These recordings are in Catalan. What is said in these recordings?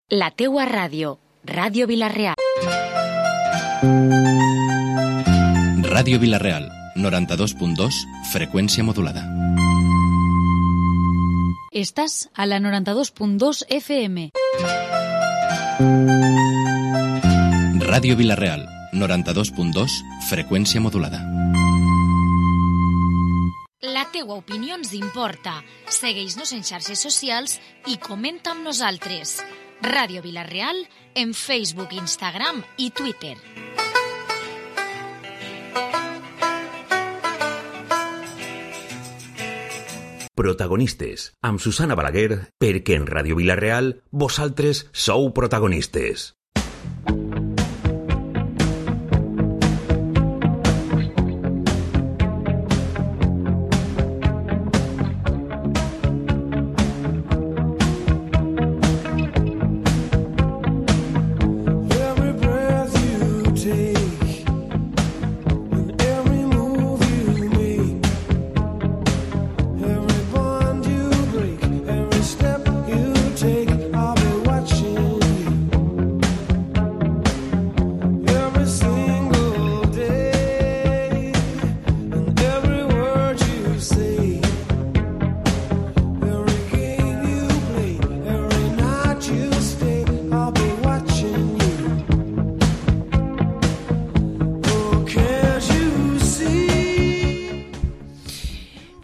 La teua ràdio, Ràdio Vila-real. Ràdio Vila-real, 92.2, freqüència modulada. Estàs a la 92.2 FM. Ràdio Vila-real, 92.2, freqüència modulada. La teua opinió ens importa. Segueix-nos en xarxes socials i comenta amb nosaltres. Ràdio Vila-real en Facebook, Instagram i Twitter. Protagonistes, amb Susana Balaguer, perquè en Ràdio Vila-real vosaltres sou protagonistes.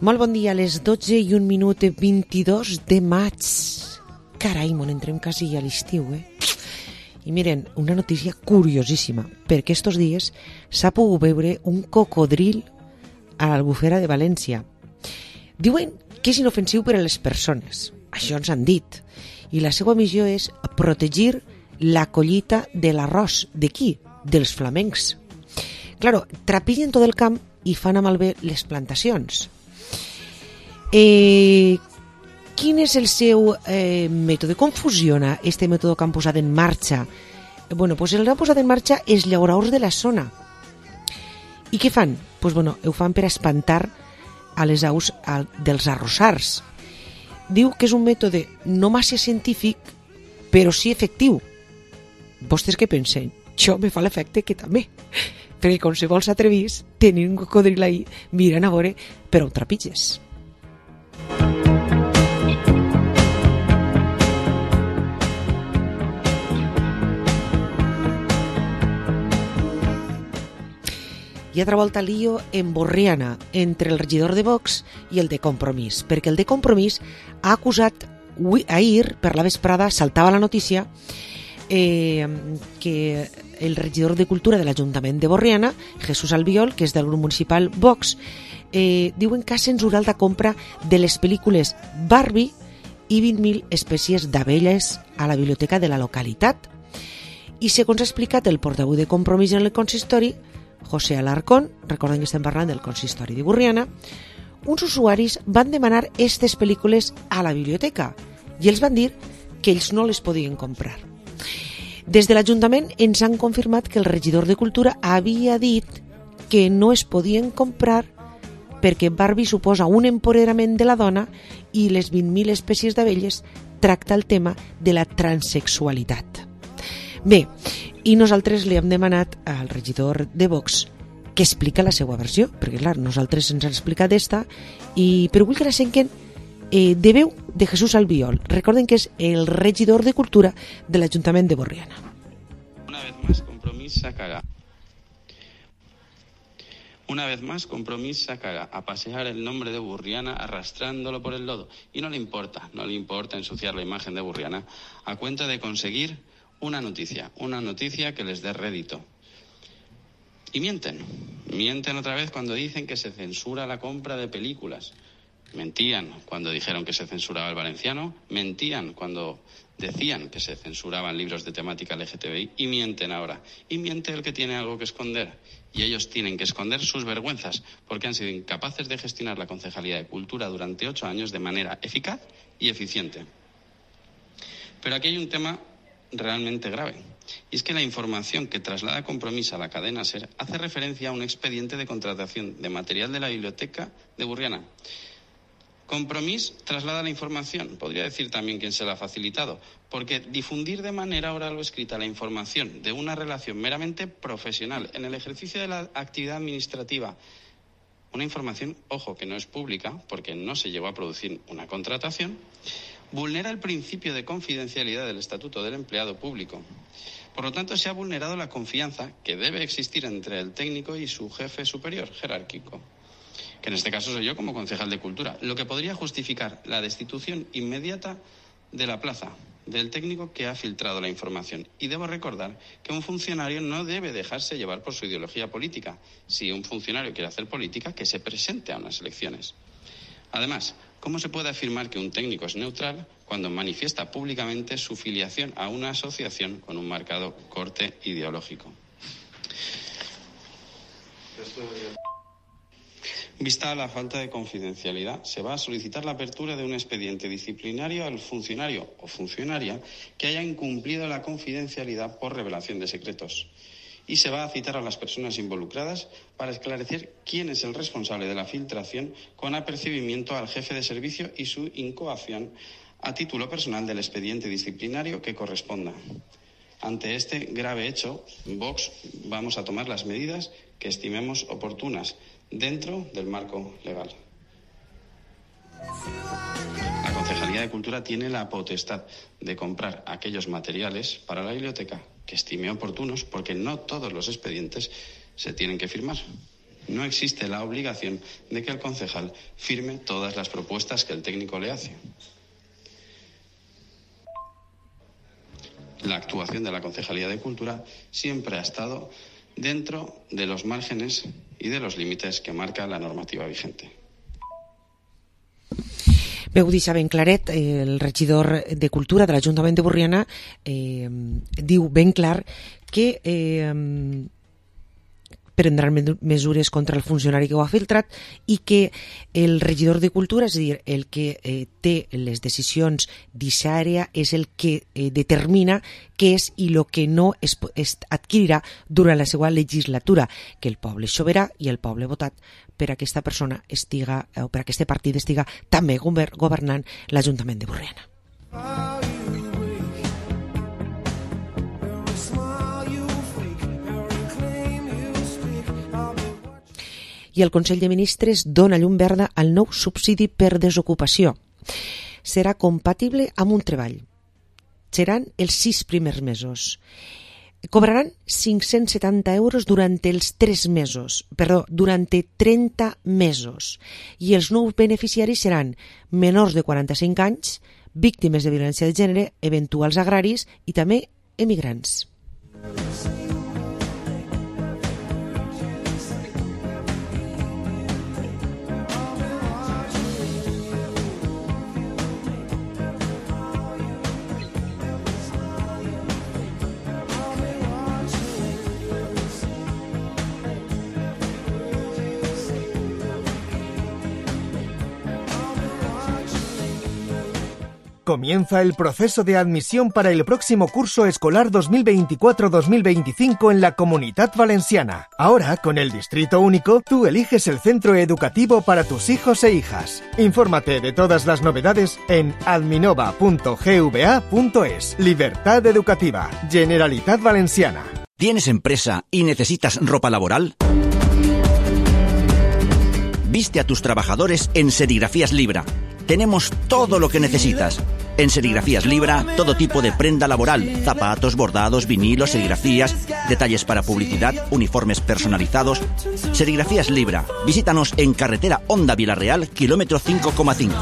Molt bon dia, a les 12 i 1 minut, 22 de maig. Carai, mon entrem quasi a l'estiu, I miren, una notícia curiosíssima, perquè estos dies s'ha pogut veure un cocodril a l'Albufera de València. Diuen que és inofensiu per a les persones, això ens han dit, i la seva missió és protegir la collita de l'arròs. De qui? Dels flamencs. Claro, trapillen tot el camp i fan a malbé les plantacions. Quin és el seu mètode? Com funciona este mètode que han posat en marxa? Bueno, pues el que han posat en marxa és llauradors de la zona. I què fan? Pues bueno, ho fan per espantar a les aus dels arrossars. Diu que és un mètode no massa científic, però sí efectiu. Vostès què pensen? Jo me fa l'efecte que també. Perquè qualsevol s'atrevís, tenir un cocodril ahí, miren a veure, però ho trepitges. Hi ha altra volta lío en Borriana entre el regidor de Vox i el de Compromís, perquè el de Compromís ha acusat, ahir per la vesprada saltava la notícia que el regidor de Cultura de l'Ajuntament de Borriana, Jesús Albiol, que és del grup municipal Vox, diuen que ha censurat la compra de les pel·lícules Barbie i 20.000 espècies d'abelles a la biblioteca de la localitat. I segons ha explicat el portaveu de Compromís en el consistori, José Alarcón, recordem que estem parlant del consistori de Borriana, uns usuaris van demanar aquestes pel·lícules a la biblioteca i els van dir que ells no les podien comprar. Des de l'Ajuntament ens han confirmat que el regidor de Cultura havia dit que no es podien comprar perquè Barbie suposa un empoderament de la dona i les 20.000 espècies d'abelles tracta el tema de la transexualitat. Bé, i nosaltres li hem demanat al regidor de Vox que explica la seva versió, perquè clar, nosaltres ens han explicat esta, però vull que la senten de veu de Jesús Albiol. Recorden que és el regidor de Cultura de l'Ajuntament de Borriana. Una vez más, Compromís sacará. Una vez más, Compromís sacará a pasear el nombre de Borriana arrastrándolo por el lodo. Y no le importa ensuciar la imagen de Borriana a cuenta de conseguir una noticia que les dé rédito. Y mienten otra vez cuando dicen que se censura la compra de películas. Mentían cuando dijeron que se censuraba el valenciano, mentían cuando decían que se censuraban libros de temática LGTBI y mienten ahora. Y miente el que tiene algo que esconder. Y ellos tienen que esconder sus vergüenzas porque han sido incapaces de gestionar la Concejalía de Cultura durante 8 años de manera eficaz y eficiente. Pero aquí hay un tema realmente grave. Y es que la información que traslada Compromís a la cadena SER hace referencia a un expediente de contratación de material de la biblioteca de Borriana. Compromís traslada la información, podría decir también quién se la ha facilitado, porque difundir de manera oral o escrita la información de una relación meramente profesional en el ejercicio de la actividad administrativa, una información, ojo, que no es pública, porque no se llevó a producir una contratación, vulnera el principio de confidencialidad del Estatuto del Empleado Público. Por lo tanto, se ha vulnerado la confianza que debe existir entre el técnico y su jefe superior jerárquico, que en este caso soy yo como concejal de Cultura, lo que podría justificar la destitución inmediata de la plaza del técnico que ha filtrado la información. Y debo recordar que un funcionario no debe dejarse llevar por su ideología política. Si un funcionario quiere hacer política, que se presente a unas elecciones. Además, ¿cómo se puede afirmar que un técnico es neutral cuando manifiesta públicamente su filiación a una asociación con un marcado corte ideológico? Vista a la falta de confidencialidad, se va a solicitar la apertura de un expediente disciplinario al funcionario o funcionaria que haya incumplido la confidencialidad por revelación de secretos. Y se va a citar a las personas involucradas para esclarecer quién es el responsable de la filtración con apercibimiento al jefe de servicio y su incoación a título personal del expediente disciplinario que corresponda. Ante este grave hecho, Vox vamos a tomar las medidas que estimemos oportunas dentro del marco legal. La Concejalía de Cultura tiene la potestad de comprar aquellos materiales para la biblioteca que estime oportunos, porque no todos los expedientes se tienen que firmar. No existe la obligación de que el concejal firme todas las propuestas que el técnico le hace. La actuación de la Concejalía de Cultura siempre ha estado dentro de los márgenes y de los límites que marca la normativa vigente. Veu deixar ben claret, el regidor de Cultura de l'Ajuntament de Borriana diu ben clar que prendran mesures contra el funcionari que ho ha filtrat i que el regidor de Cultura, és a dir, el que té les decisions d'aquesta àrea, és el que determina què és i el que no es adquirirà durant la seva legislatura, que el poble és sobirà i el poble ha votat per a aquesta persona estiga, o per a aquest partit estiga també governant l'Ajuntament de Borriana. I el Consell de Ministres dona llum verda al nou subsidi per desocupació. Serà compatible amb un treball. Seran els 6 primers mesos. Cobraran 570 euros durant els 3 mesos, durant 30 mesos. I els nous beneficiaris seran menors de 45 anys, víctimes de violència de gènere, eventuals agraris i també emigrants. Comienza el proceso de admisión para el próximo curso escolar 2024-2025 en la Comunitat Valenciana. Ahora, con el Distrito Único, tú eliges el centro educativo para tus hijos e hijas. Infórmate de todas las novedades en adminova.gva.es. Libertad educativa. Generalitat Valenciana. ¿Tienes empresa y necesitas ropa laboral? Viste a tus trabajadores en Serigrafías Libra. Tenemos todo lo que necesitas. En Serigrafías Libra, todo tipo de prenda laboral, zapatos, bordados, vinilos, serigrafías, detalles para publicidad, uniformes personalizados. Serigrafías Libra. Visítanos en carretera Honda Vilarreal, kilómetro 5,5.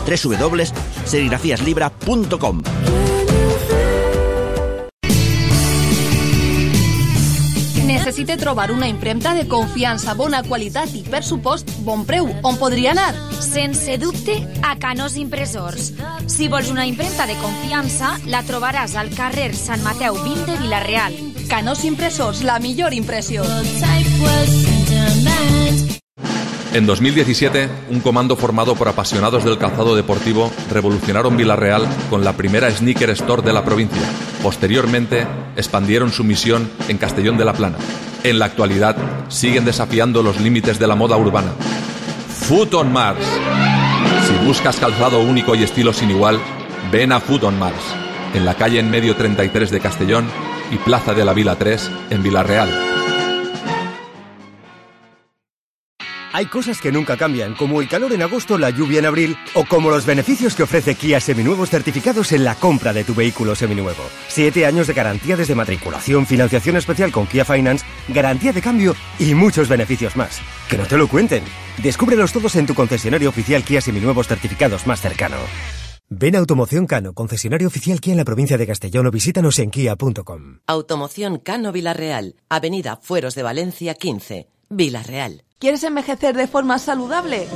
www.serigrafiaslibra.com. Necessite trobar una impremta de confiança, bona qualitat i, per supost, bon preu. On podria anar? Sense dubte, a Canós Impressors. Si vols una impremta de confiança, la trobaràs al carrer Sant Mateu 20 de Vila-real. Canós Impressors, la millor impressió. En 2017, un comando formado por apasionados del calzado deportivo revolucionaron Vila-real con la primera sneaker store de la provincia. Posteriormente, expandieron su misión en Castellón de la Plana. En la actualidad, siguen desafiando los límites de la moda urbana. Foot on Mars. Si buscas calzado único y estilo sin igual, ven a Food on Mars, en la calle En Medio 33 de Castellón y Plaza de la Vila 3 en Vilarreal. Hay cosas que nunca cambian, como el calor en agosto, la lluvia en abril, o como los beneficios que ofrece Kia Seminuevos certificados en la compra de tu vehículo seminuevo. 7 años de garantía desde matriculación, financiación especial con Kia Finance, garantía de cambio y muchos beneficios más. ¡Que no te lo cuenten! Descúbrelos todos en tu concesionario oficial Kia Seminuevos certificados más cercano. Ven a Automoción Cano, concesionario oficial Kia en la provincia de Castellón, o visítanos en kia.com. Automoción Cano Vilarreal, Avenida Fueros de Valencia 15, Vilarreal. ¿Quieres envejecer de forma saludable?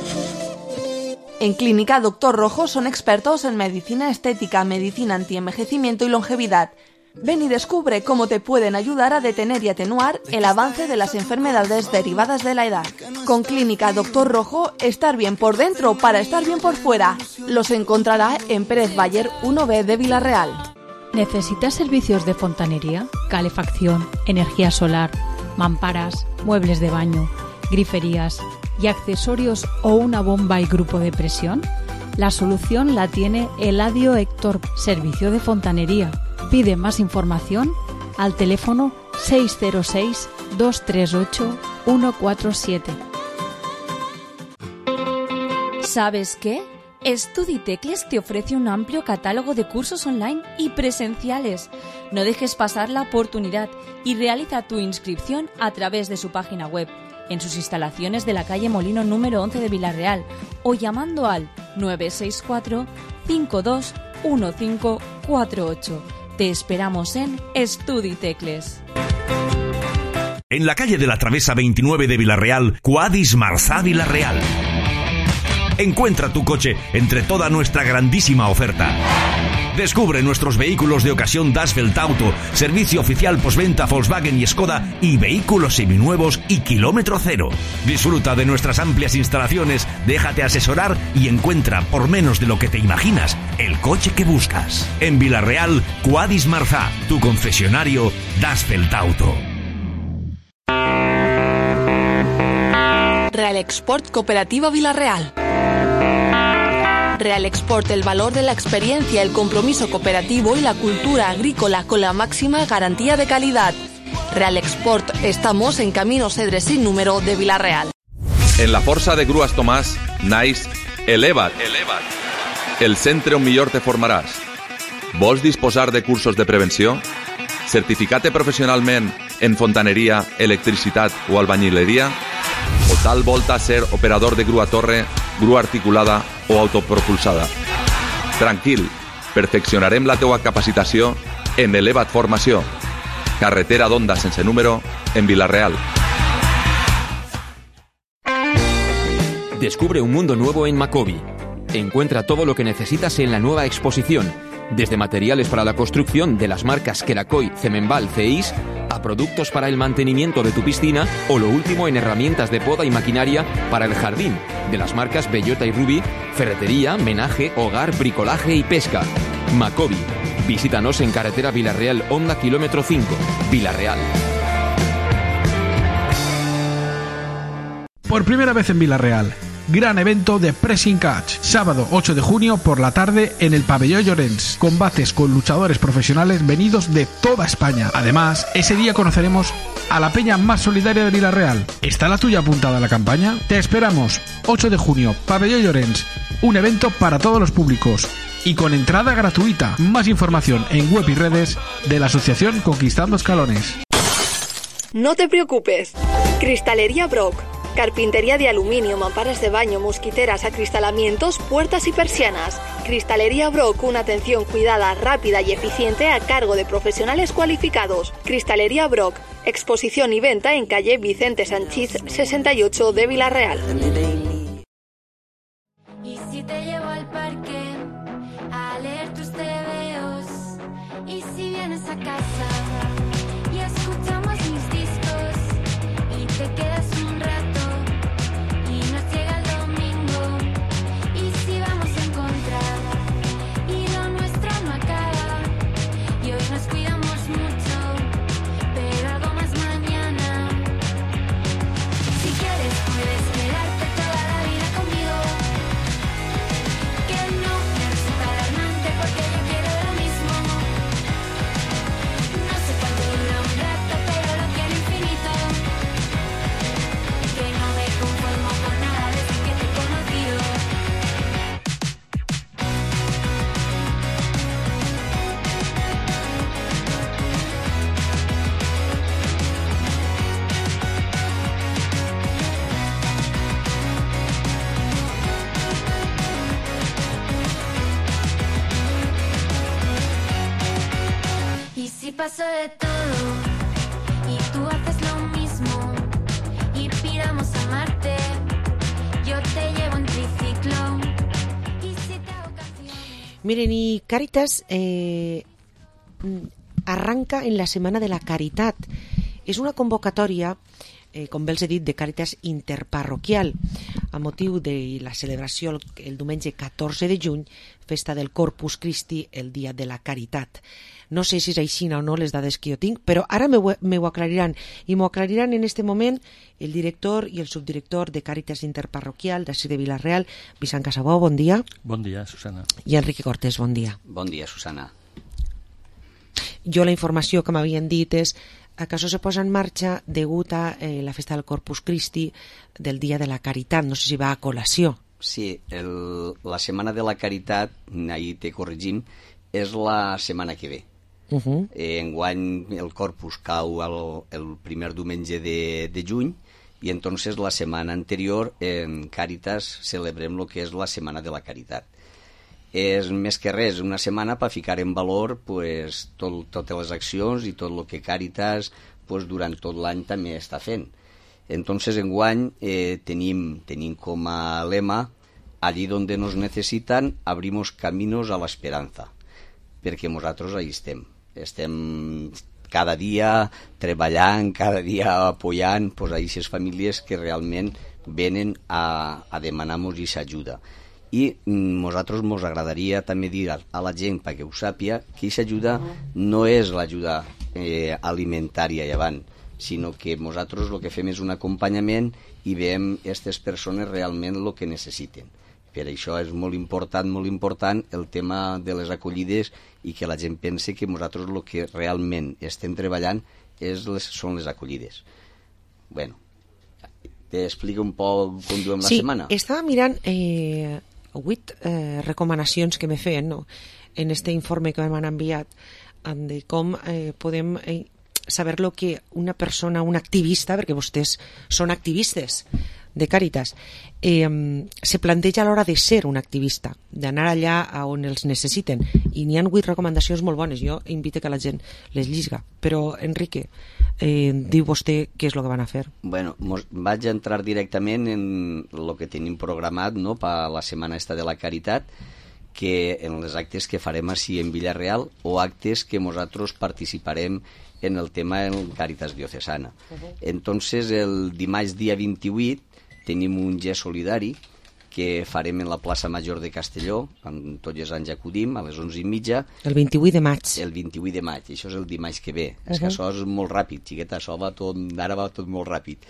En Clínica Dr. Rojo son expertos en medicina estética, medicina antienvejecimiento y longevidad. Ven y descubre cómo te pueden ayudar a detener y atenuar el avance de las enfermedades derivadas de la edad. Con Clínica Dr. Rojo, estar bien por dentro para estar bien por fuera. Los encontrará en Pérez Bayer 1B de Vilarreal. ¿Necesitas servicios de fontanería, calefacción, energía solar, mamparas, muebles de baño, griferías y accesorios o una bomba y grupo de presión? La solución la tiene Eladio Héctor, servicio de fontanería. Pide más información al teléfono 606-238-147. ¿Sabes qué? Studitecles te ofrece un amplio catálogo de cursos online y presenciales. No dejes pasar la oportunidad y realiza tu inscripción a través de su página web, en sus instalaciones de la calle Molino número 11 de Vilarreal, o llamando al 964 521548. Te esperamos en Studitecles. En la calle de la Travesa 29 de Vilarreal, Quadis Marzà Vilarreal. Encuentra tu coche entre toda nuestra grandísima oferta. Descubre nuestros vehículos de ocasión Dasfeld Auto, servicio oficial postventa Volkswagen y Skoda, y vehículos seminuevos y kilómetro cero. Disfruta de nuestras amplias instalaciones, déjate asesorar y encuentra, por menos de lo que te imaginas, el coche que buscas. En Vilarreal, Quadis Marzà, tu concesionario Dasfeld Auto. Real Export Cooperativa Vilarreal. Real Export, el valor de la experiencia, el compromiso cooperativo y la cultura agrícola con la máxima garantía de calidad. Real Export, estamos en Camino Cedres sin número de Vilarreal. En la Força de Grues Tomàs, naix Eleva't. El centre on millor te formaràs. Vols disposar de cursos de prevenció? Certificar-te professionalment en fontaneria, electricitat o albañileria? O tal volta ser operador de grua torre, grua articulada o autopropulsada? Tranquil, perfeccionarem la teua capacitació en Eleva't Formació. Carretera d'Onda sense número en Vilarreal. Descubre un mundo nuevo en Macobi. Encuentra todo lo que necesitas en la nueva exposición, desde materiales para la construcción de las marcas Kerakoy, Cemenbal, Ceis, a productos para el mantenimiento de tu piscina, o lo último en herramientas de poda y maquinaria para el jardín, de las marcas Bellota y Ruby, ferretería, menaje, hogar, bricolaje y pesca. Macobi. Visítanos en carretera Vilarreal Honda kilómetro 5, Vilarreal. Por primera vez en Vilarreal, gran evento de Pressing Catch, sábado 8 de junio por la tarde en el Pabellón Llorens. Combates con luchadores profesionales venidos de toda España. Además, ese día conoceremos a la peña más solidaria de Vilarreal. ¿Está la tuya apuntada a la campaña? Te esperamos, 8 de junio, Pabellón Llorens. Un evento para todos los públicos y con entrada gratuita. Más información en web y redes de la asociación Conquistando Escalones. No te preocupes. Cristalería Brock. Carpintería de aluminio, mamparas de baño, mosquiteras, acristalamientos, puertas y persianas. Cristalería Brock, una atención cuidada, rápida y eficiente a cargo de profesionales cualificados. Cristalería Brock, exposición y venta en calle Vicente Sanchís 68 de Vilarreal. Y si te llevo al parque a leer tus tebeos, y si vienes a casa y escuchamos mis discos y te quedas un rato. si pasó de todo y tú haces lo mismo y piramos a Marte, yo te llevo en triciclo y si te hago canción. Miren, y Càritas arranca en la Setmana de la Caritat. És una convocatòria, com bé els he dit, de Càritas interparroquial a motiu de la celebració el diumenge 14 de juny, festa del Corpus Christi, el dia de la Caritat. No sé si és així o no les dades que jo tinc, però ara m'ho aclariran, i m'ho aclariran en este moment el director i el subdirector de Càritas interparroquial d'ací de Vila-real, Vicent Casabó, bon dia. Bon dia, Susana. I Enrique Cortés, bon dia. Bon dia, Susana. Jo la informació que m'havien dit és que això se posa en marxa degut a la festa del Corpus Christi del Dia de la Caritat. No sé si va a col·lació. Sí, la Setmana de la Caritat, ahir te corregim, és la setmana que ve. Enguany el Corpus cau el primer diumenge de juny i entonces la setmana anterior en Càritas celebrem el que és la Setmana de la Caritat. És més que res una setmana per ficar en valor pues, totes les accions i tot el que Càritas pues, durant tot l'any també està fent. Entonces enguany tenim com a lema allí donde nos necesitan abrimos caminos a la esperanza, perquè nosaltres ahí estem cada dia treballant, cada dia apoyant pues, a aquestes famílies que realment venen a demanar-nos aquesta ajuda. I nosaltres ens agradaria també dir a la gent perquè ho sàpia que aquesta ajuda no és l'ajuda alimentària llevant, sinó que nosaltres el que fem és un acompanyament i veiem aquestes persones realment el que necessiten. Per això és molt important el tema de les acollides i que la gent pense que nosaltres el que realment estem treballant són les acollides. Bueno, t'explico un poc com duem la setmana. Sí, estava mirant 8 recomanacions que me feien, no? En este informe que m'han enviat de com podem saber lo que una persona, un activista, perquè vostès són activistes de Càritas, se planteja a l'hora de ser un activista, d'anar allà on els necessiten, i n'hi ha 8 recomanacions molt bones. Jo invito que la gent les llisga, però Enrique, diu vostè què és el que van a fer. Bueno, vaig entrar directament en el que tenim programat, no, per la setmana esta de la Caritat, que en els actes que farem així en Vila-real o actes que nosaltres participarem en el tema en Càritas Diocesana. Entonces, el dimarts dia 28 tenim un gest solidari que farem en la plaça Major de Castelló, on tots els anys acudim, a les 11:30. El 28 de maig. El 28 de maig, això és el dimarts que ve. És que això és molt ràpid, xiqueta, això ara va tot molt ràpid.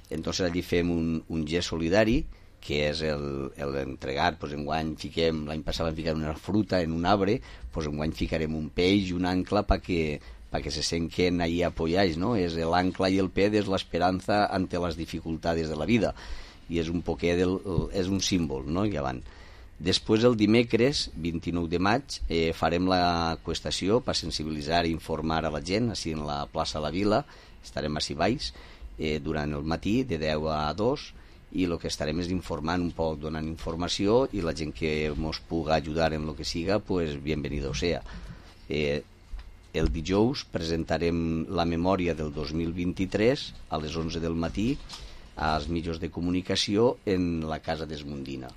Entonces allí fem un gest solidari, que és l'entregar, doncs enguany fiquem, l'any passat vam ficar una fruta en un arbre, doncs enguany ficarem un peix i un ancla perquè se senten ahí apoyats, ¿no? És l'ancla i el pez és l'esperança ante les dificultats de la vida. I és un poquet és un símbol, no? I avant. Després, el dimecres, 29 de maig, farem la qüestació per sensibilitzar i informar a la gent, així en la plaça de la Vila, estarem així baix, durant el matí, de 10 a 2, i el que estarem és informant un poc, donant informació, i la gent que ens pugui ajudar en el que siga, pues bienvenido sea. El dijous presentarem la memòria del 2023 a les 11 del matí als mitjans de comunicació en la Casa d'Esmundina.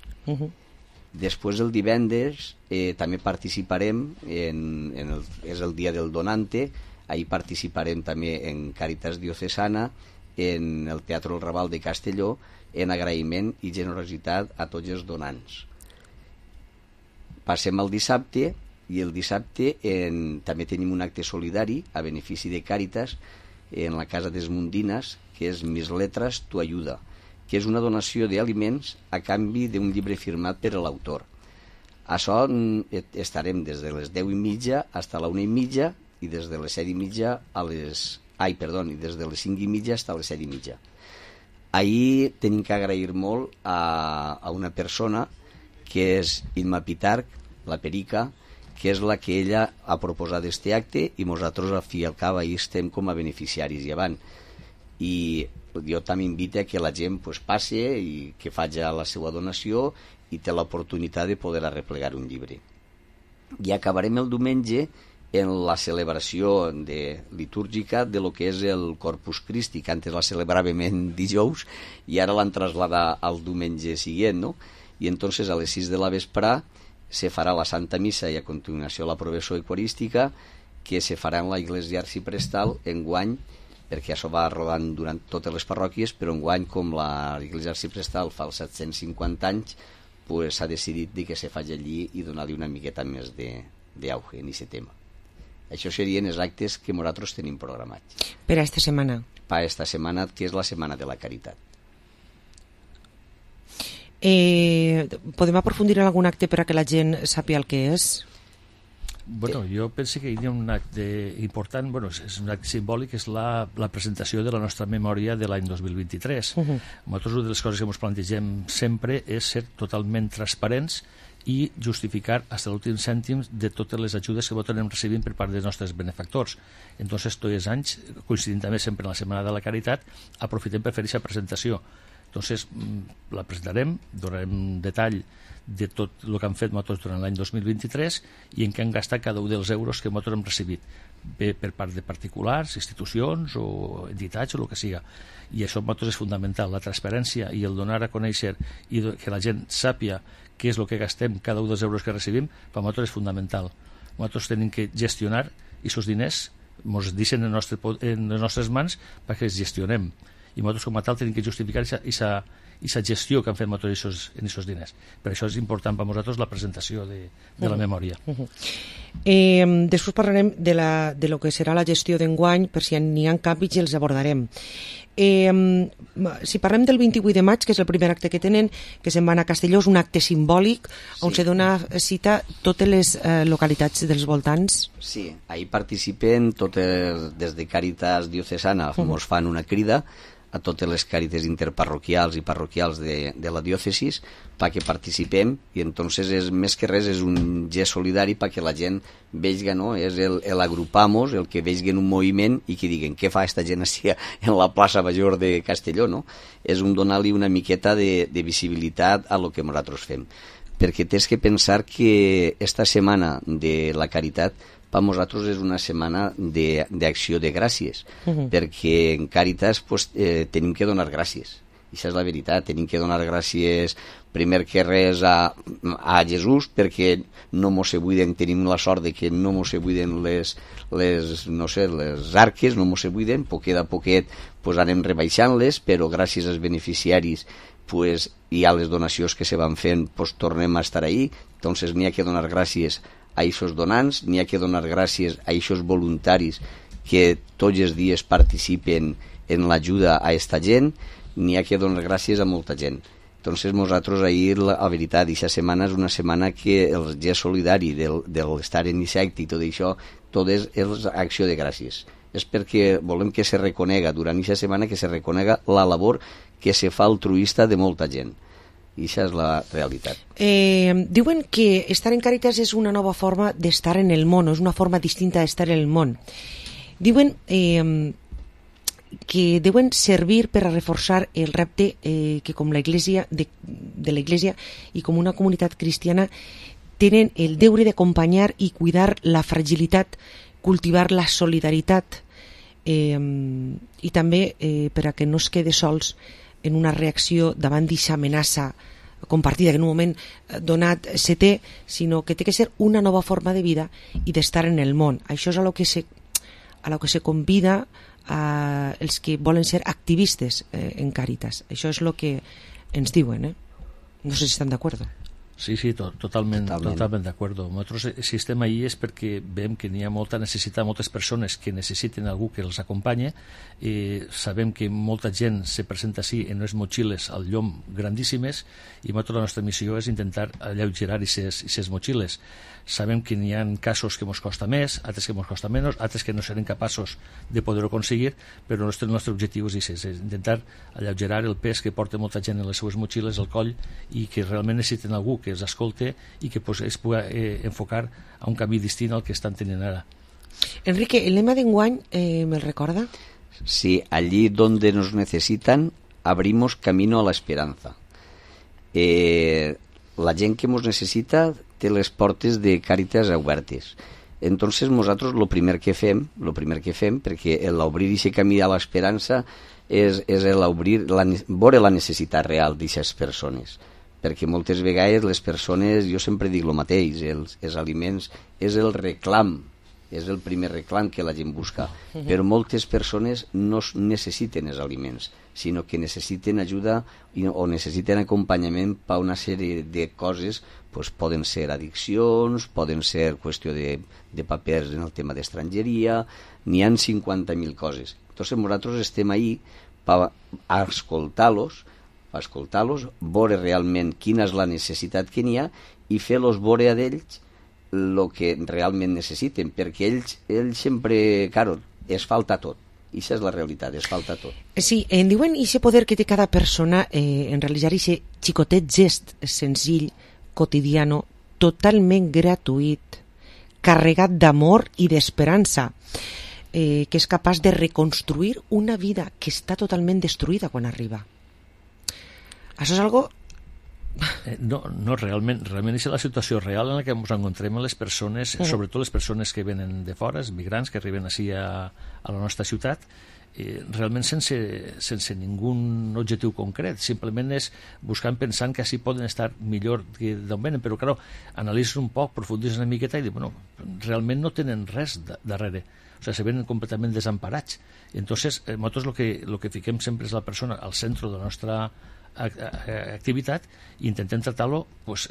Després, el divendres, també participarem, és el dia del donante, ahir participarem també en Càritas Diocesana, en el Teatre El Raval de Castelló, en agraïment i generositat a tots els donants. Passem al dissabte, i el dissabte també tenim un acte solidari a benefici de Càritas en la Casa d'Esmundines, que és Mis Letras, Tu Ayuda, que és una donació d'aliments a canvi d'un llibre firmat per l'autor. Això estarem des de les 10:30 fins a la 1:30 i des de les 7:30 i des de les 5:30 fins a les 7:30. Ahir tenim que agrair molt a una persona que és Imma Pitarch, la Perica, que és la que ella ha proposat aquest acte i nosaltres al fi i al cap ahir estem com a beneficiaris llevant. I jo també invito a que la gent passi i que faci la seva donació i té l'oportunitat de poder arreplegar un llibre. I acabarem el diumenge en la celebració litúrgica de lo que és el Corpus Christi, que antes la celebràvem en dijous i ara l'han traslladat al diumenge següent, no? I entonces a les 6 de la vesprà se farà la Santa Missa i a continuació la professió eucarística, que se farà en la Iglesia Arciprestal enguany, perquè això va rodant durant totes les parròquies, però enguany, com la Iglesia Arciprestal fa els 750 anys, pues s'ha decidit que se faci allí i donar-li una miqueta més d'auge en aquest tema. Això serien els actes que nosaltres tenim programats. Per a esta setmana? Per a esta setmana, que és la Setmana de la Caritat. Podem aprofundir en algun acte per a que la gent sàpiga el que és? Bueno, jo penso que hi ha un acte important, bueno, és un acte simbòlic, és la presentació de la nostra memòria de l'any 2023. Nosaltres una de les coses que ens plantegem sempre és ser totalment transparents i justificar fins a l'últim cèntim de totes les ajudes que nosaltres anem recibint per part dels nostres benefactors. Entonces, tots els anys, coincidint també sempre en la Setmana de la Caritat, aprofitem per fer aquesta presentació. Entonces, la presentarem, donarem detall de tot el que han fet nosaltres durant l'any 2023 i en què han gastat cada un dels euros que nosaltres hem recibit, bé per part de particulars, institucions o entitats o el que siga. I això per nosaltres és fundamental, la transparència i el donar a conèixer i que la gent sàpia què és el que gastem cada un dels euros que recibim, per nosaltres és fundamental. Nosaltres tenim que gestionar aquests diners, ens deixen en les nostres mans perquè els gestionem. I nosaltres com a tal tenim que justificar aquesta gestió que han fet nosaltres en aquests diners. Per això és important per nosaltres la presentació de la memòria. Després parlarem de lo que serà la gestió d'enguany, per si n'hi ha canvis i els abordarem. Si parlem del 28 de maig, que és el primer acte que tenen, que se'n van a Castelló, és un acte simbòlic on se dona cita totes les localitats dels voltants. Sí, ahí participen totes, des de Càritas Diocesana ens fan una crida a totes les càrites interparroquials i parroquials de la diòcesis perquè participem, i entonces és, més que res és un gest solidari perquè la gent vegi, no? És l'agrupamos, el que vegin un moviment i que diguen què fa esta gent així en la plaça Major de Castelló, no? És un donar-li una miqueta de visibilitat a lo que nosaltres fem, perquè tens que pensar que esta setmana de la Caritat per nosaltres és una setmana d'acció de gràcies, perquè en Càritas tenim que donar gràcies. I això és la veritat, tenim que donar gràcies primer que res a Jesús, perquè no mos se buiden, tenim la sort de que no mos se buiden les arques, no mos se buiden, poquet a poquet anem rebaixant-les, però gràcies als beneficiaris i a les donacions que se van fent tornem a estar ahí. Entonces n'hi ha que donar gràcies a aquests donants, n'hi ha que donar gràcies a aquests voluntaris que tots els dies participen en l'ajuda a aquesta gent, n'hi ha que donar gràcies a molta gent. Entonces nosaltres ahir, la veritat, aquesta setmana és una setmana que el gest solidari de l'estar en aquest acte i tot això, tot és acció de gràcies. És perquè volem que se reconega durant aquesta setmana, que se reconega la labor que se fa altruista de molta gent. I això és la realitat. Diuen que estar en Càritas és una nova forma d'estar en el món, és una forma distinta d'estar en el món. Diuen que deuen servir per a reforçar el repte que com la Iglesia de la Iglesia i com una comunitat cristiana tenen el deure d'acompanyar i cuidar la fragilitat, cultivar la solidaritat i també per a que no es quede sols en una reacció davant d'aquesta amenaça compartida que en un moment donat se té, sinó que té que ser una nova forma de vida i d'estar en el món. Això és a lo que se convida a els que volen ser activistes en Càritas. Això és el que ens diuen, No sé si estan d'acord. Sí, totalment d'acord. Nosaltres, si estem ahí és perquè veiem que n'hi ha molta necessitat, moltes persones que necessiten algú que els acompanye. Sabem que molta gent se presenta així en unes motxilles al llom grandíssimes i la nostra missió és intentar alleugerar aquestes motxilles. Sabem que n'hi ha casos que ens costa més, altres que ens costa menys, altres que no serem capaços de poder-ho aconseguir, però el nostre objectiu és intentar alleugerar el pes que porta molta gent en les seues motxilles al coll i que realment necessiten algú que els escolte i que es pugui enfocar a un camí distint al que estan tenint ara. Enrique, el lema d'enguany me'l recorda? Sí, allí donde nos necesitan abrimos camino a la esperanza. La gent que ens necessita té les portes de Càritas obertes. Entonces nosaltres el primer que fem, perquè l'obrir aquest camí a l'esperança és veure la necessitat real d'aquestes persones, perquè moltes vegades les persones, jo sempre dic el mateix, els aliments és el reclam, és el primer reclam que la gent busca, però moltes persones no necessiten els aliments, sinó que necessiten ajuda o necessiten acompanyament per una sèrie de coses, pues poden ser addiccions, poden ser qüestió de papers en el tema d'estrangeria, n'hi ha 50.000 coses. Entonces nosaltres estem ahí per escoltar-los, veure realment quina és la necessitat que n'hi ha i fer-los veure a ells el que realment necessiten, perquè ells sempre, claro, es falta tot. I això és la realitat, es falta tot. Sí, en diuen aquest poder que té cada persona en realitzar aquest xicotet gest senzill, quotidiano, totalment gratuït, carregat d'amor i d'esperança, que és capaç de reconstruir una vida que està totalment destruïda quan arriba. Això és algo... No, realment és la situació real en la que ens encontrem les persones, sobretot les persones que venen de fora, els migrants que arriben així a la nostra ciutat, realment sense ningú objectiu concret, simplement és buscant, pensant que així poden estar millor que d'on venen, però clar, analitzes un poc, profunditzes una miqueta i dius, bueno, realment no tenen res darrere, o sigui, se venen completament desemparats. Entonces, nosaltres el que fiquem sempre és la persona al centre de la nostra activitat i intentem tractar-lo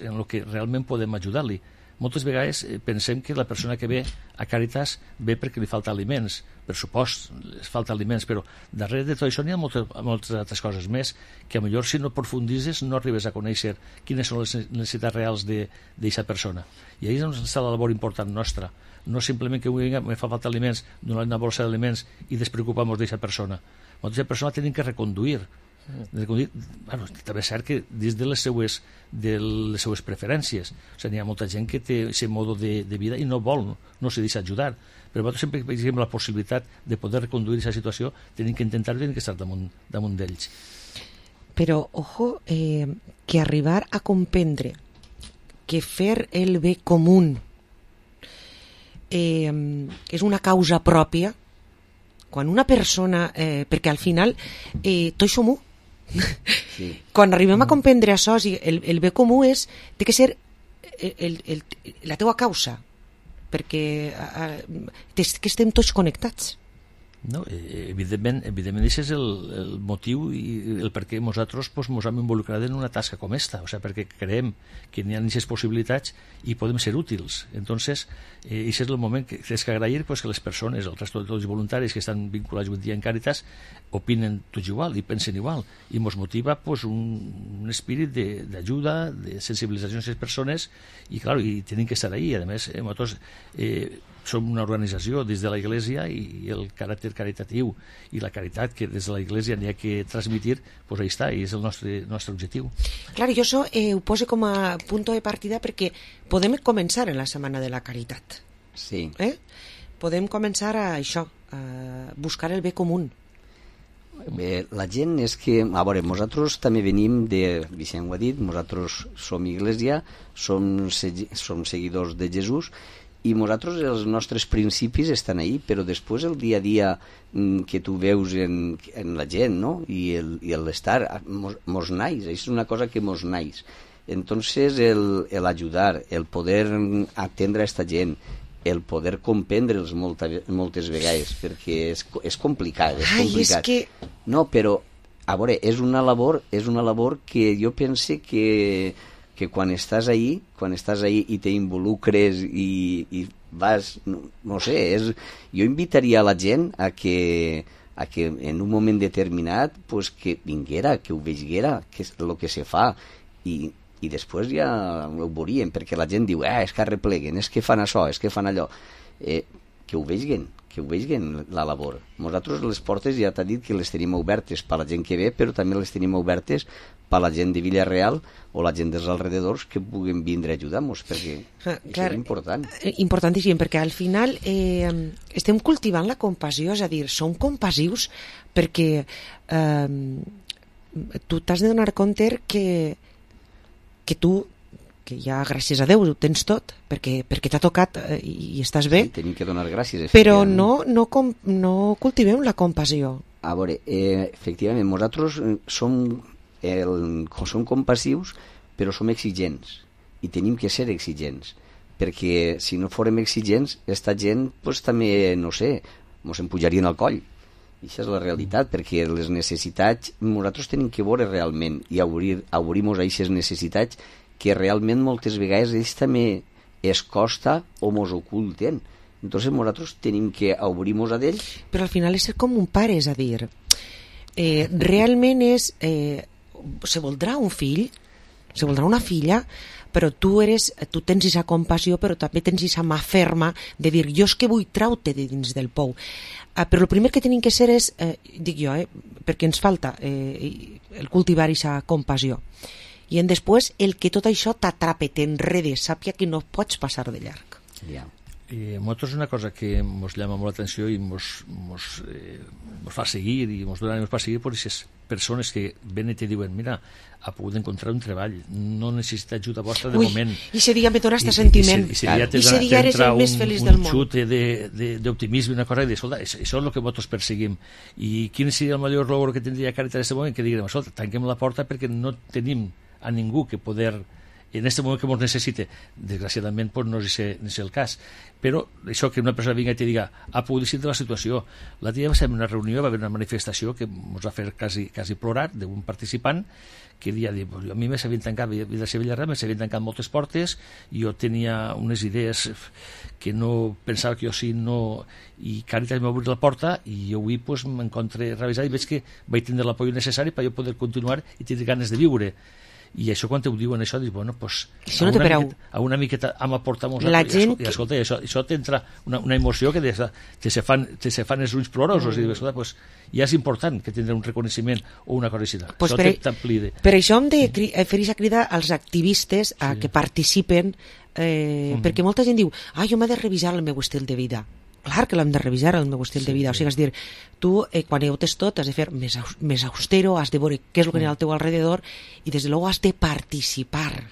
en el que realment podem ajudar-li. Moltes vegades pensem que la persona que ve a Càritas ve perquè li falta aliments, per supost, li falta aliments, però darrere de tot això n'hi ha moltes altres coses més que potser si no profunditzes no arribes a conèixer quines són les necessitats reals d'aquesta persona. I ahí és on està la labor important nostra, no simplement que me fa falta aliments, donar una bolsa d'aliments i despreocupar-nos d'aquesta persona. Aquesta persona tenim que reconduir. Bueno, també és cert que dins de les seues preferències, o sigui, hi ha molta gent que té aquest mode de vida i no vol, no se deixa ajudar, però nosaltres sempre que tenim la possibilitat de poder reconduir aquesta situació tenim que intentar estar damunt d'ells. Però, ojo, que arribar a comprendre que fer el bé comú és una causa pròpia, quan una persona, perquè al final tots som u. Sí. Quan arribem a comprendre això, el bé comú té que ser la teua causa, perquè que estem tots connectats. No, evidentment això és el motiu i el per què nosaltres ens hem involucrat en una tasca com esta, o sigui, perquè creiem que n'hi ha aquestes possibilitats i podem ser útils. Entonces, això és el moment que és que agrair que les persones, el resto de tots els voluntaris que estan vinculats avui dia en Càritas, opinen tots igual i pensen igual, i ens motiva un espírit d'ajuda, de sensibilització a les persones, i clar, i tenim que estar ahí. A més, nosaltres som una organització des de la Iglesia i el caràcter caritatiu i la caritat que des de la Iglesia n'hi ha que transmitir, doncs ahí està, i és el nostre objectiu. Clar, jo això ho poso com a punt de partida perquè podem començar en la Setmana de la Caritat. Sí. Podem començar a això, a buscar el bé comú. Bé, la gent és que, a veure, nosaltres també venim Vicent ho ha dit, nosaltres som Iglesia, som seguidors de Jesús, i nosaltres els nostres principis estan ahí, però després el dia a dia que tu veus en la gent, no? I l'estar mos naix, és una cosa que mos naix. Entonces l'ajudar, el poder atendre a aquesta gent, el poder comprendre'ls moltes vegades, perquè és complicat, és complicat. És que... No, però, a veure, és una labor que jo pense que quan estàs ahí i t'involucres i vas, no sé, jo invitaria a la gent a que en un moment determinat pues, que vinguera, que ho veiguera, que és el que se fa, i després ja ho veuríem, perquè la gent diu és que arrepleguen, és que fan això, és que fan allò, que ho veiguen la labor. Nosaltres les portes ja t'ha dit que les tenim obertes per la gent que ve, però també les tenim obertes per la gent de Villarreal o la gent dels alrededors que puguin vindre a ajudar-nos, perquè això és important. Importantíssim, perquè al final estem cultivant la compassió, és a dir, som compassius perquè tu t'has de donar compte que tu ja, gràcies a Déu, ho tens tot, perquè t'ha tocat i estàs bé. Sí, tenim que donar gràcies. Però no cultivem la compassió. A veure, efectivament, nosaltres som compassius, però som exigents, i tenim que ser exigents, perquè si no fórem exigents, aquesta gent pues, també, no sé, ens empujarien al coll. I això és la realitat, perquè les necessitats nosaltres tenim que veure realment i obrir-nos a aquestes necessitats que realment moltes vegades ells també es costa o mos oculten. Entonces nosaltres tenim que obrir-nos a d'ells. Però al final és ser com un pare, és a dir, realment és se voldrà un fill, se voldrà una filla, però tu tens aquesta compassió, però també tens aquesta mà ferma de dir, jo és que vull treure-te de dins del pou. Però el primer que tenim que ser és, dic jo, perquè ens falta el cultivar aquesta compassió. I després el que tot això t'atrape, t'enrede, sàpia que no pots passar de llarg. I nosaltres una cosa que ens llama molt l'atenció i ens fa seguir i ens dona per seguir per aquestes persones que ven i te diuen, mira, ha pogut encontrar un treball, no necessita ajuda vostra de moment. I ese dia me dona este sentiment. I ese dia eres el més feliç del món. Un xut d'optimisme, una cosa, i dir, escolta, això és el que nosaltres perseguim. I quin seria el millor logro que tindria Càritas en aquest moment? Que diguem, escolta, tanquem la porta perquè no tenim a ningú que poder en aquest moment que ens necessite. Desgraciadament pues, no és el cas, però això que una persona vinga i te diga ha pogut eixir de la situació. L'altre dia va ser una reunió, va haver una manifestació que ens va fer quasi plorar d'un participant que dia, a mi me s'havien tancat, de ser Villarreal, me s'havien tancat moltes portes, jo tenia unes idees que no pensava que jo sí, no, i Càritas m'ha obrit la porta i jo avui pues, m'encontre revisat i veig que vaig tindre l'apoyo necessari per jo poder continuar i tenir ganes de viure. I això quan te ho diuen això, dius, bueno, pues, a una miqueta hem aportat i escolta, això t'entra una emoció que te se fan els ulls plorosos i dius, escolta, pues, ja és important que tindrà un reconeixement o una cosa així. Pues per això hem de fer aquesta crida als activistes a que participen, perquè molta gent diu, jo m'he de revisar el meu estil de vida. Clar que l'hem de revisar, el meu estil de vida. O sigui, és dir, tu, quan ho tens tot, has de fer més austero, has de veure què és el que hi ha al teu alrededor i, des de luego, has de participar.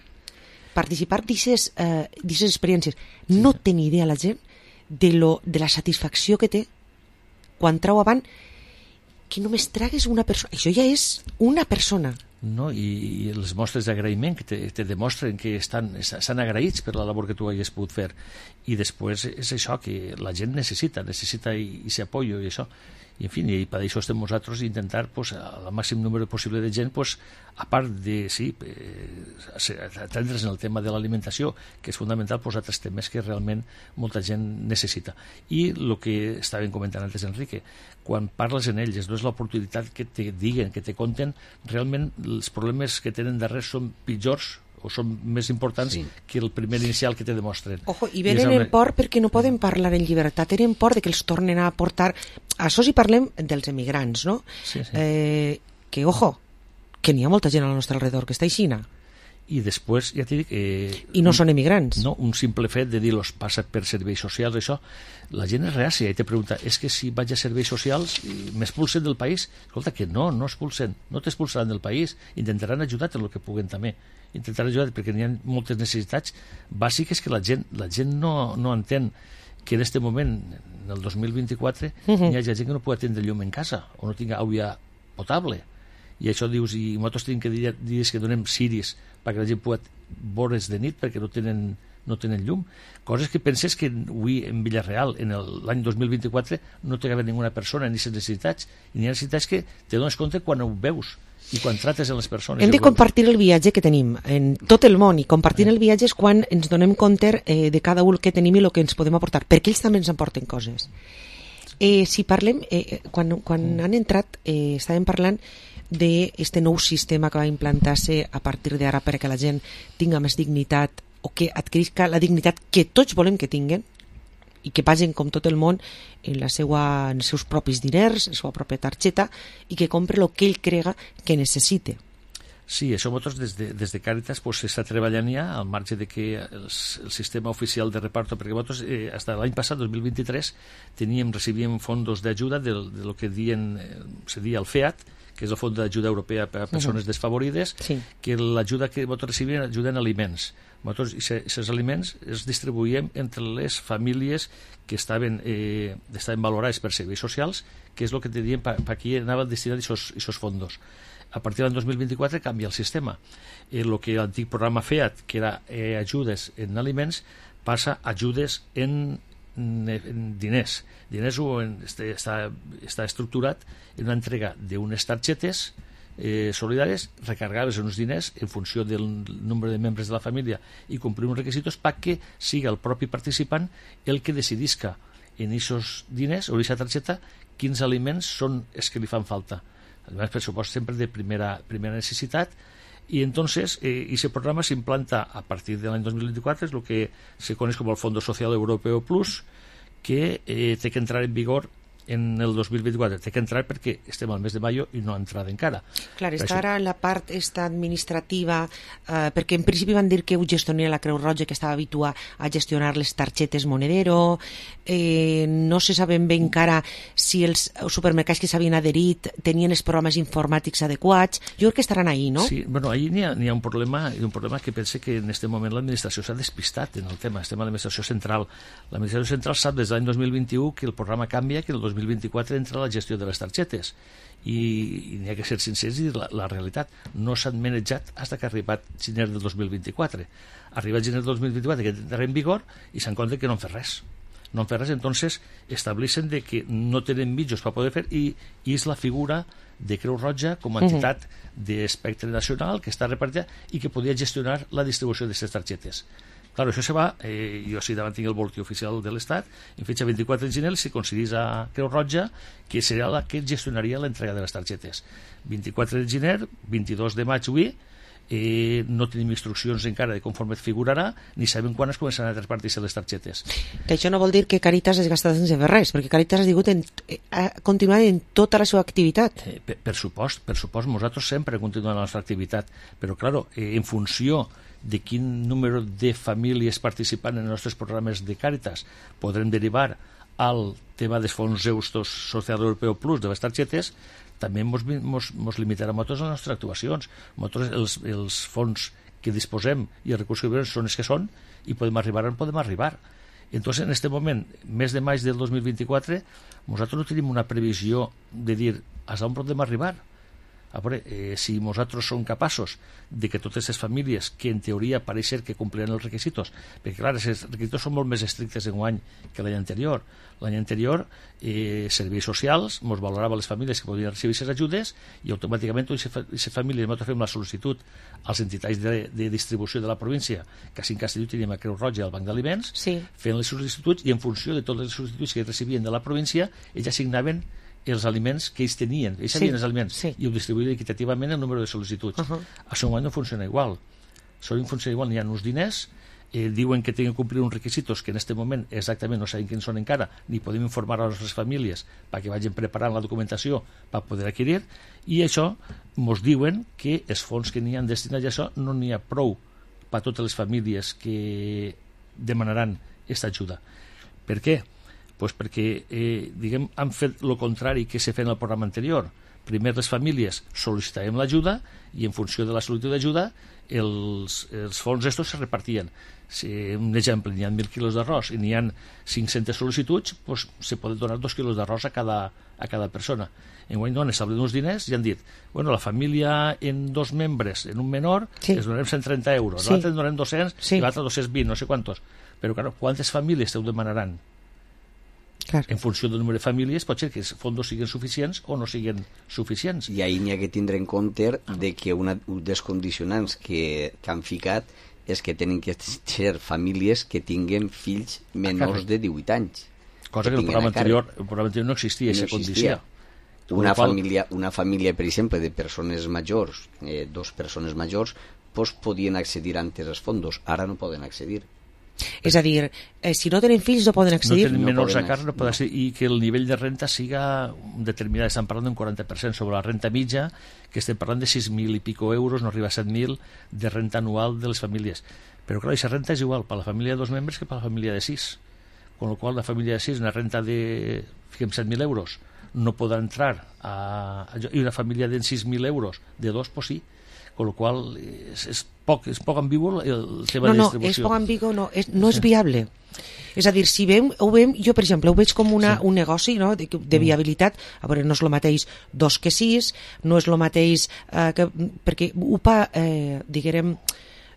Participar d'aquestes experiències. No té ni idea la gent de la satisfacció que té quan trau avant que només tragues una persona. Això ja és una persona. No? I les mostres d'agraïment que te demostren que estan agraïts per la labor que tu hagis pogut fer, i després és això que la gent necessita aquest apoyo i això, i en fi, i per això estem nosaltres intentar pues, al màxim número possible de gent pues, a part de atendre's en el tema de l'alimentació, que és fonamental, pues, altres temes que realment molta gent necessita. I el que estàvem comentant antes, Enrique, quan parles en ells, no és l'oportunitat que te diguen, que te conten, realment els problemes que tenen darrere són pitjors o són més importants que el primer inicial que te demostren. Ojo, i venen en por perquè no poden parlar en llibertat, tenen por de que els tornen a portar. Això si parlem dels emigrants, no? Que, ojo, que n'hi ha molta gent al nostre alrededor que està aixina. I després, ja t'he dit que... I no són emigrants. No, un simple fet de dir-los passa per serveis socials, això, la gent és reàcia i te pregunta, és que si vaig a serveis socials m'expulsen del país? Escolta, que no expulsen, no t'expulsaran del país, intentaran ajudar-te el que puguen també, intentaran ajudar-te perquè n'hi ha moltes necessitats bàsiques que la gent no entén, que en aquest moment, en el 2024, hi ha gent que no pugui atendre llum en casa o no tingui aigua potable. I això dius, i nosaltres tenim que dir que donem ciris perquè la gent pugui veure's de nit perquè no tenen llum. Coses que penses que avui en Villarreal, en l'any 2024, no té que haver ninguna persona ni aquestes necessitats. I n'hi ha necessitats que te dones compte quan ho veus i quan trates amb les persones. Hem de compartir el viatge que tenim en tot el món, i compartir el viatge és quan ens donem compte de cada un que tenim i el que ens podem aportar, perquè ells també ens aporten coses. Si parlem, quan han entrat, estàvem parlant d'aquest nou sistema que va implantar-se a partir d'ara perquè la gent tinga més dignitat o que adquirisca la dignitat que tots volem que tinguen i que paguen com tot el món en els seus propis diners, en la seva pròpia targeta, i que compre el que ell crega que necessite. Sí, això nosaltres des de Càritas s'està treballant ja al marge de que el sistema oficial de reparto, perquè nosaltres fins l'any passat, 2023, recibíem fondos d'ajuda de lo que se dia el FEAT, que és el Fons d'Ajuda Europea per a Persones Desfavorides, que l'ajuda que nosaltres recibíem ajuda en aliments. Nosaltres aquests aliments els distribuïm entre les famílies que estaven valorades per serveis socials, que és el que te diem per qui anaven destinats aquests fondos. A partir del 2024 canvia el sistema. El que l'antic programa FEAT, que era ajudes en aliments, passa a ajudes en diners. Diners està estructurat en una entrega d'unes targetes solidàries recargables en uns diners en funció del nombre de membres de la família i complir uns requisitos perquè siga el propi participant el que decidisca en aquests diners o en aquesta targeta quins aliments són els que li fan falta. Además, per supuesto, sempre de primera necessitat, y entonces ese programa se implanta a partir del año 2024, es lo que se conoce como el Fondo Social Europeo Plus, que té que entrar en vigor en el 2024. Té que entrar perquè estem al mes de maio i no ha entrat encara. Clar, està ara la part administrativa, perquè en principi van dir que ho gestionaria la Creu Roja, que estava habituada a gestionar les targetes Monedero. No se sabem bé encara si els supermercats que s'havien adherit tenien els programes informàtics adequats. Jo crec que estaran ahí, no? Sí, bueno, ahí n'hi ha un problema que pense que en aquest moment l'administració s'ha despistat en el tema. Estem a l'administració central. L'administració central sap des de l'any 2021 que el programa canvia, que el 2024 entra la gestió de les targetes i n'hi ha que ser sincers i dir la realitat. No s'han manejat fins que ha arribat gener del 2024. Arribat gener del 2024 que entrarà en vigor i s'han compte que no han fet res. No han fet res, entonces estableixen de que no tenen mitjos per poder fer i és la figura de Creu Roja com a entitat d'espectre nacional que està repartida i que podia gestionar la distribució d'aquestes targetes. Claro, això se va, jo sí davant tinc el boletí oficial de l'Estat, en fetge 24 de gener se concedís a Creu Roja que seria la que gestionaria l'entrega de les targetes. 24 de gener, 22 de maig avui, no tenim instruccions encara de conforme figurarà, ni sabem quan es començaran a repartir-se les targetes. Que això no vol dir que Càritas es gasta sense fer res, perquè Càritas ha continuat en tota la seva activitat. Per supost, nosaltres sempre continuem la nostra activitat, però, claro, en funció de quin número de famílies participant en els nostres programes de Càritas podrem derivar al tema dels fons Eustos Social Europeu Plus de les targetes, també ens limitarà a les nostres actuacions. Els fons que disposem i els recursos que són els que són i podem arribar on podem arribar. Entonces, en aquest moment, mes de maig del 2024, nosaltres no tenim una previsió de dir a on podem arribar. A veure, si nosaltres som capaços de que totes les famílies que en teoria pareix ser que compliran els requisitos, perquè clar, els requisitos són molt més estrictes enguany que l'any anterior. L'any anterior, serveis socials ens valorava les famílies que podien recibir aquestes ajudes i automàticament aquestes famílies nosaltres fem la sol·licitud als entitats de distribució de la província, que a Castelló teníem a Creu Roja i al Banc d'Aliments, fent les sol·licituds i en funció de totes les sol·licituds que recibien de la província, ells assignaven els aliments que ells tenien, ells sabien els aliments i ho distribuïen equitativament el número de sol·licituds. Això no funciona igual. N'hi ha uns diners, diuen que tenen que complir uns requisitos que en aquest moment exactament no sabem quins són encara, ni podem informar a les nostres famílies perquè vagin preparant la documentació per poder adquirir, i això ens diuen que els fons que n'hi ha destinats a això no n'hi ha prou per a totes les famílies que demanaran aquesta ajuda. Per què? Pues perquè han fet el contrari que s'ha fet en el programa anterior. Primer les famílies sol·licitàvem l'ajuda i en funció de la sol·licitud d'ajuda els fons estos se repartien. Si, un exemple, n'hi ha 1.000 quilos d'arròs i n'hi ha 500 sol·licituds, pues, se poden donar 2 quilos d'arròs a cada persona. Enguany no, han establert uns diners i han dit, bueno, la família en 2 membres, en un menor, els donarem 130 euros, l'altre en donem 200 i l'altre 220, no sé quantos. Però, claro, quantes famílies te ho demanaran? Clar. En funció del número de famílies pot ser que els fons siguin suficients o no siguin suficients. I ahir n'hi ha que tindre en compte de que un dels condicionants que han ficat és que tenen que ser famílies que tinguen fills menors de 18 anys. Cosa que el programa anterior no existia, aquesta condició. Una família, per exemple, de persones majors, 2 persones majors, pues podien accedir antes als fondos, ara no poden accedir. És a dir, si no tenen fills no poden accedir. No tenen menors a càrrec, no poden accedir, i que el nivell de renta siga determinat. Estem parlant d'un 40% sobre la renta mitja, que estem parlant de 6.000 i pico euros, no arriba a 7.000 de renta anual de les famílies. Però clar, aquesta renta és igual per la família de 2 membres que per la família de 6. Con lo qual la família de 6, una renta de 7.000 euros, no podrà entrar i una família de 6.000 euros de 2, pues sí. Con lo qual és poc ambigu el tema de distribució. No, és poc ambigu, no és viable. És a dir, si ho veiem, jo per exemple ho veig com un negoci, no? de viabilitat. A veure, no és el mateix 2 que 6, no és el mateix perquè diguem,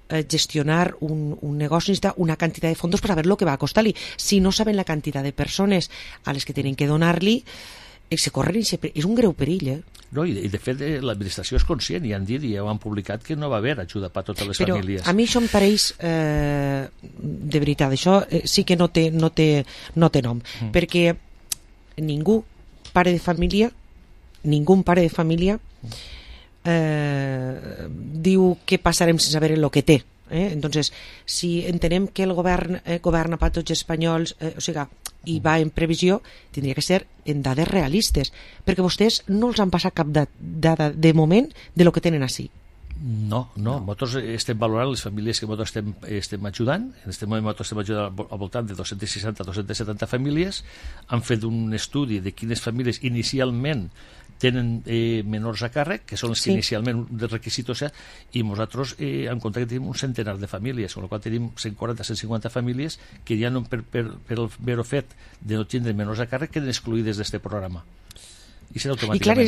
gestionar un negoci necessita una quantitat de fondos per saber el que va a costar-li. Si no saben la quantitat de persones a les que tenen que donar-li, se corren és un greu perill, No, i de fet l'administració és conscient i han dit i ja ho han publicat que no va haver ajuda per a totes les famílies. Però a mi això em pareix de veritat, això sí que no té nom, perquè ningú pare de família diu què passarem sense saber el que té. Entonces, si entenem que el govern governa per tots els espanyols, o sigui, i va en previsió, tindria que ser en dades realistes, perquè vostès no els han passat cap dada de moment de lo que tenen així. No. Nosaltres estem valorant les famílies que nosaltres estem ajudant. En aquest moment nosaltres estem ajudant al voltant de 260-270 famílies. Han fet un estudi de quines famílies inicialment tenen menors a càrrec, que són els que inicialment de requisits, i nosaltres en compte que tenim un centenar de famílies, amb la qual tenim 140-150 famílies que ja no, per el mero fet de no tindre menors a càrrec, queden excluïdes d'aquest programa. I clar,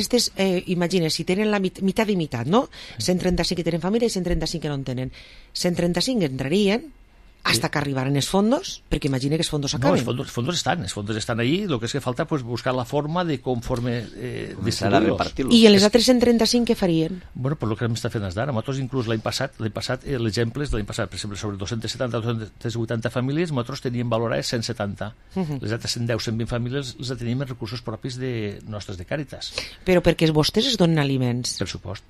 imagina, si tenen la meitat i meitat, no? 135 que tenen família i 135 que no en tenen. 135 entrarien hasta que arribaran els fondos, perquè imagina que els fondos acaben. No, els fondos estan ahí, el que és que falta pues, buscar la forma de conforme distribuir-los. I en les altres 135 què farien? Bueno, per lo que hem estat fent d'ara. Nosaltres inclús l'any passat l'exemple és de l'any passat, per exemple, sobre 270-280 famílies, nosaltres teníem valorades 170. Les altres 110-120 famílies les tenim en recursos propis nostres de Càritas. Però perquè vostès es donen aliments. Per supost.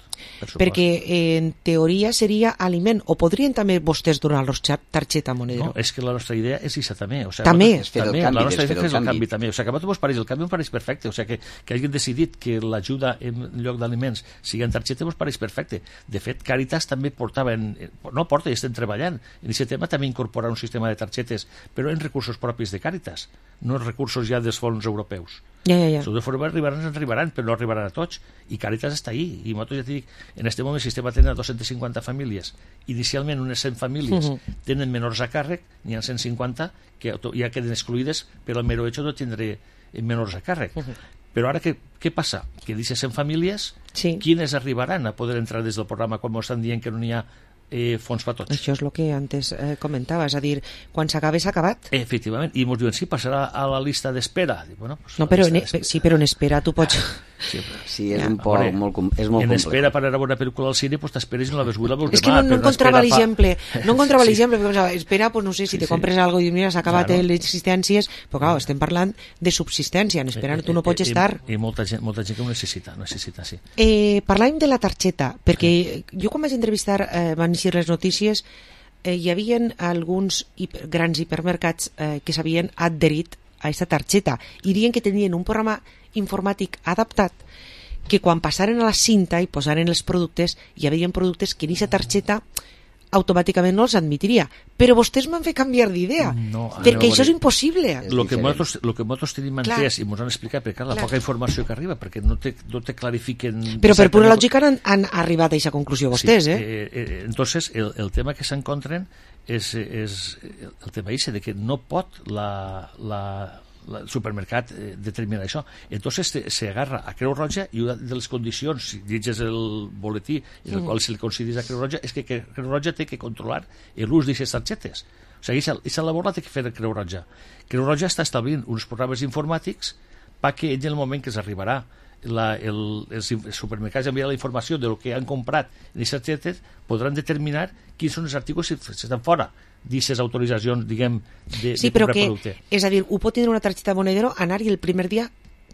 Perquè en teoria seria aliment, o podrien també vostès donar-los targeta monedero? No, és que la nostra idea és això també. O sigui, també. La nostra idea és el canvi també. O sigui, que a vosaltres el canvi em pareix perfecte. O sigui, que hagin decidit que l'ajuda en lloc d'aliments sigui en targeta us pareix perfecte. De fet, Càritas també i estem treballant. En aquest tema també incorporar un sistema de targetes, però en recursos propis de Càritas, no en recursos ja dels fons europeus. Ja. De forma arribaran, però no arribaran a tots. I Càritas està ahí. I nosaltres ja t'hi dic, en aquest moment el sistema tenen 250 famílies. Inicialment unes 100 famílies tenen menors a càrrec, n'hi ha 150 que ja queden excluïdes per el mero hecho de tindre menors a càrrec. Però ara què passa? Que d'aquestes 100 famílies, quines arribaran a poder entrar des del programa quan estan dient que no n'hi ha fons per tots? Això és el que antes comentava, és a dir, quan s'acabe s'ha acabat. Efectivament, i ens diuen, sí, passarà a la llista d'espera. Bueno, pues no, però en espera tu pots... Sí, és un poc molt complex. En espera per anar a veure una pel·lícula al cine, pues t'esperes i no la veus avui, la veus demà. És que no encontrava l'exemple. No encontrava l'exemple, perquè espera, pues no sé, si te compres algo i mira, s'ha acabat les existències, però clar, estem parlant de subsistència, en espera tu no pots estar. I molta gent que ho necessita, sí. Parlàvem de la targeta, perquè jo quan vaig entrevistar van eixir les notícies, hi havia alguns grans hipermercats que s'havien adherit a aquesta targeta i diuen que tenien un programa informàtic adaptat que quan passaren a la cinta i posaren els productes, hi havia productes que en aquesta targeta automàticament no els admitiria, però vostès m'han fet canviar d'idea, perquè això és impossible. El que nosaltres tenim entès i ens han explicat, perquè la poca informació que arriba, perquè no te clarifiquen... Però per pura lògica han arribat a aquesta conclusió vostès, Entonces, el tema que s'encontren és el tema de que no pot el supermercat determina això. Entonces se agarra a Creu Roja i una de les condicions, si llegis el boletí en el qual se li considera a Creu Roja, és que Creu Roja té que controlar l'ús d'aquestes targetes. O sigui, aquesta labor la té que fer Creu Roja. Creu Roja està establint uns programes informàtics perquè en el moment que s'arribarà els supermercats enviaran la informació de lo que han comprat en aquestes targetes, podran determinar quins són els articles que estan fora d'aquestes autoritzacions, diguem, de comprar producte. És a dir, ho pot tindre una targeta monedero, anar-hi el primer dia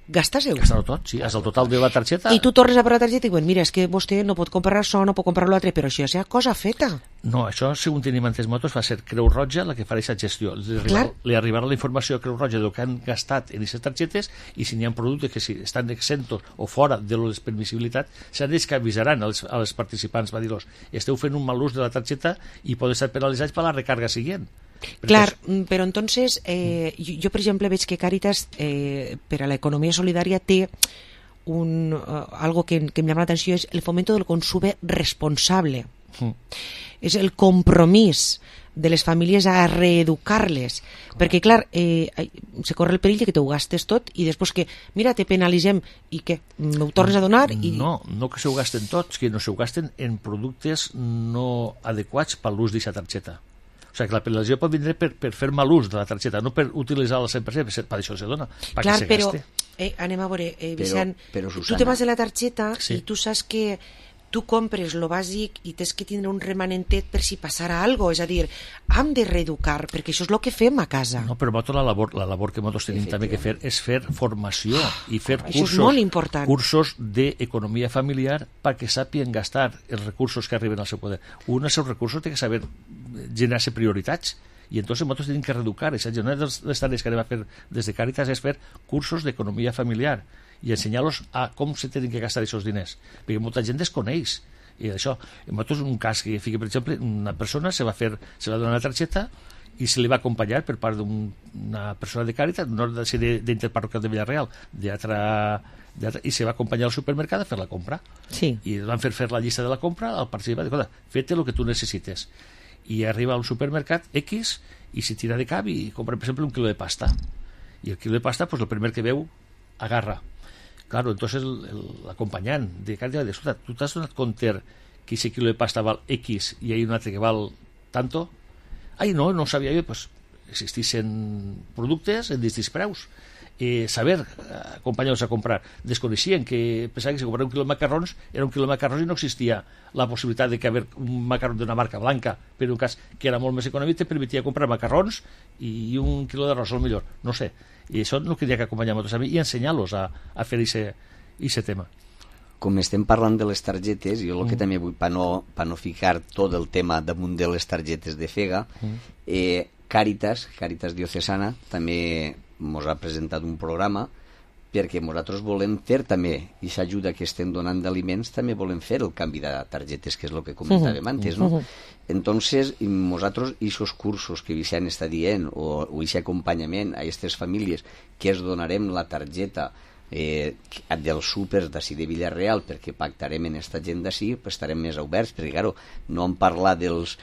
gastar-se-ho. Gastar-ho tot, sí, és el total de la targeta. I tu tornes a per la targeta i diuen, mira, és que vostè no pot comprar això, no pot comprar l'altre, però això és cosa feta. No, això, segons tenim entès motos, va ser Creu Roja la que farà aquesta gestió. Li arribarà la informació a Creu Roja del que han gastat en aquestes targetes i si n'hi ha productes que si estan exentos o fora de les permissibilitats, seran ells que avisaran als participants, va dir-los, esteu fent un mal ús de la targeta i podeu estar penalitzats per la recarga següent. Clar, però entonces jo per exemple veig que Càritas per a l'economia solidària té algo que em llama l'atenció, és el fomento del consum responsable. És el compromís de les famílies a reeducar-les, perquè clar, se corre el perill que t'ho gastes tot i després que, mira, te penalitzem i què, m'ho tornes a donar? No que se ho gasten tots, que no se ho gasten en productes no adequats per l'ús d'aquesta targeta. O sigui, que la penalització pot vindre per fer mal ús de la targeta, no per utilitzar-la al 100%, per això se dona, clar, que se gaste. Anem a veure, Vicent, tu te vas de la targeta i tu saps que tu compres lo bàsic i tens que tindre un remanentet per si passara alguna cosa, és a dir, hem de reeducar, perquè això és el que fem a casa. No, però la labor que nosaltres tenim també que fer és fer formació i fer cursos d'economia familiar perquè sàpien gastar els recursos que arriben al seu poder. Un dels seus recursos té que saber generar-se prioritats i entonces nosaltres tenim que reeducar. Una de les tarees que anem a fer des de Càritas és fer cursos d'economia familiar i ensenyar-los a com se tenen que gastar aquests diners, perquè molta gent desconeix i això. Nosaltres un cas que fica, per exemple, una persona se va donar una targeta i se li va acompanyar per part d'una persona de Càritas, no d'interparroquial de Villarreal, i se va acompanyar al supermercat a fer la compra. Sí. I van fer la llista de la compra, al participant, fes-te el que tu necessites. I arriba al supermercat X i se tira de cap i compra, per exemple, un quilo de pasta. I el quilo de pasta, pues, el primer que veu, agarra. Claro, entonces l'acompanyant de Càritas va dir, escolta, tu t'has donat compte que aquest quilo de pasta val X i hi ha un altre que val tanto? Ai, no sabia jo. Pues existissin productes en distints preus. Saber acompanyar-los a comprar. Desconeixien que pensaven que si comprar un quilo de macarrons era un quilo de macarrons i no existia la possibilitat de que haver un macarrón d'una marca blanca, per un cas que era molt més econòmic, te permetia comprar macarrons i un quilo d'arròs, al millor, no sé. I això no queria que acompanyar-nos a mi i ensenyar-los a fer aquest tema. Com estem parlant de les targetes, jo el que també vull, per no ficar tot el tema damunt de les targetes de Fega, Càritas Diocesana també ens ha presentat un programa perquè nosaltres volem fer també, i s'ajuda que estem donant d'aliments, també volem fer el canvi de targetes, que és el que comentàvem antes, no? Entonces, nosaltres, aquests cursos que Vicent està dient, o aquest acompanyament a aquestes famílies, que es donarem la targeta dels súpers d'ací de Villarreal, perquè pactarem en esta gent d'ací, estarem més oberts, perquè claro, no hem parlat dels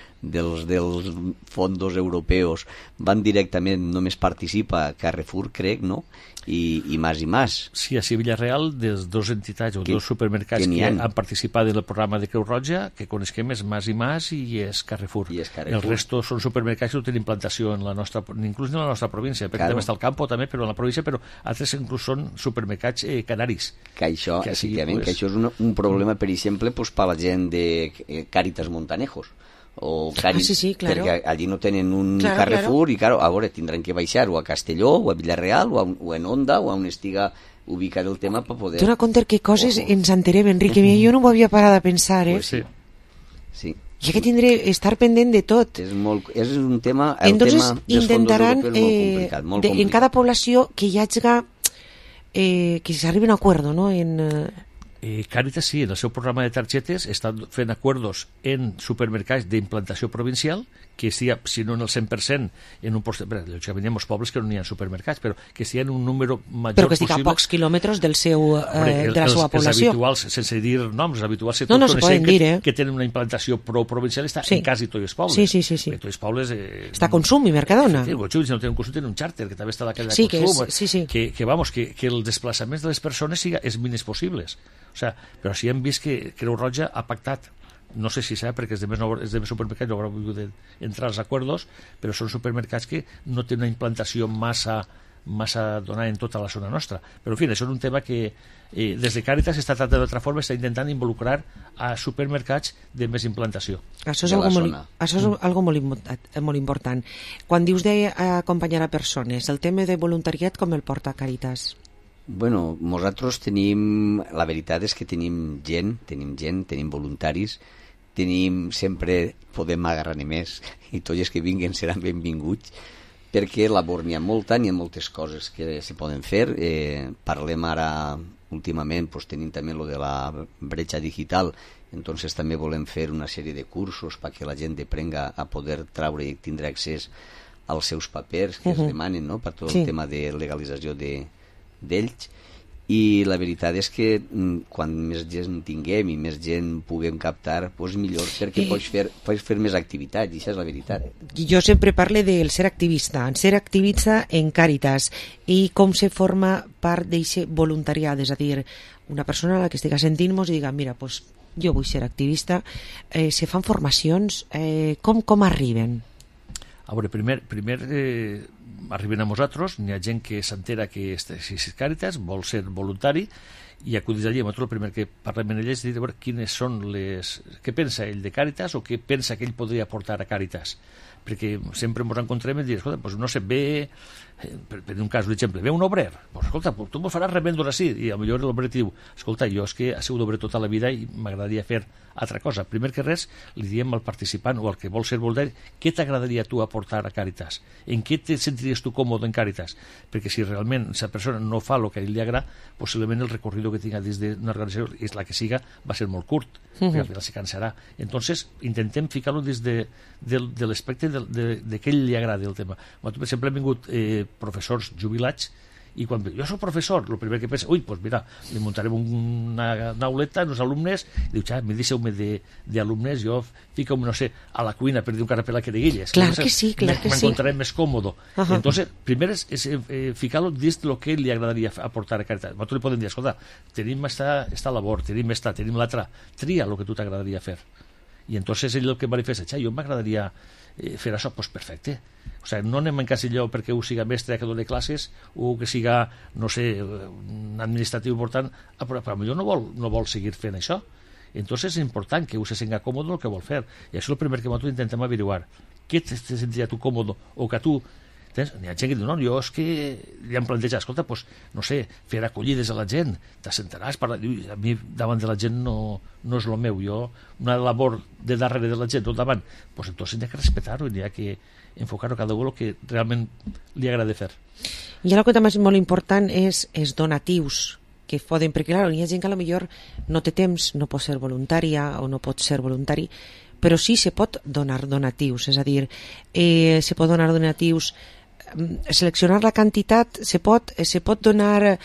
fondos europeus, van directament, només participa Carrefour, crec, no? I más. Sí, a Villarreal, des dos entitats o dos supermercats que han participat en el programa de Creu Roja, que coneixem és Mas i Mas i és Carrefour. El resto són supermercats que no tenen implantació inclús en la nostra província, perquè també està al Campo, també, però en la província, però altres inclús són supermercats canaris. Que això, efectivament, que això és un problema, per exemple, per la gent de Càritas Montanejos, o Càritas, claro. Perquè allí no tenen un Carrefour i claro, a veure, tindran que baixar o a Castelló o a Villarreal o en Onda o on estiga ubicat el tema per poder... Dóna compte que coses ens enterem, Enrique, jo no m'ho havia parat a pensar, Pues sí. I que tindré estar pendent de tot. És un tema... Entonces, intentaran molt complicat. En cada població que hi hagi que s'arribi a un acuerdo, no? Càritas sí, en el seu programa de targetes estan fent acuerdos en supermercats d'implantació provincial que estigui, si no en el 100%, en un porcentaje, lògicament hi ha molts pobles que no hi ha supermercats, però que estigui en un número major possible. Però que estigui a pocs quilòmetres de la seva població. Els habituals, sense dir noms, els habituals no se poden dir, que tenen una implantació provincial està en quasi tots els pobles. Sí. En tots els pobles... Està a Consum i Mercadona. Sí, si no tenen Consum, tenen un xàrter, que també està a la cadena de Consum. Que els desplaçaments de les persones siguin els mínims possibles. O sea, però sí hem vist que Creu Roja ha pactat, no sé si serà perquè els demés supermercats no hauran volgut entrar als acords, però són supermercats que no tenen una implantació massa donada en tota la zona nostra. Però en fi, això és un tema que des de Càritas s'està tractant d'altra forma, està intentant involucrar a supermercats de més implantació. Això és algo molt important. Quan dius d'acompanyar a persones, el tema de voluntariat com el porta Càritas? Bueno, nosaltres tenim... La veritat és que tenim gent, tenim voluntaris, sempre podem agarrar-ne més, i tots els que vinguen seran benvinguts, perquè labor n'hi ha molta, n'hi ha moltes coses que se poden fer. Parlem ara, últimament, tenim també lo de la bretxa digital, entonces també volem fer una sèrie de cursos perquè la gent aprenga a poder traure i tindre accés als seus papers que es demanen, no?, per tot el tema de legalització d'ells. I la veritat és que quan més gent tinguem i més gent puguem captar, doncs millor, perquè pots fer més activitats, i això és la veritat. Jo sempre parlo del ser activista en Càritas, i com se forma part d'aquest voluntariat, és a dir, una persona a la que estigui sentint-nos i diga, mira, doncs jo vull ser activista, se fan formacions, com arriben? A veure, primer arriben a nosaltres, n'hi ha gent que s'entera que és Càritas, vol ser voluntari, i acudís allí. Nosaltres el primer que parlem amb ell és dir a veure quines són què pensa ell de Càritas, o què pensa que ell podria aportar a Càritas, perquè sempre ens encontrem i dir, escolta, doncs no sé, ve, per un cas, un exemple, ve un obrer, doncs escolta, tu m'ho faràs revendre així, i potser l'obrer diu, escolta, jo és que he sigut obrer tota la vida i m'agradaria fer altra cosa. Primer que res, li diem al participant o al que vol ser voluntari, què t'agradaria tu aportar a Càritas? En què te sentiries tu còmode en Càritas? Perquè si realment aquesta persona no fa el que a ell li agrada, possiblement el recorrido que tinga dins d'una organització, és la que siga, va ser molt curt, perquè al final se cansarà. Entonces, intentem ficar-lo dins de l'aspecte de què ell li agrada el tema. Per exemple, han vingut professors jubilats, i quan jo soc professor, el primer que pensa, doncs mira, li muntarem una auleta als alumnes, i diu, mi deixeu-me d'alumnes, jo fico, no sé, a la cuina per dir un carapel a queriguilles. Clar que sí. M'encontrarem més còmodo. Entonces, primer és ficar-lo dins del que li agradaria aportar a Càritas. Nosaltres li podem dir, escolta, tenim esta labor, tenim l'altra, tria el que tu t'agradaria fer. I entonces ell el que manifesta, jo m'agradaria fer això, doncs perfecte. O sigui, no anem en casilló perquè ho siga mestre que doni classes o que siga, no sé, un administratiu important, però potser no vol seguir fent això. Entonces és important que ho se senta còmode el que vol fer. I això és el primer que nosaltres intentem averiguar. Què te sentiria tu còmode? O que tu... N'hi ha gent que diu, no, jo és que li han plantejat, escolta, doncs, no sé, fer acollides a la gent, t'assentaràs, a mi davant de la gent no és el meu, jo, una labor de darrere de la gent, no davant, doncs entonces n'hi ha que respectar-ho, n'hi ha que enfocar-ho cada un el que realment li agrada fer. I el que també és molt important és els donatius que poden, perquè clar, hi ha gent que potser no té temps, no pot ser voluntària o no pot ser voluntari, però sí se pot donar donatius, és a dir, se pot donar donatius, seleccionar la quantitat, se pot donar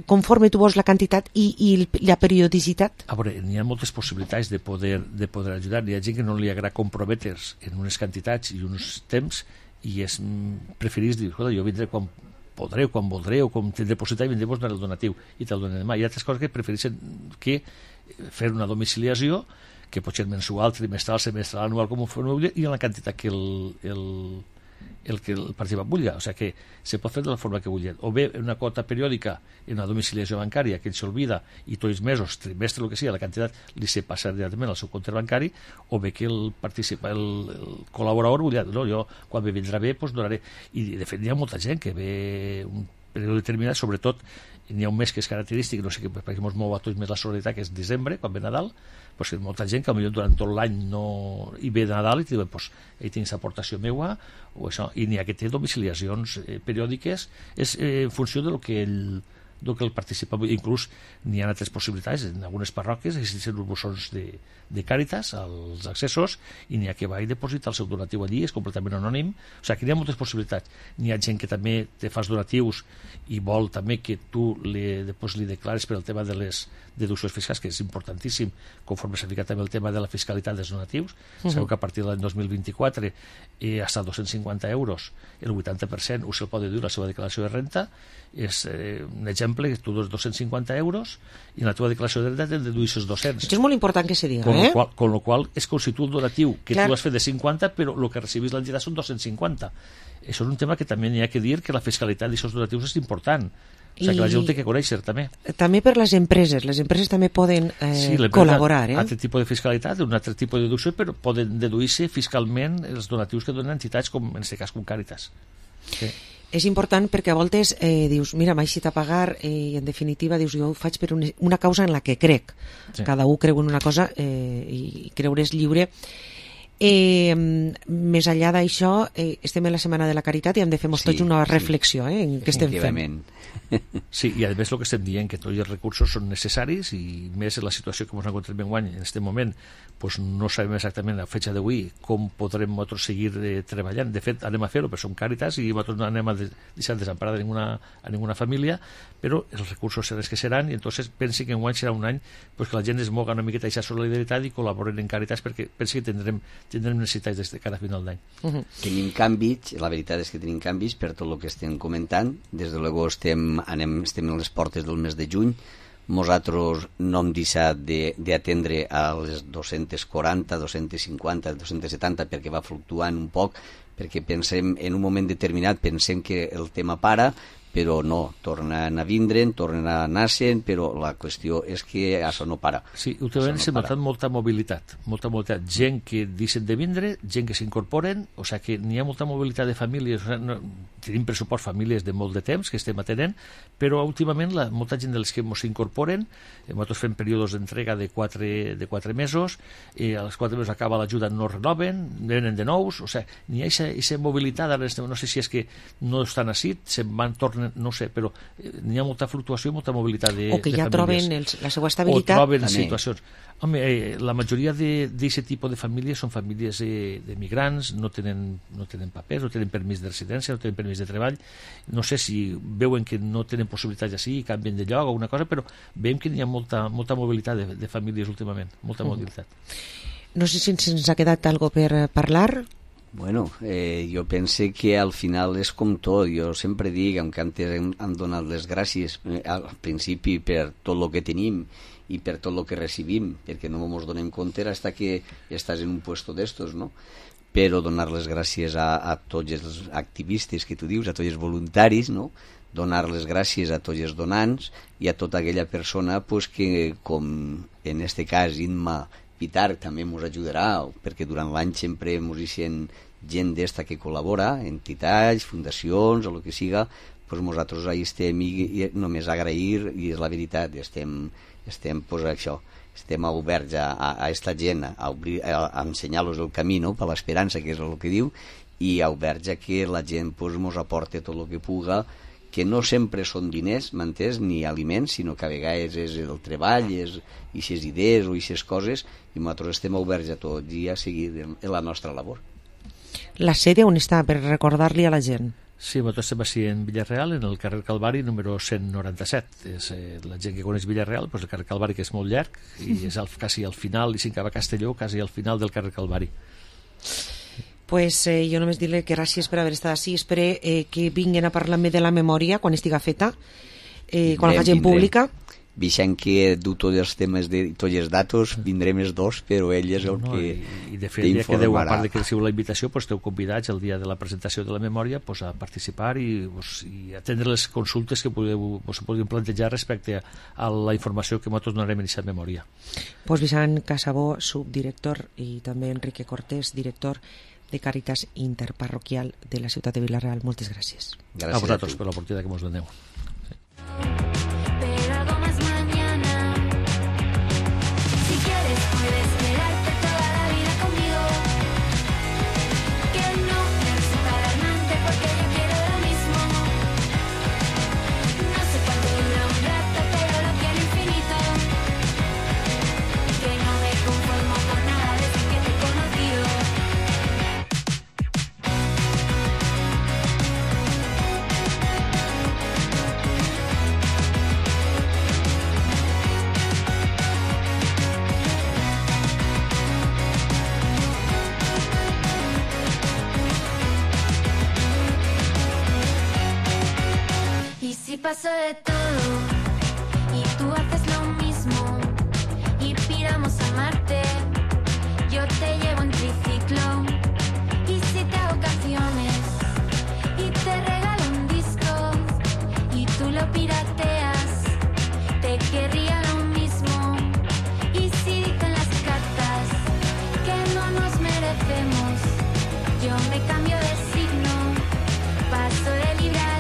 conforme tu vols la quantitat i la periodicitat? A veure, n'hi ha moltes possibilitats de poder ajudar. Hi ha gent que no li agrada comprometre's en unes quantitats i uns temps i preferís dir, escolta, jo vindré quan podré o quan voldré o com tindré possibilitat i vindré a donar el donatiu i te'l donaré demà. Hi ha altres coses que prefereixen que fer una domiciliació que pot ser mensual, trimestral, semestral, anual, com ho vulgui, i en la quantitat que el participant vulgui. O sigui que se pot fer de la forma que vulgui. O bé una quota periòdica en una domiciliació bancària que ell s'olvida i tots els mesos, trimestre, el que sigui, la quantitat li se passa directament al seu compte bancari, o bé que el col·laborador vulgui dir, no, jo quan me vindrà bé, doncs donaré. I de fet hi ha molta gent que ve un període determinat, sobretot n'hi ha un mes que és característic, no sé, perquè ens mou a tots més la solidaritat, que és desembre, quan ve Nadal, doncs que molta gent que potser durant tot l'any hi ve de Nadal i diuen, doncs, ell tens aportació meua, o això, i n'hi ha que té domiciliacions periòdiques, és en funció del que el participa. Inclús n'hi ha altres possibilitats, en algunes parròquies existeixen uns buzons de Càritas als accessos i n'hi ha que va i deposita el seu donatiu allí, és completament anònim. O sigui, que n'hi ha moltes possibilitats. N'hi ha gent que també te fas donatius i vol també que tu li declares per el tema de les deduccions fiscals, que és importantíssim, conforme s'ha ficat també el tema de la fiscalitat dels donatius. Sabeu que a partir de l'any 2024 hasta 250 euros, el 80% us el pot deduir la seva declaració de renta. És un exemple que tu dones 250 euros i en la teva declaració de renta te'n deduïssis 200. Això és molt important que se diga, Con lo qual és com si tu el donatiu que tu has fet de 50, però el que recibis l'entitat són 250. Això és un tema que també n'hi ha que dir, que la fiscalitat d'aquests donatius és important. O sigui, que la gent ho té que conèixer, també. També per les empreses també poden col·laborar. Altre tipus de fiscalitat, un altre tipus de deducció, però poden deduir-se fiscalment els donatius que donen entitats, com en aquest cas com Càritas. Sí. És important perquè a voltes dius, mira, m'ha eixit a pagar i en definitiva dius, jo ho faig per una causa en la que crec. Sí. Cada un creu en una cosa i creure és lliure. Més enllà d'això, estem en la Setmana de la Caritat i hem de fer tots una reflexió en què estem fent. Sí, i a més el que estem dient, que tots els recursos són necessaris i més en la situació que ens encontrem enguany en aquest moment, pues no sabem exactament a fecha d'avui com podrem nosaltres seguir treballant. De fet, anem a fer-ho, però som Càritas i nosaltres no anem a deixar desemparada a ninguna família, però els recursos seran els que seran i entonces pensi que enguany serà un any pues, que la gent es moga una miqueta a aquesta solidaritat i col·laboren en Càritas perquè pensi que tindrem necessitats des de cada final d'any. Tenim canvis, la veritat és que tenim canvis per tot el que estem comentant. Des de luego estem a les portes del mes de juny. Nosaltres no hem deixat d'atendre a les 240, 250, 270 perquè va fluctuant un poc, perquè pensem, en un moment determinat pensem que el tema para, però no, tornen a vindre'n, tornen a anar-se'n, però la qüestió és que això no para. Sí, últimament s'ha notat molta mobilitat, gent que deixen de vindre, gent que s'incorporen, o sigui que n'hi ha molta mobilitat de famílies, o sigui, tenim pressupost famílies de molt de temps que estem atenent, però últimament molta gent dels que ens incorporen, nosaltres fem períodes d'entrega de 4 mesos, als 4 mesos acaba l'ajuda, no renoven, venen de nous, o sigui, n'hi ha aquesta mobilitat, no sé si és que no estan així, se'n van, tornen, no sé, però n'hi ha molta fluctuació i molta mobilitat de famílies. O que ja troben la seva estabilitat. O troben situacions. Home, la majoria d'aquest tipus de famílies són famílies de migrants, no tenen papers, no tenen permís de residència, no tenen permís de treball. No sé si veuen que no tenen possibilitats així i canvien de lloc o alguna cosa, però veiem que hi ha molta mobilitat de famílies últimament, molta mobilitat. No sé si ens ha quedat algo per parlar. Bueno, jo pense que al final és com tot. Jo sempre dic, que antes hem donat les gràcies al principi per tot el que tenim i per tot el que recibim, perquè no ens donem compte fins que estàs en un puesto d'estos, no? Però donar les gràcies a tots els activistes que tu dius, a tots els voluntaris, no? Donar les gràcies a tots els donants i a tota aquella persona pues, que, com en este cas Inma Pitar també ens ajudarà, perquè durant l'any sempre ens deixen gent d'esta que col·labora, entitats, fundacions o el que siga, doncs nosaltres ahí estem i només agrair, i és la veritat, estem pues, això, estem oberts a esta gent, a ensenyar-los el camí, no?, per l'esperança, que és el que diu, i oberts a que la gent pues, ens aporte tot el que puga, que no sempre són diners, m'entens, ni aliments, sinó que a vegades és el treball, és aquestes idees o aquestes coses, i nosaltres estem oberts a tot i a seguir en la nostra labor. La sèrie on està, per recordar-li a la gent? Sí, nosaltres estem així en Villarreal, en el carrer Calvari, número 197. És, la gent que coneix Villarreal, doncs el carrer Calvari, que és molt llarg, i és quasi al final, i si acaba Castelló, quasi al final del carrer Calvari. Pues jo només dir-li que gràcies per haver estat així. Espero que vinguin a parlar-me de la memòria quan estiga feta, quan la facin pública. Vixant que du tots els temes de tots els datos, vindrem els dos, però ell és el que i de fet, el dia que deu, a part de que recibiu la invitació, pues, esteu convidats el dia de la presentació de la memòria pues, a participar i atendre les consultes que podeu plantejar respecte a la informació que nosaltres donarem en aquesta memòria. Pues Vicent Casabó, subdirector, i també Enrique Cortés, director de Càritas Interparroquial de la ciutat de Vila-real. Moltes gràcies. Gràcies a vosaltres per l'oportunitat que ens doneu. Paso de todo y tú haces lo mismo y piramos a Marte. Yo te llevo en triciclo y si te hago canciones y te regalo un disco y tú lo pirateas, te querría lo mismo. Y si dicen las cartas que no nos merecemos, yo me cambio de signo, paso de librar.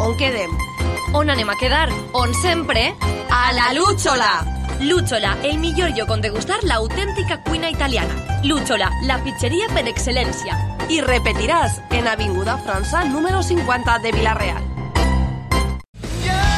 On quedem? On anem a quedar? On sempre? A la Lúchola! Lúchola, el millor lloc on degustar l'autèntica cuina italiana. Lúchola, la pizzeria per excel·lència. I repetiràs en Avinguda França número 50 de Vila-real.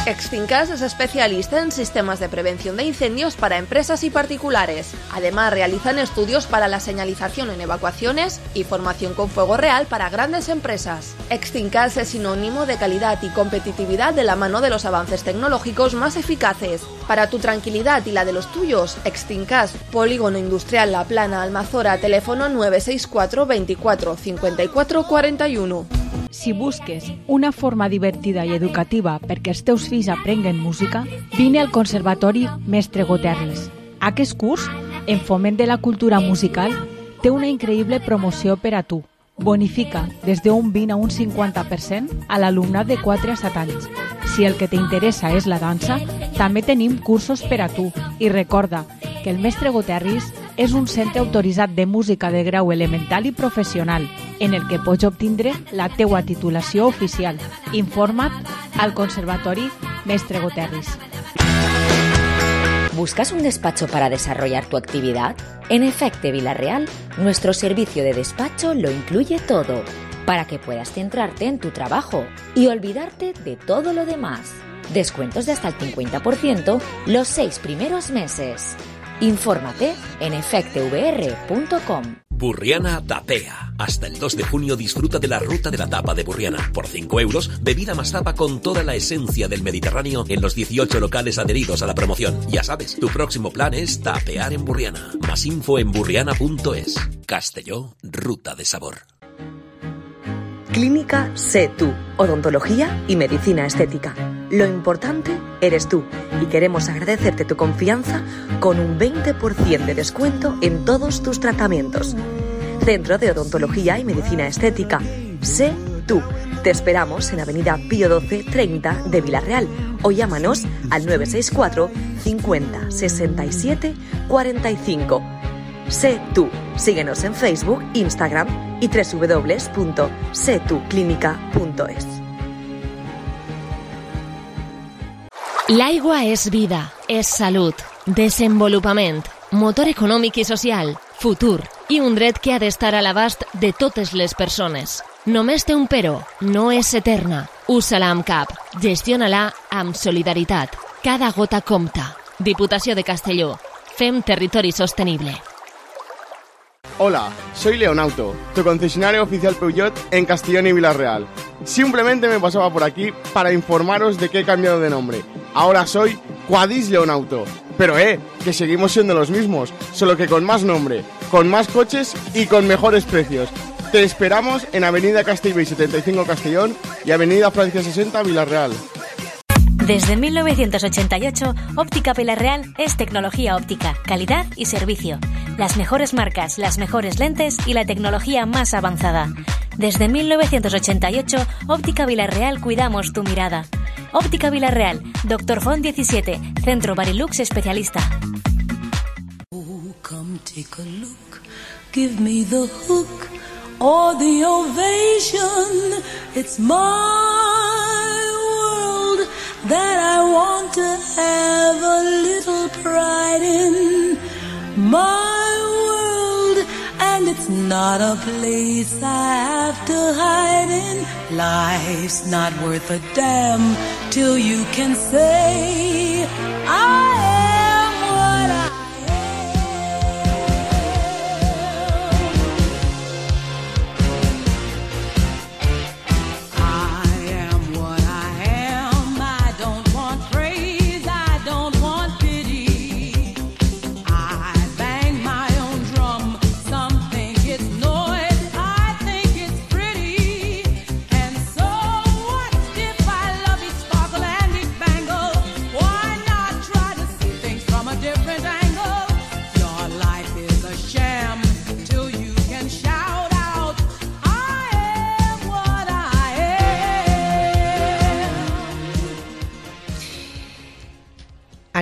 Extincas es especialista en sistemas de prevención de incendios para empresas y particulares. Además, realizan estudios para la señalización en evacuaciones y formación con fuego real para grandes empresas. Extincas es sinónimo de calidad y competitividad de la mano de los avances tecnológicos más eficaces. Para tu tranquilidad y la de los tuyos, Extincas, Polígono Industrial La Plana, Almazora, teléfono 964 24 54 41. Si busques una forma divertida i educativa perquè els teus fills aprenguen música, vine al Conservatori Mestre Goterris. Aquest curs, en foment de la cultura musical, té una increïble promoció per a tu. Bonifica des d'un 20 a un 50% a l'alumnat de 4 a 7 anys. Si el que t'interessa és la dansa, també tenim cursos per a tu. I recorda que el Mestre Goterris és un centre autoritzat de música de grau elemental i professional, en el que pots obtindre la teua titulació oficial. Informa't al Conservatori Mestre Goterris. ¿Buscas un despacho para desarrollar tu actividad? En Efecte Vila-real, nuestro servicio de despacho lo incluye todo, para que puedas centrarte en tu trabajo y olvidarte de todo lo demás. Descuentos de hasta el 50% los 6 primeros meses. Infórmate en efectevr.com. Burriana Tapea. Hasta el 2 de junio disfruta de la ruta de la tapa de Burriana. Por 5 euros, bebida más tapa con toda la esencia del Mediterráneo en los 18 locales adheridos a la promoción. Ya sabes, tu próximo plan es tapear en Burriana. Más info en burriana.es. Castelló, ruta de sabor. Clínica Sé Tú, odontología y medicina estética. Lo importante eres tú y queremos agradecerte tu confianza con un 20% de descuento en todos tus tratamientos. Centro de Odontología y Medicina Estética. Sé Tú. Te esperamos en Avenida Pío XII 30 de Vila-real o llámanos al 964 50 67 45. Sé Tú. Síguenos en Facebook, Instagram y www.setuclínica.es. L'aigua és vida, és salut, desenvolupament, motor econòmic i social, futur i un dret que ha d'estar a l'abast de totes les persones. Només té un però, no és eterna. Usa-la amb cap, gestiona-la amb solidaritat. Cada gota compta. Diputació de Castelló. Fem territori sostenible. Hola, soy Leonauto, tu concesionario oficial Peugeot en Castellón y Vila-real. Simplemente me pasaba por aquí para informaros de que he cambiado de nombre. Ahora soy Quadis Leonauto. Pero que seguimos siendo los mismos, solo que con más nombre, con más coches y con mejores precios. Te esperamos en Avenida Castellbell 75 Castellón y Avenida Francia 60 Vila-real. Desde 1988, Óptica Vila-real es tecnología óptica, calidad y servicio. Las mejores marcas, las mejores lentes y la tecnología más avanzada. Desde 1988, Óptica Vila-real cuidamos tu mirada. Óptica Vila-real, Dr. Font 17, Centro Barilux especialista. Oh, come take a look, give me the hook or the ovation. It's my world that I want to have a little pride in. My world, and it's not a place I have to hide in. Life's not worth a damn till you can say I am what I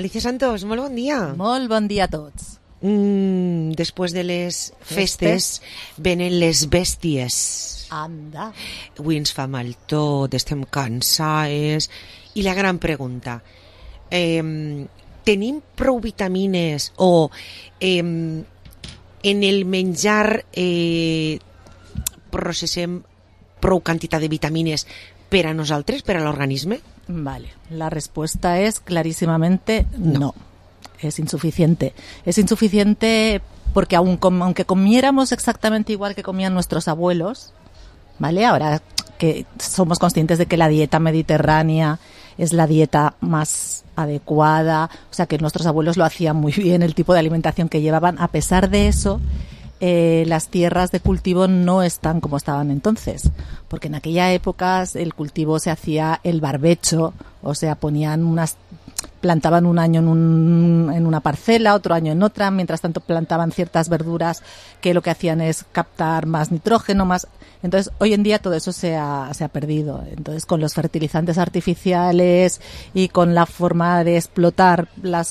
Alicia Santos, molt bon dia. Molt bon dia a tots. Després de les festes venen les bèsties. Anda. Avui ens fa mal tot, estem cansades. I la gran pregunta, tenim prou vitamines o en el menjar processem prou quantitat de vitamines per a nosaltres, per a l'organisme? Vale, la respuesta es clarísimamente no. Es insuficiente. Es insuficiente porque aunque comiéramos exactamente igual que comían nuestros abuelos, ¿vale? Ahora que somos conscientes de que la dieta mediterránea es la dieta más adecuada, o sea que nuestros abuelos lo hacían muy bien, el tipo de alimentación que llevaban, a pesar de eso, las tierras de cultivo no están como estaban entonces, porque en aquella época el cultivo se hacía el barbecho, o sea, plantaban un año en una parcela, otro año en otra, mientras tanto plantaban ciertas verduras que lo que hacían es captar más nitrógeno, más. Entonces, hoy en día todo eso se ha perdido. Entonces, con los fertilizantes artificiales y con la forma de explotar la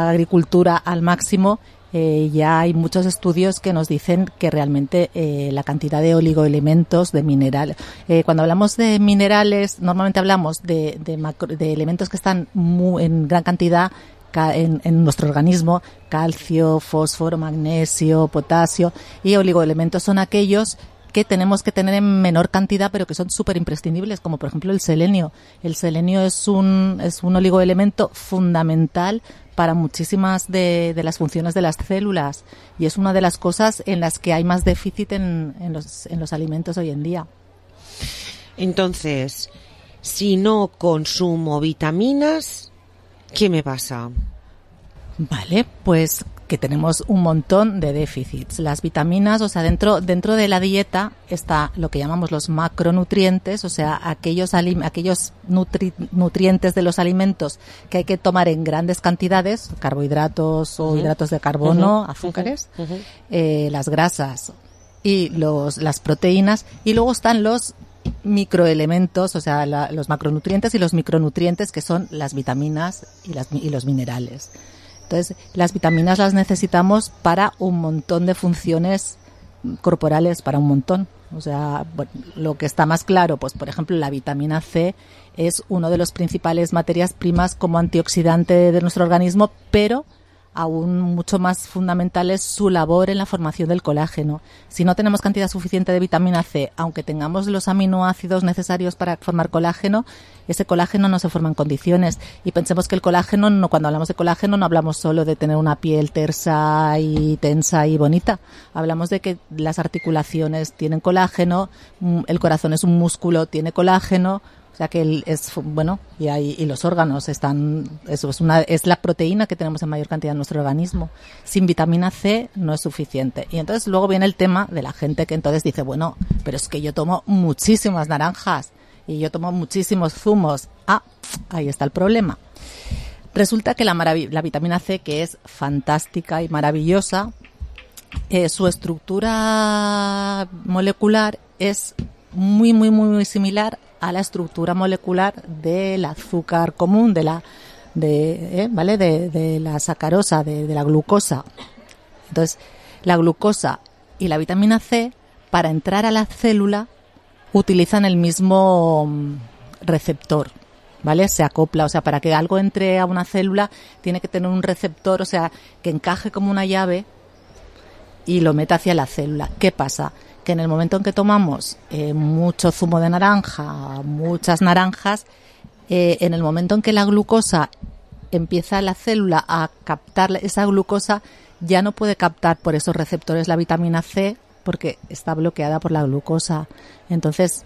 agricultura al máximo, ya hay muchos estudios que nos dicen que realmente la cantidad de oligoelementos, de minerales, cuando hablamos de minerales, normalmente hablamos de elementos que están en gran cantidad en nuestro organismo: calcio, fósforo, magnesio, potasio, y oligoelementos son aquellos que tenemos que tener en menor cantidad pero que son súper imprescindibles, como por ejemplo el selenio. El selenio es un oligoelemento fundamental para muchísimas de las funciones de las células y es una de las cosas en las que hay más déficit en los alimentos hoy en día. Entonces, si no consumo vitaminas, ¿qué me pasa? Vale, pues que tenemos un montón de déficits. Las vitaminas, o sea, dentro de la dieta está lo que llamamos los macronutrientes, o sea, aquellos nutrientes de los alimentos que hay que tomar en grandes cantidades, carbohidratos o hidratos de carbono, azúcares, las grasas y las proteínas, y luego están los microelementos, o sea, los macronutrientes y los micronutrientes, que son las vitaminas y los minerales. Entonces, las vitaminas las necesitamos para un montón de funciones corporales, para un montón. O sea, bueno, lo que está más claro, pues por ejemplo, la vitamina C es uno de los principales materias primas como antioxidante de nuestro organismo, pero aún mucho más fundamental es su labor en la formación del colágeno. Si no tenemos cantidad suficiente de vitamina C, aunque tengamos los aminoácidos necesarios para formar colágeno, ese colágeno no se forma en condiciones. Y pensemos que el colágeno, cuando hablamos de colágeno, no hablamos solo de tener una piel tersa y tensa y bonita. Hablamos de que las articulaciones tienen colágeno, el corazón es un músculo, tiene colágeno. O sea que y los órganos están, eso es la proteína que tenemos en mayor cantidad en nuestro organismo. Sin vitamina C no es suficiente. Y entonces luego viene el tema de la gente que entonces dice, bueno, pero es que yo tomo muchísimas naranjas y yo tomo muchísimos zumos. Ahí está el problema. Resulta que la vitamina C, que es fantástica y maravillosa, su estructura molecular es muy, muy, muy similar a la estructura molecular del azúcar común, de la sacarosa, de la glucosa. Entonces, la glucosa y la vitamina C, para entrar a la célula, utilizan el mismo receptor, ¿vale? Se acopla, o sea, para que algo entre a una célula tiene que tener un receptor, o sea, que encaje como una llave y lo meta hacia la célula. ¿Qué pasa? Que en el momento en que tomamos mucho zumo de naranja, muchas naranjas, en el momento en que la glucosa empieza la célula a captar esa glucosa, ya no puede captar por esos receptores la vitamina C porque está bloqueada por la glucosa. Entonces,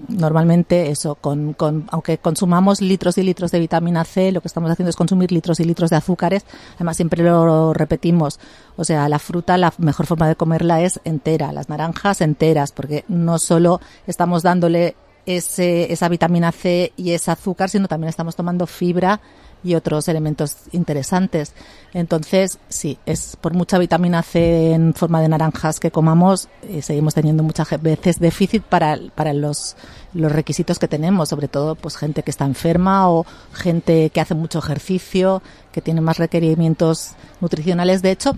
normalmente eso, aunque consumamos litros y litros de vitamina C, lo que estamos haciendo es consumir litros y litros de azúcares. Además, siempre lo repetimos, o sea, la fruta, la mejor forma de comerla es entera, las naranjas enteras, porque no solo estamos dándole esa vitamina C y ese azúcar, sino también estamos tomando fibra y otros elementos interesantes. Entonces, sí, es por mucha vitamina C en forma de naranjas que comamos, seguimos teniendo muchas veces déficit para los requisitos que tenemos, sobre todo pues gente que está enferma o gente que hace mucho ejercicio, que tiene más requerimientos nutricionales. De hecho,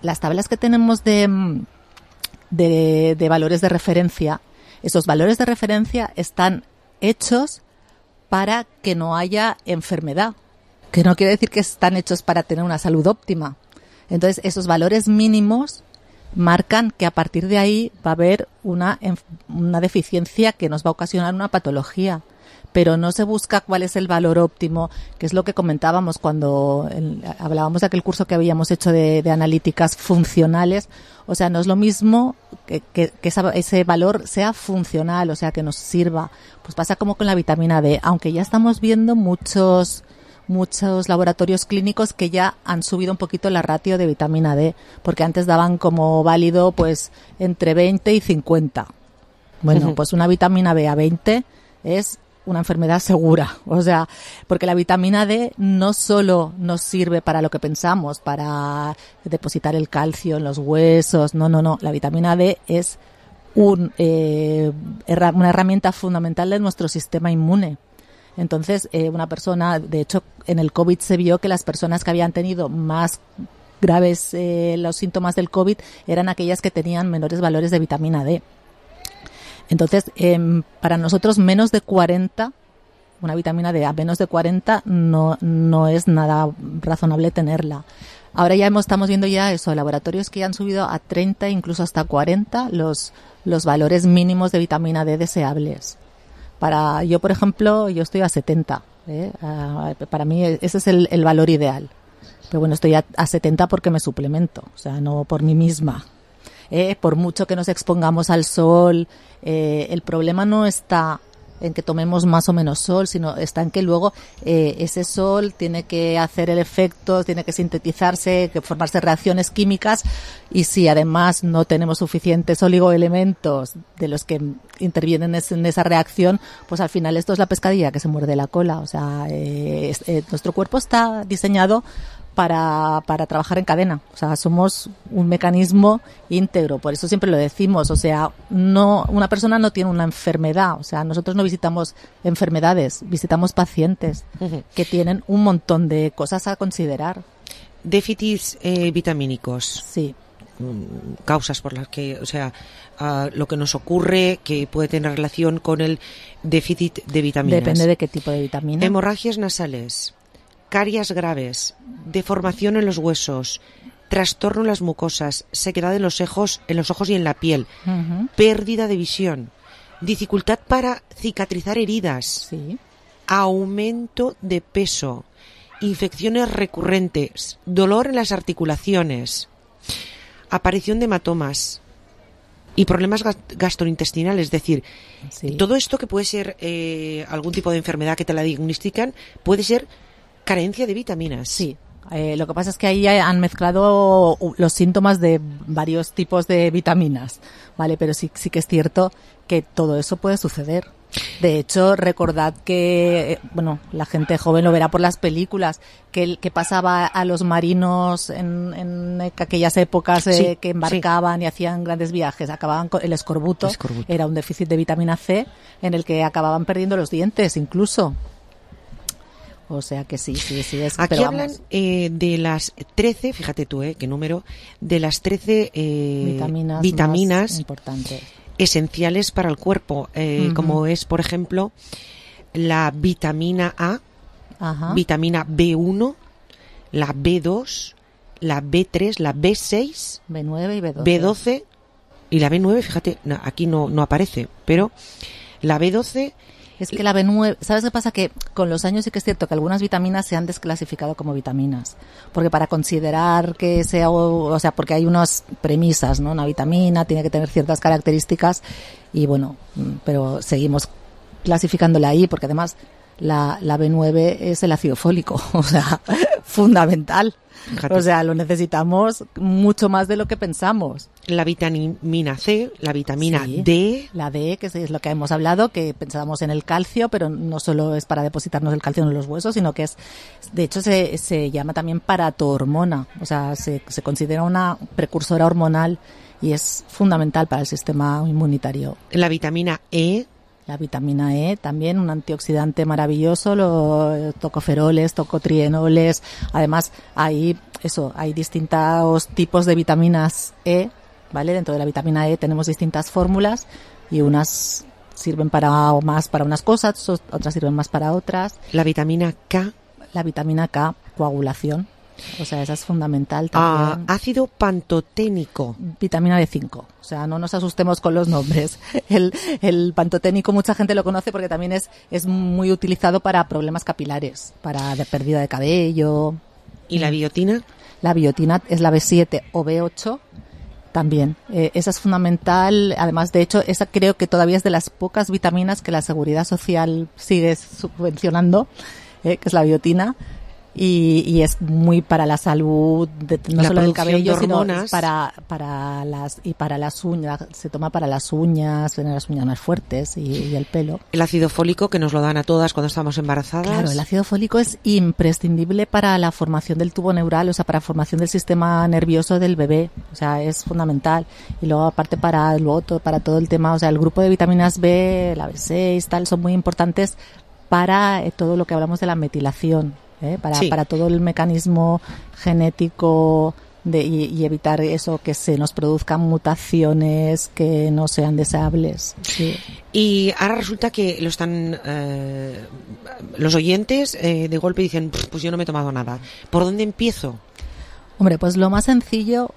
las tablas que tenemos de de valores de referencia. Esos valores de referencia están hechos para que no haya enfermedad, que no quiere decir que están hechos para tener una salud óptima. Entonces, esos valores mínimos marcan que a partir de ahí va a haber una deficiencia que nos va a ocasionar una patología. Pero no se busca cuál es el valor óptimo, que es lo que comentábamos cuando hablábamos de aquel curso que habíamos hecho de analíticas funcionales. O sea, no es lo mismo que ese valor sea funcional, o sea, que nos sirva. Pues pasa como con la vitamina D, aunque ya estamos viendo muchos laboratorios clínicos que ya han subido un poquito la ratio de vitamina D, porque antes daban como válido pues entre 20 y 50. Bueno, pues una vitamina B a 20 es una enfermedad segura, o sea, porque la vitamina D no solo nos sirve para lo que pensamos, para depositar el calcio en los huesos, no, la vitamina D es una herramienta fundamental de nuestro sistema inmune. Entonces, una persona, de hecho, en el COVID se vio que las personas que habían tenido más graves los síntomas del COVID eran aquellas que tenían menores valores de vitamina D. Entonces, para nosotros menos de 40, una vitamina D a menos de 40 no es nada razonable tenerla. Ahora ya estamos viendo ya eso, laboratorios que ya han subido a 30, incluso hasta 40 los valores mínimos de vitamina D deseables. Yo, por ejemplo, yo estoy a 70. Para mí ese es el valor ideal. Pero bueno, estoy a 70 porque me suplemento, o sea, no por mí misma. Por mucho que nos expongamos al sol, el problema no está en que tomemos más o menos sol, sino está en que luego ese sol tiene que hacer el efecto, tiene que sintetizarse, que formarse reacciones químicas, y si además no tenemos suficientes oligoelementos de los que intervienen en esa reacción, pues al final esto es la pescadilla que se muerde la cola. O sea, nuestro cuerpo está diseñado para trabajar en cadena. O sea, somos un mecanismo íntegro, por eso siempre lo decimos. O sea, una persona no tiene una enfermedad. O sea, nosotros no visitamos enfermedades, visitamos pacientes que tienen un montón de cosas a considerar. Déficits vitamínicos. Sí. Causas por las que, o sea, lo que nos ocurre que puede tener relación con el déficit de vitaminas. Depende de qué tipo de vitamina. Hemorragias nasales, caries graves, deformación en los huesos, trastorno en las mucosas, sequedad en los ojos y en la piel, pérdida de visión, dificultad para cicatrizar heridas, aumento de peso, infecciones recurrentes, dolor en las articulaciones, aparición de hematomas y problemas gastrointestinales. Es decir, todo esto que puede ser algún tipo de enfermedad que te la diagnostican, puede ser carencia de vitaminas. Sí. Lo que pasa es que ahí han mezclado los síntomas de varios tipos de vitaminas, ¿vale? Pero sí que es cierto que todo eso puede suceder. De hecho, recordad que, la gente joven lo verá por las películas, que pasaba a los marinos en aquellas épocas que embarcaban y hacían grandes viajes, acababan con el escorbuto. Era un déficit de vitamina C en el que acababan perdiendo los dientes incluso. O sea que sí es. Aquí pero hablan de las 13, fíjate tú, qué número, de las 13 vitaminas más importantes, esenciales para el cuerpo, como es, por ejemplo, la vitamina A, vitamina B1, la B2, la B3, la B6, B9 y B12. B12 y la B9, fíjate, aquí no aparece, pero la B12... Es que la B9, ¿sabes qué pasa? Que con los años sí que es cierto que algunas vitaminas se han desclasificado como vitaminas. Porque para considerar que sea, o sea, porque hay unas premisas, ¿no? Una vitamina tiene que tener ciertas características y pero seguimos clasificándola ahí porque además la B9 es el ácido fólico, o sea, fundamental. Fíjate. O sea, lo necesitamos mucho más de lo que pensamos. La vitamina C, la vitamina D. La D, que es lo que hemos hablado, que pensábamos en el calcio, pero no solo es para depositarnos el calcio en los huesos, sino que de hecho se llama también paratohormona. O sea, se considera una precursora hormonal y es fundamental para el sistema inmunitario. La vitamina E. La vitamina E también, un antioxidante maravilloso, los tocoferoles, tocotrienoles. Además, hay distintos tipos de vitaminas E ¿vale? Dentro de la vitamina E tenemos distintas fórmulas y unas sirven más para unas cosas, otras sirven más para otras. La vitamina K. La vitamina K, coagulación. O sea, esa es fundamental también. Ácido pantoténico. Vitamina B5. O sea, no nos asustemos con los nombres. El pantoténico mucha gente lo conoce porque también es muy utilizado para problemas capilares, para pérdida de cabello. ¿Y la biotina? La biotina es la B7 o B8 también. Esa es fundamental. Además, de hecho, esa creo que todavía es de las pocas vitaminas que la Seguridad Social sigue subvencionando, que es la biotina. Y es muy para la salud, no solo del cabello, sino para las uñas. Se toma para las uñas, tener las uñas más fuertes y el pelo. El ácido fólico, que nos lo dan a todas cuando estamos embarazadas. Claro, el ácido fólico es imprescindible para la formación del tubo neural, o sea, para la formación del sistema nervioso del bebé. O sea, es fundamental. Y luego, aparte, para todo el tema, o sea, el grupo de vitaminas B, la B6, tal, son muy importantes para todo lo que hablamos de la metilación. Para todo el mecanismo genético y evitar eso, que se nos produzcan mutaciones que no sean deseables. Sí. Y ahora resulta que lo están los oyentes de golpe dicen, pues yo no me he tomado nada. ¿Por dónde empiezo? Hombre, pues lo más sencillo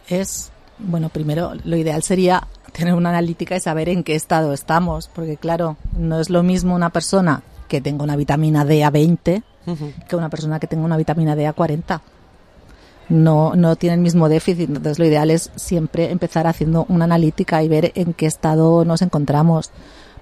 es, bueno, primero lo ideal sería tener una analítica y saber en qué estado estamos, porque claro, no es lo mismo una persona que tenga una vitamina D a 20 que una persona que tenga una vitamina D a 40. No tiene el mismo déficit. Entonces lo ideal es siempre empezar haciendo una analítica y ver en qué estado nos encontramos.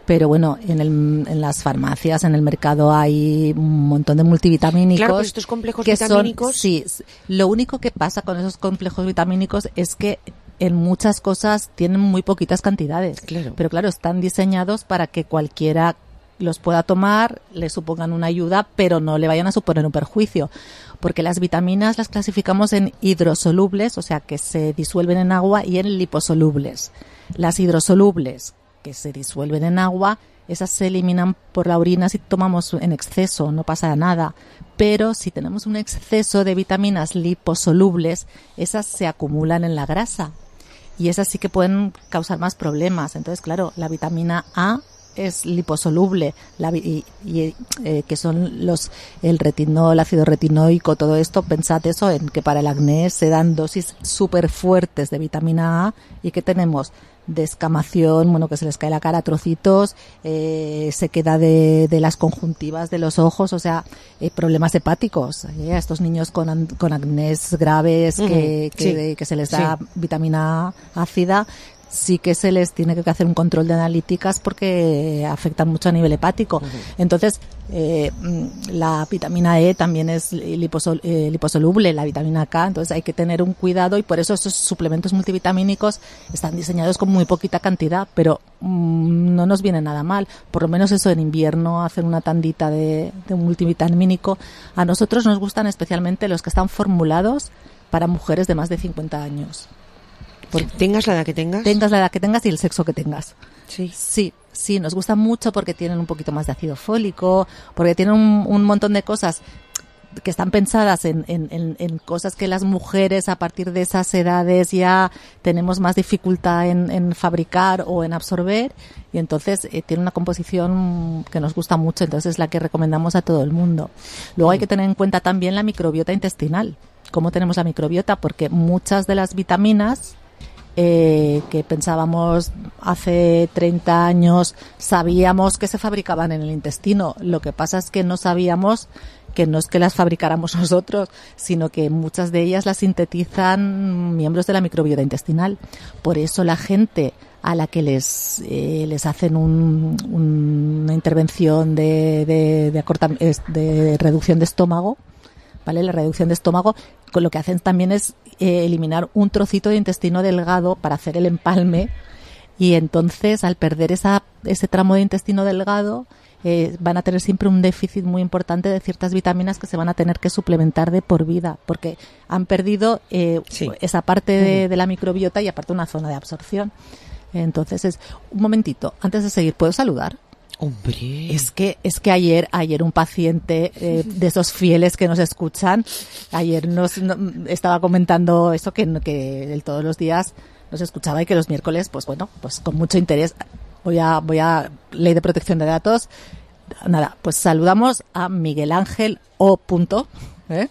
Pero bueno, en las farmacias, en el mercado hay un montón de multivitamínicos. Claro, pues estos complejos vitamínicos. Sí, lo único que pasa con esos complejos vitamínicos es que en muchas cosas tienen muy poquitas cantidades. Claro. Pero claro, están diseñados para que cualquiera los pueda tomar, le supongan una ayuda, pero no le vayan a suponer un perjuicio. Porque las vitaminas las clasificamos en hidrosolubles, o sea, que se disuelven en agua, y en liposolubles. Las hidrosolubles, que se disuelven en agua, esas se eliminan por la orina si tomamos en exceso, no pasa nada. Pero si tenemos un exceso de vitaminas liposolubles, esas se acumulan en la grasa. Y esas sí que pueden causar más problemas. Entonces, claro, la vitamina A es liposoluble, que son el retinol, el ácido retinoico, todo esto. Pensad eso, en que para el acné se dan dosis súper fuertes de vitamina A y que tenemos descamación, bueno, que se les cae la cara a trocitos, sequedad de las conjuntivas de los ojos, o sea, problemas hepáticos. A estos niños con acnés graves que se les da vitamina A ácida, sí que se les tiene que hacer un control de analíticas porque afectan mucho a nivel hepático. Entonces, la vitamina E también es liposoluble, la vitamina K, entonces hay que tener un cuidado, y por eso esos suplementos multivitamínicos están diseñados con muy poquita cantidad, pero no nos viene nada mal. Por lo menos eso, en invierno, hacer una tandita de un multivitamínico. A nosotros nos gustan especialmente los que están formulados para mujeres de más de 50 años. ¿Tengas la edad que tengas? Tengas la edad que tengas y el sexo que tengas. Sí, nos gustan mucho porque tienen un poquito más de ácido fólico, porque tienen un montón de cosas que están pensadas en cosas que las mujeres a partir de esas edades ya tenemos más dificultad en fabricar o en absorber, y entonces tiene una composición que nos gusta mucho, entonces es la que recomendamos a todo el mundo. Luego hay que tener en cuenta también la microbiota intestinal. ¿Cómo tenemos la microbiota? Porque muchas de las vitaminas que pensábamos hace 30 años, sabíamos que se fabricaban en el intestino. Lo que pasa es que no sabíamos que no es que las fabricáramos nosotros, sino que muchas de ellas las sintetizan miembros de la microbiota intestinal. Por eso la gente a la que les hacen una intervención de reducción de estómago, ¿vale? La reducción de estómago, con lo que hacen también es eliminar un trocito de intestino delgado para hacer el empalme, y entonces al perder ese tramo de intestino delgado van a tener siempre un déficit muy importante de ciertas vitaminas que se van a tener que suplementar de por vida, porque han perdido esa parte de la microbiota y aparte una zona de absorción. Entonces un momentito, antes de seguir, ¿puedo saludar? Hombre. Es que ayer un paciente de esos fieles que nos escuchan, ayer estaba comentando eso, que todos los días los escuchaba y que los miércoles, pues bueno, pues con mucho interés voy a Ley de Protección de Datos. Nada, pues saludamos a Miguel Ángel O.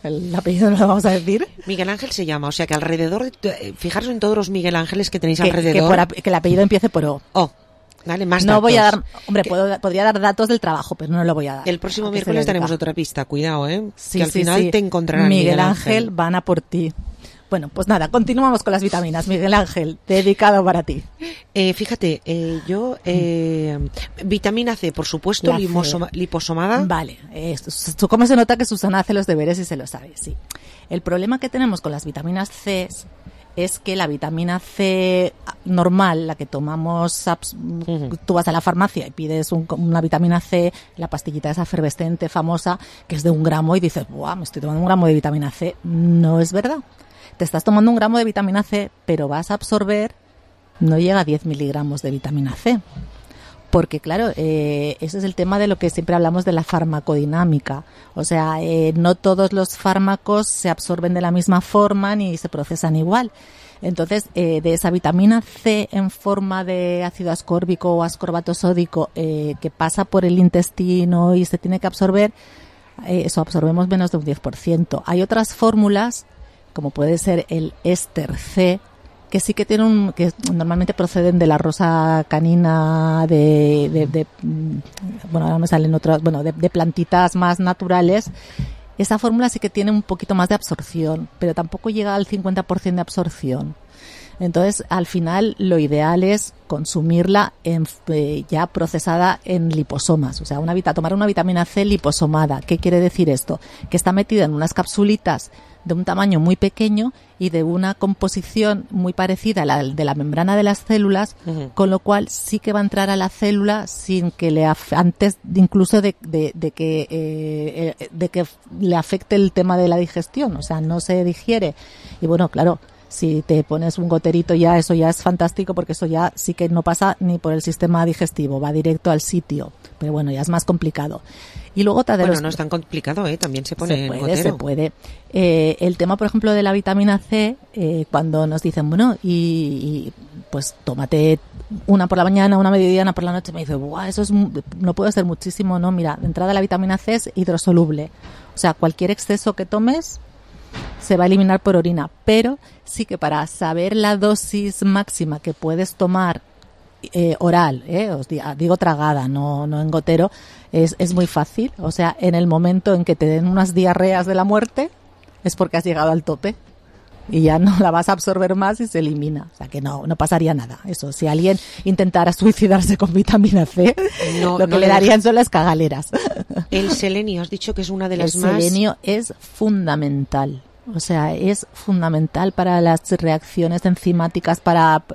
El apellido no lo vamos a decir. Miguel Ángel se llama, o sea que alrededor, fijaros en todos los Miguel Ángeles que tenéis alrededor. Que el apellido empiece por O. Dale, más no datos. Voy a dar, hombre, podría dar datos del trabajo, pero no lo voy a dar. El próximo miércoles tenemos otra pista, cuidado, sí, que al final te encontrarán Miguel Ángel. Van a por ti. Bueno, pues nada, continuamos con las vitaminas. Miguel Ángel, dedicado para ti. Fíjate, yo, vitamina C, por supuesto, liposomada. Vale, ¿cómo se nota que Susana hace los deberes y se lo sabe? Sí. El problema que tenemos con las vitaminas C es que la vitamina C normal, la que tomamos, tú vas a la farmacia y pides una vitamina C, la pastillita esa efervescente, famosa, que es de 1 gramo y dices, ¡buah, me estoy tomando 1 gramo de vitamina C! No es verdad. Te estás tomando 1 gramo de vitamina C, pero vas a absorber, no llega a 10 miligramos de vitamina C. Porque, claro, ese es el tema de lo que siempre hablamos de la farmacodinámica. O sea, no todos los fármacos se absorben de la misma forma ni se procesan igual. Entonces, de esa vitamina C en forma de ácido ascórbico o ascorbato sódico que pasa por el intestino y se tiene que absorber, eso absorbemos menos de un 10%. Hay otras fórmulas, como puede ser el éster C, que sí que que normalmente proceden de la rosa canina, bueno, ahora me salen otras, bueno, de plantitas más naturales. Esa fórmula sí que tiene un poquito más de absorción, pero tampoco llega al 50% de absorción. Entonces, al final, lo ideal es consumirla ya procesada en liposomas. O sea, tomar una vitamina C liposomada. ¿Qué quiere decir esto? Que está metida en unas capsulitas de un tamaño muy pequeño y de una composición muy parecida a la de la membrana de las células, con lo cual sí que va a entrar a la célula sin que antes incluso de que le afecte el tema de la digestión. O sea, no se digiere. Y bueno, claro, si te pones un goterito eso ya es fantástico, porque eso ya sí que no pasa ni por el sistema digestivo, va directo al sitio. Pero bueno, ya es más complicado. Y luego no es tan complicado, también se pone se puede. El tema, por ejemplo, de la vitamina C, cuando nos dicen, bueno, y pues tómate una por la mañana, una mediodía, una por la noche, me dice, ¡buah, eso no puede ser muchísimo! No, mira, de entrada la vitamina C es hidrosoluble. O sea, cualquier exceso que tomes se va a eliminar por orina, pero sí que para saber la dosis máxima que puedes tomar oral, os digo tragada, no en gotero, es muy fácil. O sea, en el momento en que te den unas diarreas de la muerte es porque has llegado al tope y ya no la vas a absorber más y se elimina. O sea, que no pasaría nada. Eso, si alguien intentara suicidarse con vitamina C, lo que le darían son las cagaleras. El selenio, has dicho que es una de las más... El selenio es fundamental. O sea, es fundamental para las reacciones enzimáticas,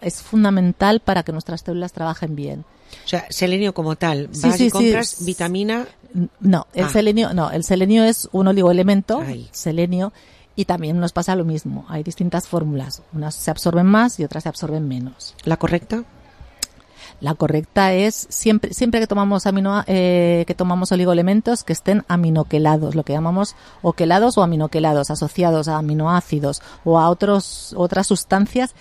es fundamental para que nuestras células trabajen bien. O sea, selenio como tal, vas y compras vitamina... No, el selenio es un oligoelemento, selenio, y también nos pasa lo mismo. Hay distintas fórmulas, unas se absorben más y otras se absorben menos. ¿La correcta? La correcta es siempre que tomamos oligoelementos que estén aminoquelados, lo que llamamos oquelados o aminoquelados, asociados a aminoácidos o a otras sustancias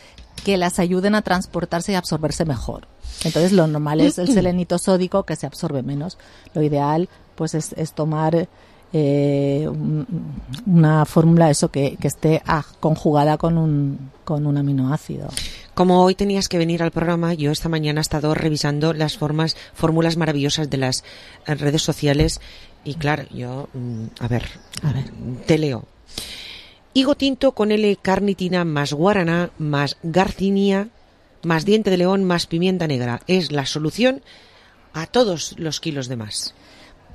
que las ayuden a transportarse y absorberse mejor. Entonces, lo normal es el selenito sódico, que se absorbe menos. Lo ideal, pues, es tomar una fórmula que esté conjugada con un aminoácido. Como hoy tenías que venir al programa, yo esta mañana he estado revisando las fórmulas maravillosas de las redes sociales y claro, yo, a ver, te leo. Higo tinto con L-carnitina más guaraná más garcinia más diente de león más pimienta negra. Es la solución a todos los kilos de más.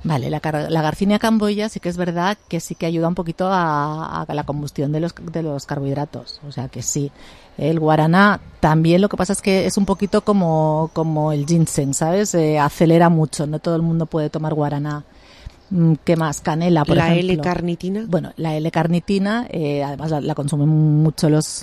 Vale, la Garcinia camboya sí que es verdad que sí que ayuda un poquito a la combustión de los carbohidratos. O sea que sí. El guaraná también, lo que pasa es que es un poquito como el ginseng, ¿sabes? Acelera mucho, no todo el mundo puede tomar guaraná. ¿Qué más? Canela, por ejemplo. ¿La L-carnitina? Bueno, la L-carnitina, además la consumen mucho los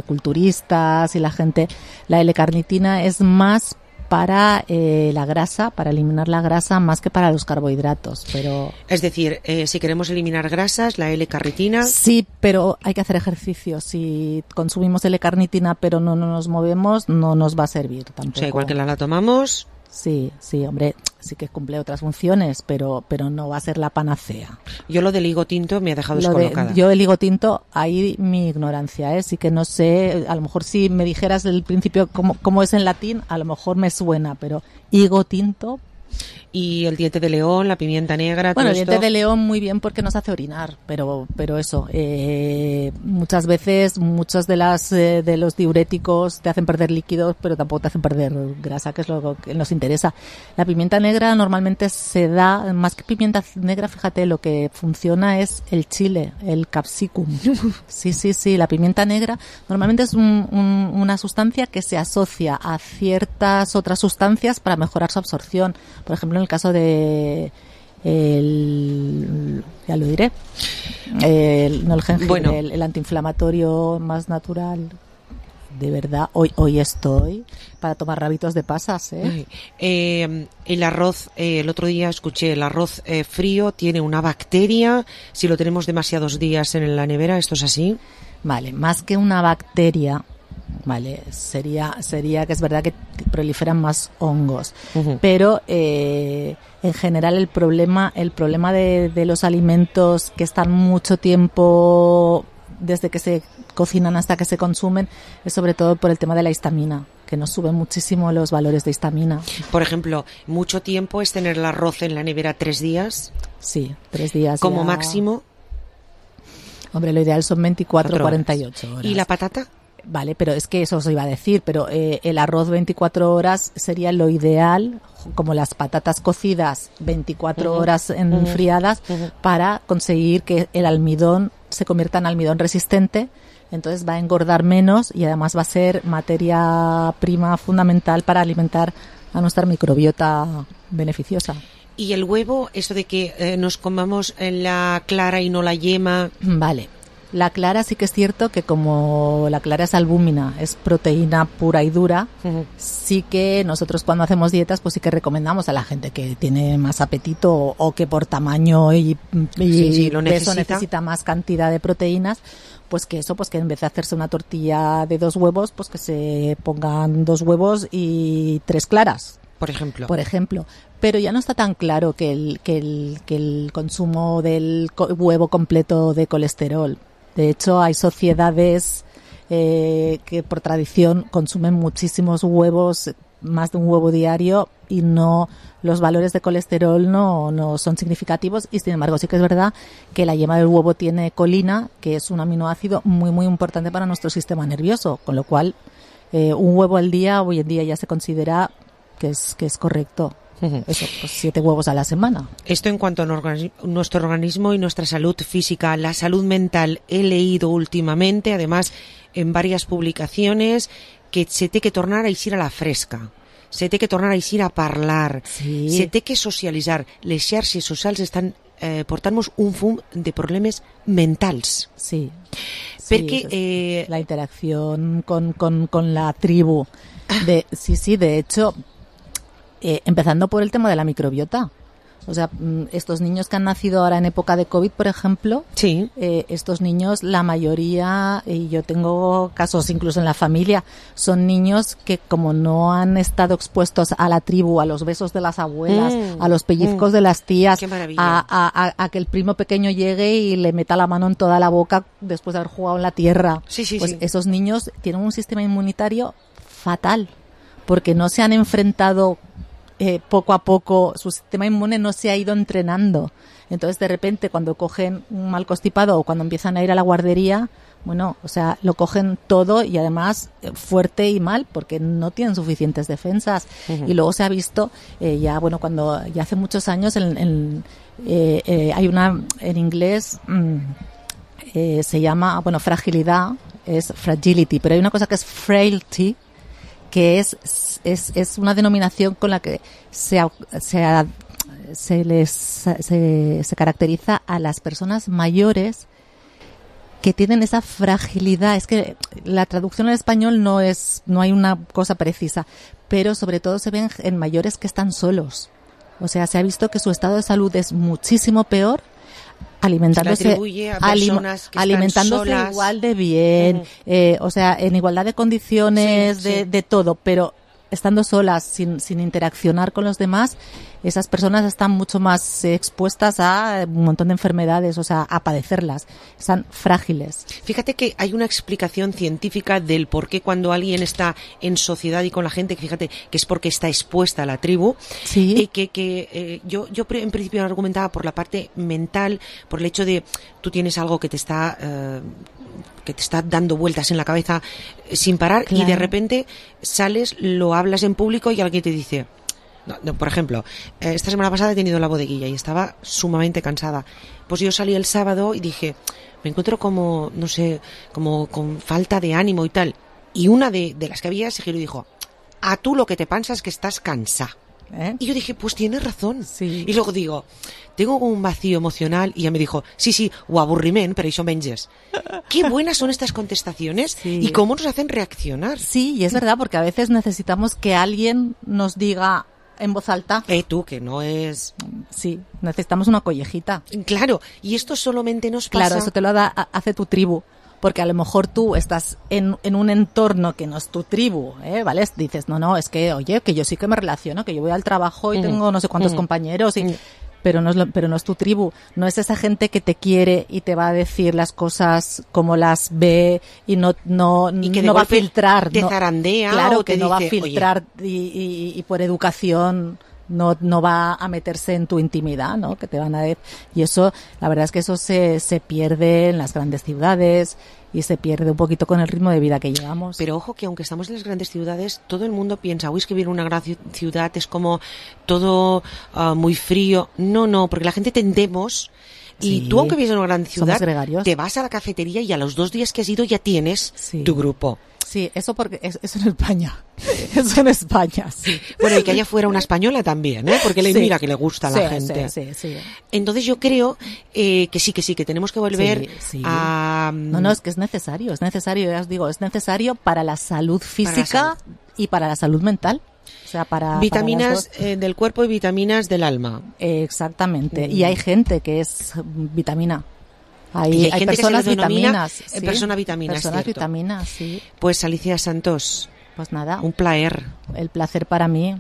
culturistas y la gente. La L-carnitina es más para la grasa, para eliminar la grasa más que para los carbohidratos. Pero es decir, si queremos eliminar grasas, la L-carnitina. Sí, pero hay que hacer ejercicio. Si consumimos L-carnitina pero no nos movemos, no nos va a servir tampoco. O sea, igual que la tomamos. Sí, hombre, sí que cumple otras funciones, pero no va a ser la panacea. Yo lo del higo tinto me ha dejado descolocada. Yo el higo tinto, ahí mi ignorancia, sí que no sé, a lo mejor si me dijeras del principio cómo es en latín, a lo mejor me suena, pero higo tinto... Y el diente de león, la pimienta negra, bueno, todo el diente de león muy bien porque nos hace orinar, pero eso, muchas veces muchos de los diuréticos te hacen perder líquidos, pero tampoco te hacen perder grasa, que es lo que nos interesa. La pimienta negra normalmente se da, más que pimienta negra, fíjate, lo que funciona es el chile, el capsicum. Sí, la pimienta negra normalmente es una sustancia que se asocia a ciertas otras sustancias para mejorar su absorción. Por ejemplo, en el caso de ya lo diré, no el jengibre, bueno, el antiinflamatorio más natural. De verdad, hoy estoy para tomar rabitos de pasas, el arroz, el otro día escuché, el arroz frío tiene una bacteria, si lo tenemos demasiados días en la nevera, ¿esto es así? Vale, más que una bacteria, vale, sería que es verdad que proliferan más hongos, pero en general el problema de los alimentos que están mucho tiempo desde que se cocinan hasta que se consumen es sobre todo por el tema de la histamina, que nos suben muchísimo los valores de histamina. Por ejemplo, ¿mucho tiempo es tener el arroz en la nevera 3 días? Sí, 3 días. ¿Como máximo? Hombre, lo ideal son 24 48 horas. ¿Y la patata? Vale, pero es que eso os iba a decir, pero el arroz 24 horas sería lo ideal, como las patatas cocidas 24 horas enfriadas, para conseguir que el almidón se convierta en almidón resistente, entonces va a engordar menos y además va a ser materia prima fundamental para alimentar a nuestra microbiota beneficiosa. ¿Y el huevo, eso de que nos comamos la clara y no la yema? Vale. La clara sí que es cierto que como la clara es albúmina, es proteína pura y dura, sí que nosotros cuando hacemos dietas pues sí que recomendamos a la gente que tiene más apetito o que por tamaño y lo peso necesita más cantidad de proteínas, pues que en vez de hacerse una tortilla de 2 huevos, pues que se pongan 2 huevos y 3 claras. Por ejemplo. Pero ya no está tan claro que el consumo del huevo completo de colesterol. De hecho, hay sociedades que por tradición consumen muchísimos huevos, más de un huevo diario, y los valores de colesterol no son significativos, y sin embargo sí que es verdad que la yema del huevo tiene colina, que es un aminoácido muy muy importante para nuestro sistema nervioso, con lo cual un huevo al día hoy en día ya se considera que es correcto. Eso, pues 7 huevos a la semana. Esto en cuanto a nuestro organismo y nuestra salud física. La salud mental, he leído últimamente, además en varias publicaciones, que se té que tornar a eixir a la fresca, se té que tornar a eixir a parlar, se té que socialitzar. Les xarxes socials estan portant-nos un fum de problemes mentals. Sí. Perquè la interacción con la tribu. De hecho, empezando por el tema de la microbiota. O sea, estos niños que han nacido ahora en época de COVID, por ejemplo, estos niños, la mayoría, y yo tengo casos incluso en la familia, son niños que como no han estado expuestos a la tribu, a los besos de las abuelas, a los pellizcos de las tías, a que el primo pequeño llegue y le meta la mano en toda la boca después de haber jugado en la tierra. Esos niños tienen un sistema inmunitario fatal, porque no se han enfrentado poco a poco, su sistema inmune no se ha ido entrenando. Entonces, de repente, cuando cogen un mal constipado o cuando empiezan a ir a la guardería, lo cogen todo y además fuerte y mal, porque no tienen suficientes defensas. Y luego se ha visto, cuando ya hace muchos años, hay una, en inglés, se llama, fragilidad, es fragility, pero hay una cosa que es frailty, que es una denominación con la que se caracteriza a las personas mayores que tienen esa fragilidad. Es que la traducción al español no hay una cosa precisa, pero sobre todo se ven en mayores que están solos. O sea, se ha visto que su estado de salud es muchísimo peor alimentándose solas. Igual de bien, o sea, en igualdad de condiciones, de todo, pero estando solas, sin interaccionar con los demás, esas personas están mucho más expuestas a un montón de enfermedades, o sea, a padecerlas. Están frágiles. Fíjate que hay una explicación científica del por qué cuando alguien está en sociedad y con la gente, fíjate que es porque está expuesta a la tribu. Sí. Y que yo en principio argumentaba por la parte mental, por el hecho de tú tienes algo que te está dando vueltas en la cabeza sin parar, claro. Y de repente sales, lo hablas en público y alguien te dice... No, por ejemplo, esta semana pasada he tenido la bodeguilla y estaba sumamente cansada. Pues yo salí el sábado y dije, me encuentro como, no sé, como con falta de ánimo y tal. Y una de las que había se giró y dijo, a tú lo que te pasa es que estás cansada. Y yo dije, pues tienes razón. Sí. Y luego digo, tengo un vacío emocional, y ella me dijo, sí, o aburriment, pero eso menges. Qué buenas son estas contestaciones y cómo nos hacen reaccionar. Sí, y es verdad, porque a veces necesitamos que alguien nos diga en voz alta. Tú, que no es... Sí, necesitamos una collejita. Claro, y esto solamente nos pasa... Claro, eso te lo hace tu tribu. Porque a lo mejor tú estás en un entorno que no es tu tribu, ¿vale? Dices, no, es que, oye, que yo sí que me relaciono, que yo voy al trabajo y tengo no sé cuántos compañeros, pero no es tu tribu. No es esa gente que te quiere y te va a decir las cosas como las ve y no va a filtrar. Te zarandea. Claro, o que te no dice, va a filtrar y por educación... No va a meterse en tu intimidad, ¿no? Que te van a decir. Y eso, la verdad es que eso se pierde en las grandes ciudades y se pierde un poquito con el ritmo de vida que llevamos. Pero ojo que aunque estamos en las grandes ciudades, todo el mundo piensa, es que vivir en una gran ciudad es como todo muy frío. No, porque la gente tendemos... Y tú, aunque vives en una gran ciudad, te vas a la cafetería y a los 2 días que has ido ya tienes tu grupo. Sí, eso porque eso en España. Eso en España, sí. Bueno, y que haya fuera una española también, porque mira que le gusta a la gente. Sí. Entonces yo creo que sí, que tenemos que volver a... No, es que es necesario, ya os digo, es necesario para la salud física y para la salud mental. O sea, para vitaminas del cuerpo y vitaminas del alma. Exactamente. Y hay gente que es vitamina. Hay personas vitaminas. Personas vitaminas, sí. Pues Alicia Santos. Pues nada. Un placer. El placer para mí.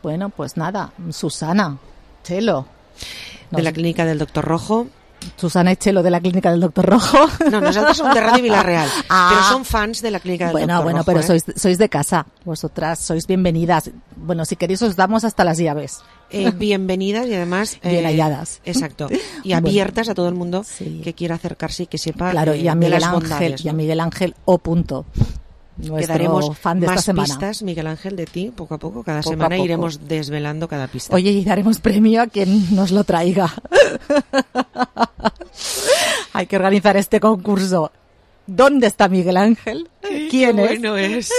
Bueno, pues nada. Susana, Chelo. De la clínica del Doctor Rojo. Susana y Chelo de la clínica del Doctor Rojo. No, nosotros somos de Radio Villarreal, pero son fans de la clínica del Doctor Rojo. Bueno, pero sois de casa, vosotras sois bienvenidas. Bueno, si queréis os damos hasta las llaves. Bienvenidas y además... bien halladas. Exacto. Y abiertas a todo el mundo que quiera acercarse y que sepa y a Miguel de las Ángel, bondades, ¿no? Y a Miguel Ángel nuestro Quedaremos fan de más esta semana. Pistas, Miguel Ángel, de ti, poco a poco. Cada semana iremos desvelando cada pista. Oye, y daremos premio a quien nos lo traiga. Hay que organizar este concurso. ¿Dónde está Miguel Ángel? ¿Quién es? Bueno es.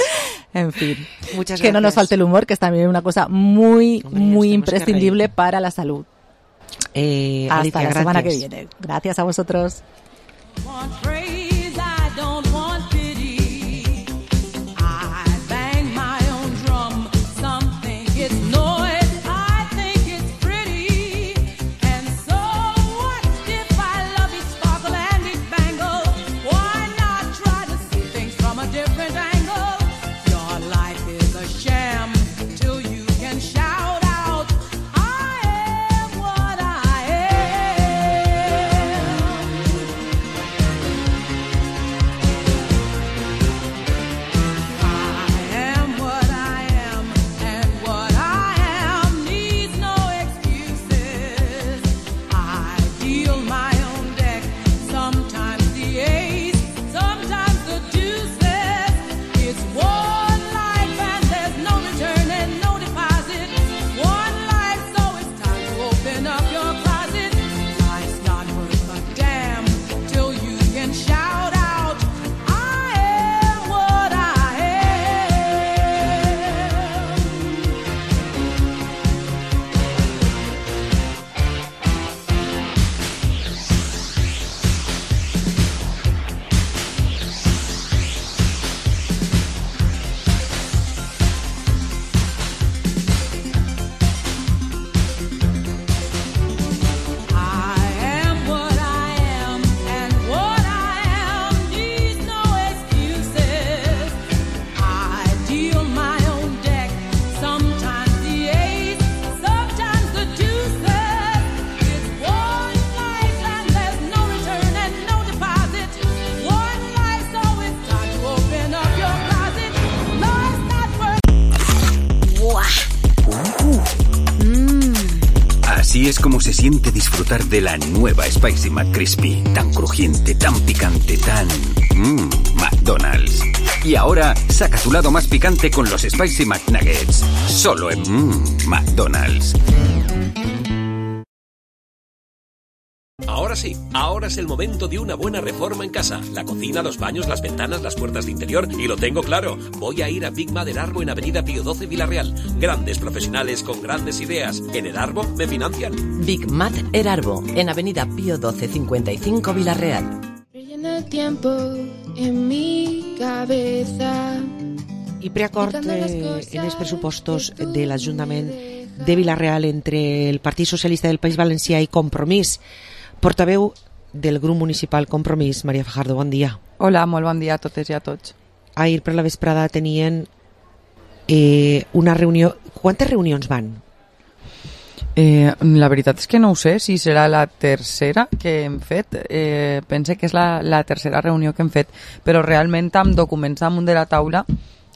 En fin. Muchas gracias. Que no nos falte el humor, que es también una cosa muy imprescindible para la salud. Hasta Alicia, la semana que gracias. viene. Gracias a vosotros. Así es como se siente disfrutar de la nueva Spicy McCrispy. Tan crujiente, tan picante, tan... McDonald's. Y ahora, saca tu lado más picante con los Spicy McNuggets. Solo en McDonald's. Ahora sí, ahora es el momento de una buena reforma en casa. La cocina, los baños, las ventanas, las puertas de interior. Y lo tengo claro, voy a ir a Big Mat Erarbo en Avenida Pío XII, Villarreal. Grandes profesionales con grandes ideas. En Erarbo me financian. Big Mat Erarbo, en Avenida Pío XII 55, Villarreal. Rellena el tiempo en mi cabeza. I preacord en els pressupostos de l'Ajuntament de Villarreal entre el Partit Socialista del País Valencià i Compromís. Portaveu del grup municipal Compromís, Maria Fajardo, bon dia. Hola, molt bon dia a totes i a tots. Ahir per la vesprada tenien una reunió. Quantes reunions van? La veritat és que no ho sé si serà la tercera que hem fet. Pense que és la tercera reunió que hem fet, però realment amb documents damunt de la taula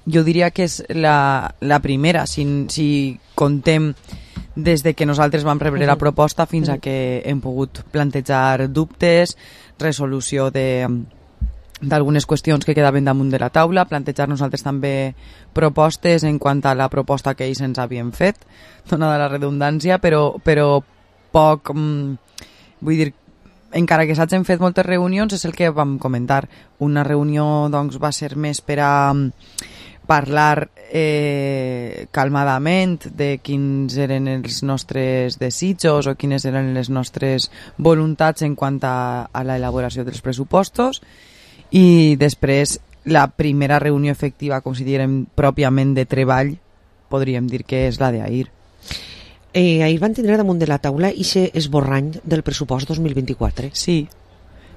jo diria que és la primera, si contem des de que nosaltres vam rebre la proposta fins a que hem pogut plantejar dubtes, resolució d'algunes qüestions que quedaven damunt de la taula, plantejar nosaltres també propostes en quant a la proposta que ells ens havien fet, donada la redundància, però poc, vull dir, encara que s'hagin fet moltes reunions, és el que vam comentar. Una reunió doncs, va ser més per a parlar calmadament de quins eren els nostres desitjos o quines eren les nostres voluntats en quant a l'elaboració dels pressupostos, i després la primera reunió efectiva, com si diguem pròpiament de treball, podríem dir que és la d'ahir. Ahir van tindre damunt de la taula aquest esborrany del pressupost 2024.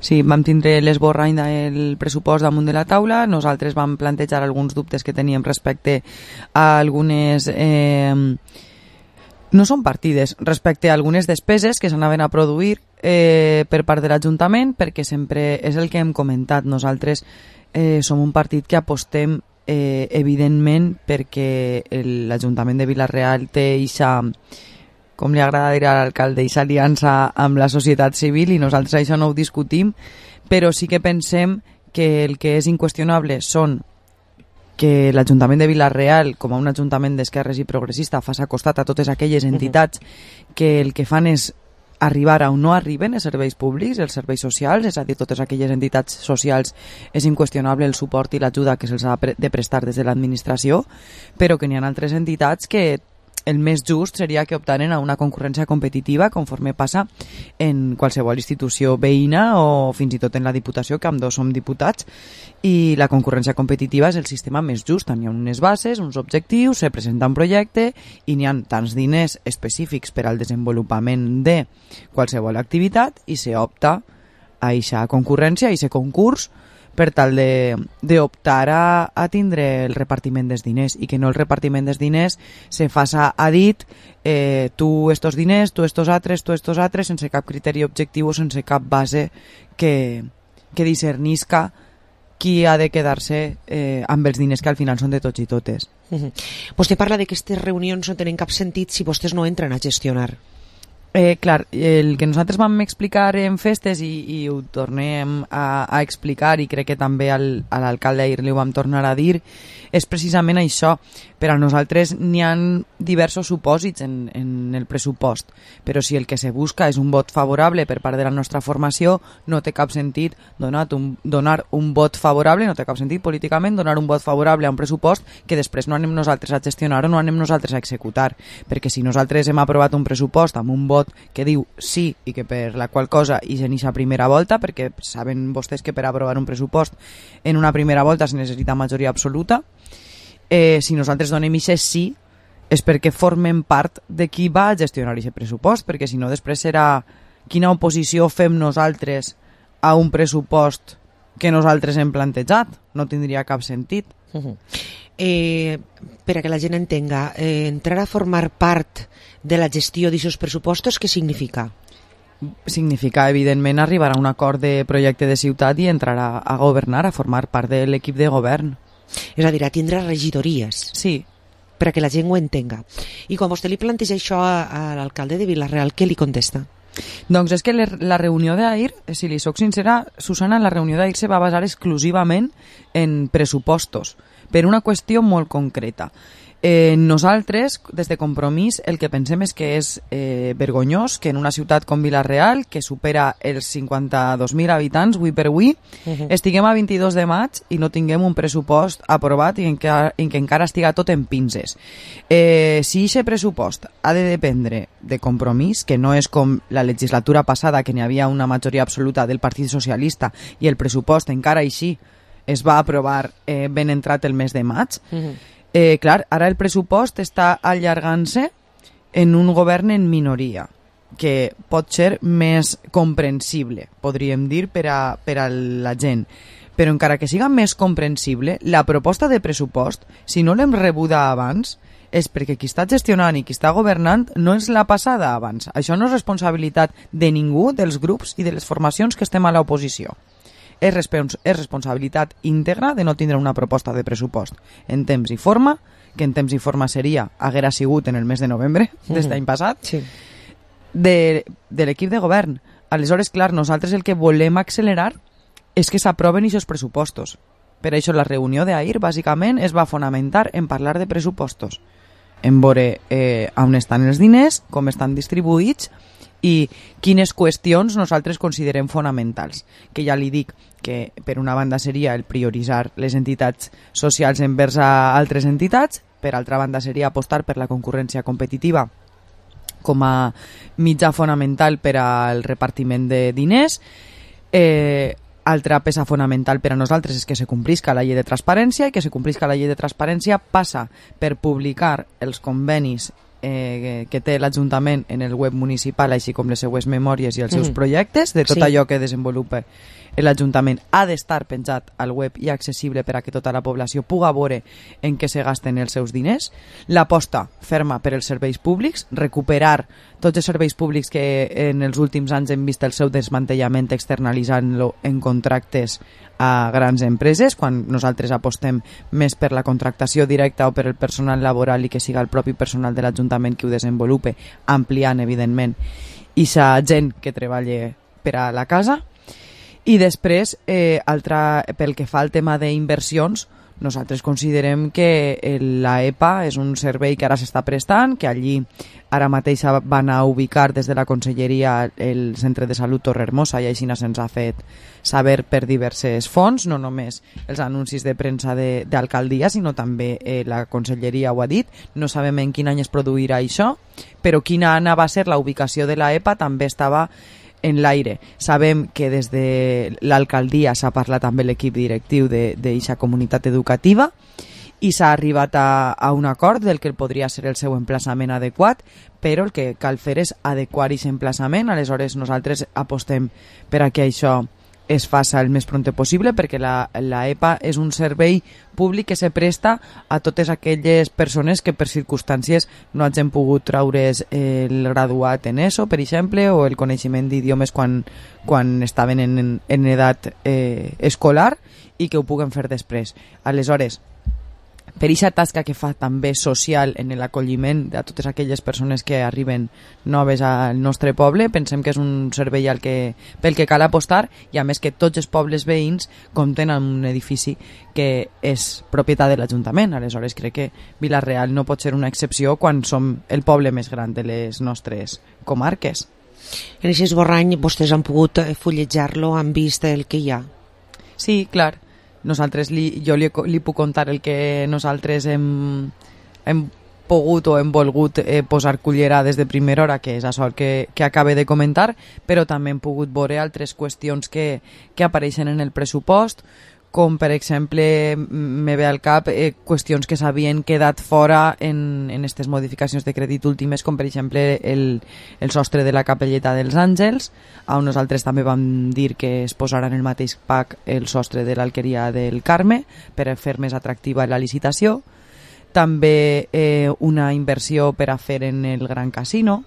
Sí, vam tindre l'esborrany del pressupost damunt de la taula. Nosaltres vam plantejar alguns dubtes que teníem respecte a algunes... no són partides, respecte a algunes despeses que s'anaven a produir per part de l'Ajuntament, perquè sempre és el que hem comentat. Nosaltres som un partit que apostem evidentment perquè l'Ajuntament de Vila-real té eixa, com li agrada dir a l'alcalde, eixa aliança amb la societat civil, i nosaltres això no ho discutim, però sí que pensem que el que és inqüestionable són que l'Ajuntament de Vila-real, com a un ajuntament d'esquerres i progressista, faci costat a totes aquelles entitats que el que fan és arribar a on no arriben els serveis públics, els serveis socials, és a dir, totes aquelles entitats socials és inqüestionable el suport i l'ajuda que se'ls ha de prestar des de l'administració, però que n'hi ha altres entitats que el més just seria que optaren a una concurrència competitiva conforme passa en qualsevol institució veïna o fins i tot en la Diputació, que ambdós som diputats, i la concurrència competitiva és el sistema més just. N'hi ha unes bases, uns objectius, se presenta un projecte i n'hi ha tants diners específics per al desenvolupament de qualsevol activitat i se opta a aquesta concurrència, a aquest concurs, per tal d'optar a tindre el repartiment dels diners, i que no el repartiment dels diners se faça a dit tu estos diners, tu estos altres, sense cap criteri objectiu o sense cap base que discernisca qui ha de quedar-se amb els diners que al final són de tots i totes. Vostè parla de que aquestes reunions no tenen cap sentit si vostès no entren a gestionar. Clar, el que nosaltres vam explicar en festes i ho tornem a explicar, i crec que també a l'alcalde ahir li ho vam tornar a dir, és precisament això. Per a nosaltres n'hi ha diversos supòsits en el pressupost, però si el que se busca és un vot favorable per part de la nostra formació, no té cap sentit donar un vot favorable, no té cap sentit políticament donar un vot favorable a un pressupost que després no anem nosaltres a gestionar o no anem nosaltres a executar, perquè si nosaltres hem aprovat un pressupost amb un vot que diu sí i que per la qual cosa hi ha aquesta primera volta, perquè saben vostès que per aprovar un pressupost en una primera volta es necessita majoria absoluta, si nosaltres donem aquest sí és perquè formem part de qui va a gestionar aquest pressupost, perquè si no després serà quina oposició fem nosaltres a un pressupost que nosaltres hem plantejat, no tindria cap sentit. Per a que la gent entenga, entrar a formar part de la gestió d'aquests pressupostos, què significa? Significa, evidentment, arribar a un acord de projecte de ciutat i entrar a governar, a formar part de l'equip de govern. És a dir, a tindre regidories. Sí. per a que la gent ho entenga. I quan vostè li planteja això a l'alcalde de Vila-real, què li contesta? Doncs és que la reunió d'ahir, si li soc sincera, Susana, la reunió d'ahir se va basar exclusivament en pressupostos, per una qüestió molt concreta. Nosaltres, des de Compromís, el que pensem és que és vergonyós que en una ciutat com Vila-real, que supera els 52.000 habitants, avui per avui, estiguem a 22 de maig i no tinguem un pressupost aprovat i que encara estiga tot en pinces. Si aquest pressupost ha de dependre de Compromís, que no és com la legislatura passada, que n'hi havia una majoria absoluta del Partit Socialista i el pressupost encara així es va aprovar ben entrat el mes de maig, clar, ara el pressupost està allargant-se en un govern en minoria, que pot ser més comprensible, podríem dir, per a la gent. Però encara que siga més comprensible, la proposta de pressupost, si no l'hem rebuda abans, és perquè qui està gestionant i qui està governant no és la passada abans. Això no és responsabilitat de ningú, dels grups i de les formacions que estem a l'oposició. És responsabilitat íntegra de no tindre una proposta de pressupost en temps i forma, que en temps i forma haguera sigut en el mes de novembre d'este any passat, de l'equip de govern. Aleshores, clar, nosaltres el que volem accelerar és que s'aproven aquests pressupostos. Per això la reunió d'ahir, bàsicament, es va fonamentar en parlar de pressupostos, en veure on estan els diners, com estan distribuïts i quines qüestions nosaltres considerem fonamentals. Que ja li dic que per una banda seria el prioritzar les entitats socials envers a altres entitats, per altra banda seria apostar per la concurrència competitiva com a mitjà fonamental per al repartiment de diners. Altra peça fonamental per a nosaltres és que se complisca la llei de transparència, i que se complisca la llei de transparència passa per publicar els convenis que té l'Ajuntament en el web municipal, així com les seues memòries i els seus projectes, de tot allò que desenvolupa l'Ajuntament ha d'estar penjat al web i accessible per a que tota la població puga veure en què se gasten els seus diners. L'aposta ferma per als serveis públics, recuperar tots els serveis públics que en els últims anys hem vist el seu desmantellament externalitzant-lo en contractes a grans empreses, quan nosaltres apostem més per la contractació directa o per el personal laboral i que siga el propi personal de l'Ajuntament qui ho desenvolupe, ampliant, evidentment, i sa gent que treballa per a la casa. I després, pel que fa al tema d'inversions, nosaltres considerem que la EPA és un servei que ara s'està prestant, que allí ara mateix van a ubicar des de la Conselleria el Centre de Salut Torrehermosa, i així se'ns ha fet saber per diverses fonts, no només els anuncis de premsa d'alcaldia, sinó també la Conselleria ho ha dit. No sabem en quin any es produirà això, però quina va ser la ubicació de la EPA també estava en l'aire. Sabem que des de l'alcaldia s'ha parlat amb l'equip directiu d'aquesta comunitat educativa i s'ha arribat a un acord del que podria ser el seu emplaçament adequat, però el que cal fer és adequar aquest emplaçament. Aleshores nosaltres apostem per a que això es faça el més pront possible, perquè la EPA és un servei públic que se presta a totes aquelles persones que per circumstàncies no hagin pogut traure's el graduat en ESO, per exemple, o el coneixement d'idiomes quan estaven en edat escolar, i que ho puguen fer després. Aleshores, per aquesta tasca que fa també social en l'acolliment de totes aquelles persones que arriben noves al nostre poble, pensem que és un servei pel que cal apostar, i a més que tots els pobles veïns compten amb un edifici que és propietat de l'Ajuntament. Aleshores crec que Vila-real no pot ser una excepció quan som el poble més gran de les nostres comarques. En aquest esborrany vostès han pogut fullejar-lo, han vist el que hi ha? Sí, clar. Nosaltres jo li puc contar el que nosaltres hem pogut o hem volgut posar cullerades de primera hora, que és això que acabe de comentar, però també hem pogut veure altres qüestions que apareixen en el pressupost, com per exemple me ve al cap qüestions que s'havien quedat fora en aquestes modificacions de crèdit últimes, com per exemple el sostre de la capelleta dels Àngels, on nosaltres també vam dir que es posarà en el mateix pack el sostre de l'Alqueria del Carme per fer més atractiva la licitació. També una inversió per a fer en el Gran Casino,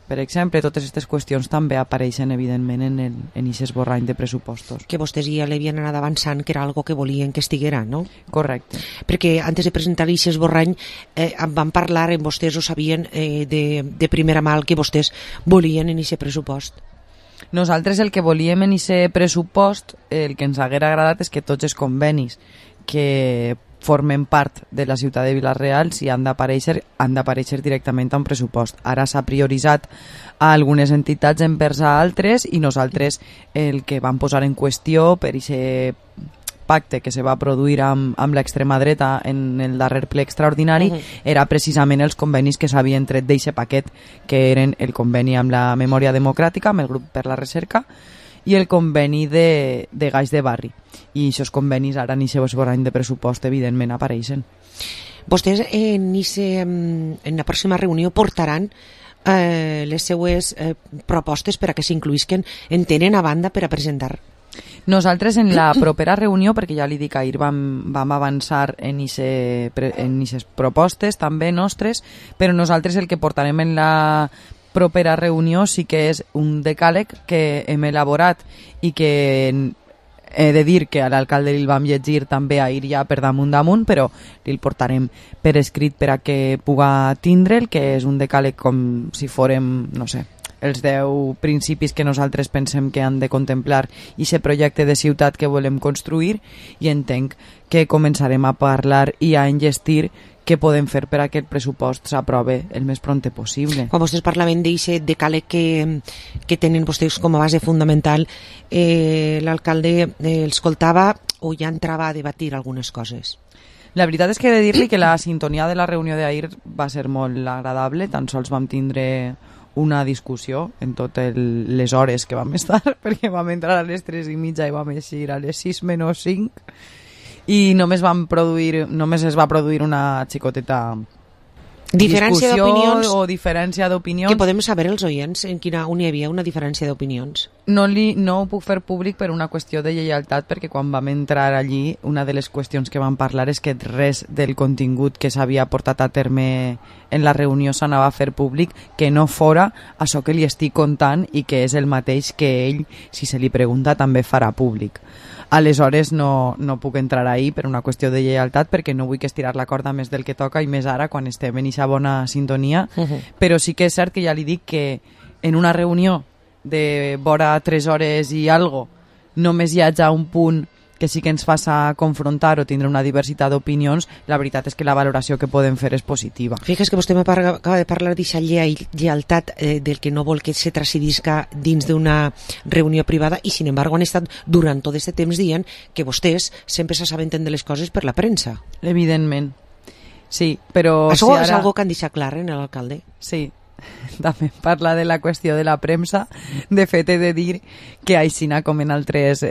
per exemple, totes aquestes qüestions també apareixen evidentment en aquest esborrany de pressupostos. Que vostès ja l'havien anat avançant, que era algo que volien que estiguera, no? Correcte. Perquè antes de presentar aquest esborrany van parlar amb vostès o sabien de primera mà el que vostès volien en aquest pressupost. Nosaltres el que volíem en aquest pressupost, el que ens haguera agradat és que tots els convenis que formen part de la ciutat de Vila-real, si han d'aparèixer directament a un pressupost. Ara s'ha prioritzat a algunes entitats envers a altres i nosaltres el que vam posar en qüestió per aquest pacte que se va produir amb l'extrema dreta en el darrer ple extraordinari era precisament els convenis que s'havien tret d'aquest paquet, que eren el conveni amb la Memòria Democràtica, amb el grup per la recerca, i el conveni de Gaix de Barri. I aquests convenis ara en aquest esborrany de pressupost evidentment apareixen. Vostès en la pròxima reunió portaran les seues propostes per a que s'incluïsquen, en tenen a banda per a presentar? Nosaltres en la propera reunió, perquè ja li dic, ahir vam avançar en aquestes propostes també nostres, però nosaltres el que portarem en la propera reunió sí que és un decàleg que hem elaborat i que he de dir que a l'alcalde li vam llegir també ahir ja per damunt, però li portarem per escrit per a que puga tindre'l, que és un decàleg com si fórem, no sé, els 10 principis que nosaltres pensem que han de contemplar i aquest projecte de ciutat que volem construir, i entenc que començarem a parlar i a enllestir què podem fer per a que el pressupost s'aprove el més prompte possible. Quan vostès parlaven d'aquest decàleg que tenen vostès com a base fundamental, l'alcalde escoltava o ja entrava a debatir algunes coses? La veritat és que he de dir-li que la sintonia de la reunió d'ahir va ser molt agradable, tan sols vam tindre una discussió en totes les hores que vam estar, perquè vam entrar a les 3:30 i vam eixir a les 6 menys 5, i només es va produir una xicoteta discussió o diferència d'opinions. Que podem saber els oients on hi havia una diferència d'opinions? No ho puc fer públic per una qüestió de lleialtat, perquè quan vam entrar allí una de les qüestions que vam parlar és que res del contingut que s'havia portat a terme en la reunió s'anava a fer públic, que no fora això que li estic contant i que és el mateix que ell, si se li pregunta, també farà públic. Aleshores no puc entrar ahí per una qüestió de lleialtat, perquè no vull que estirar la corda més del que toca i més ara quan estem en aquesta bona sintonia, però sí que és cert que ja li dic que en una reunió de vora 3 hores i algo només hi hagi un punt que sí que ens faça confrontar o tindre una diversitat d'opinions, la veritat és que la valoració que podem fer és positiva. Fixa't que vostè acaba de parlar d'aquesta lleialtat del que no vol que se tracidisca dins d'una reunió privada, i sin embargo han estat durant tot aquest temps dient que vostès sempre s'assabenten de les coses per la premsa. Evidentment, sí, però... Això és algo que han deixat clar en l'alcalde? Sí, també parla de la qüestió de la premsa. De fet, he de dir que aixina com en altres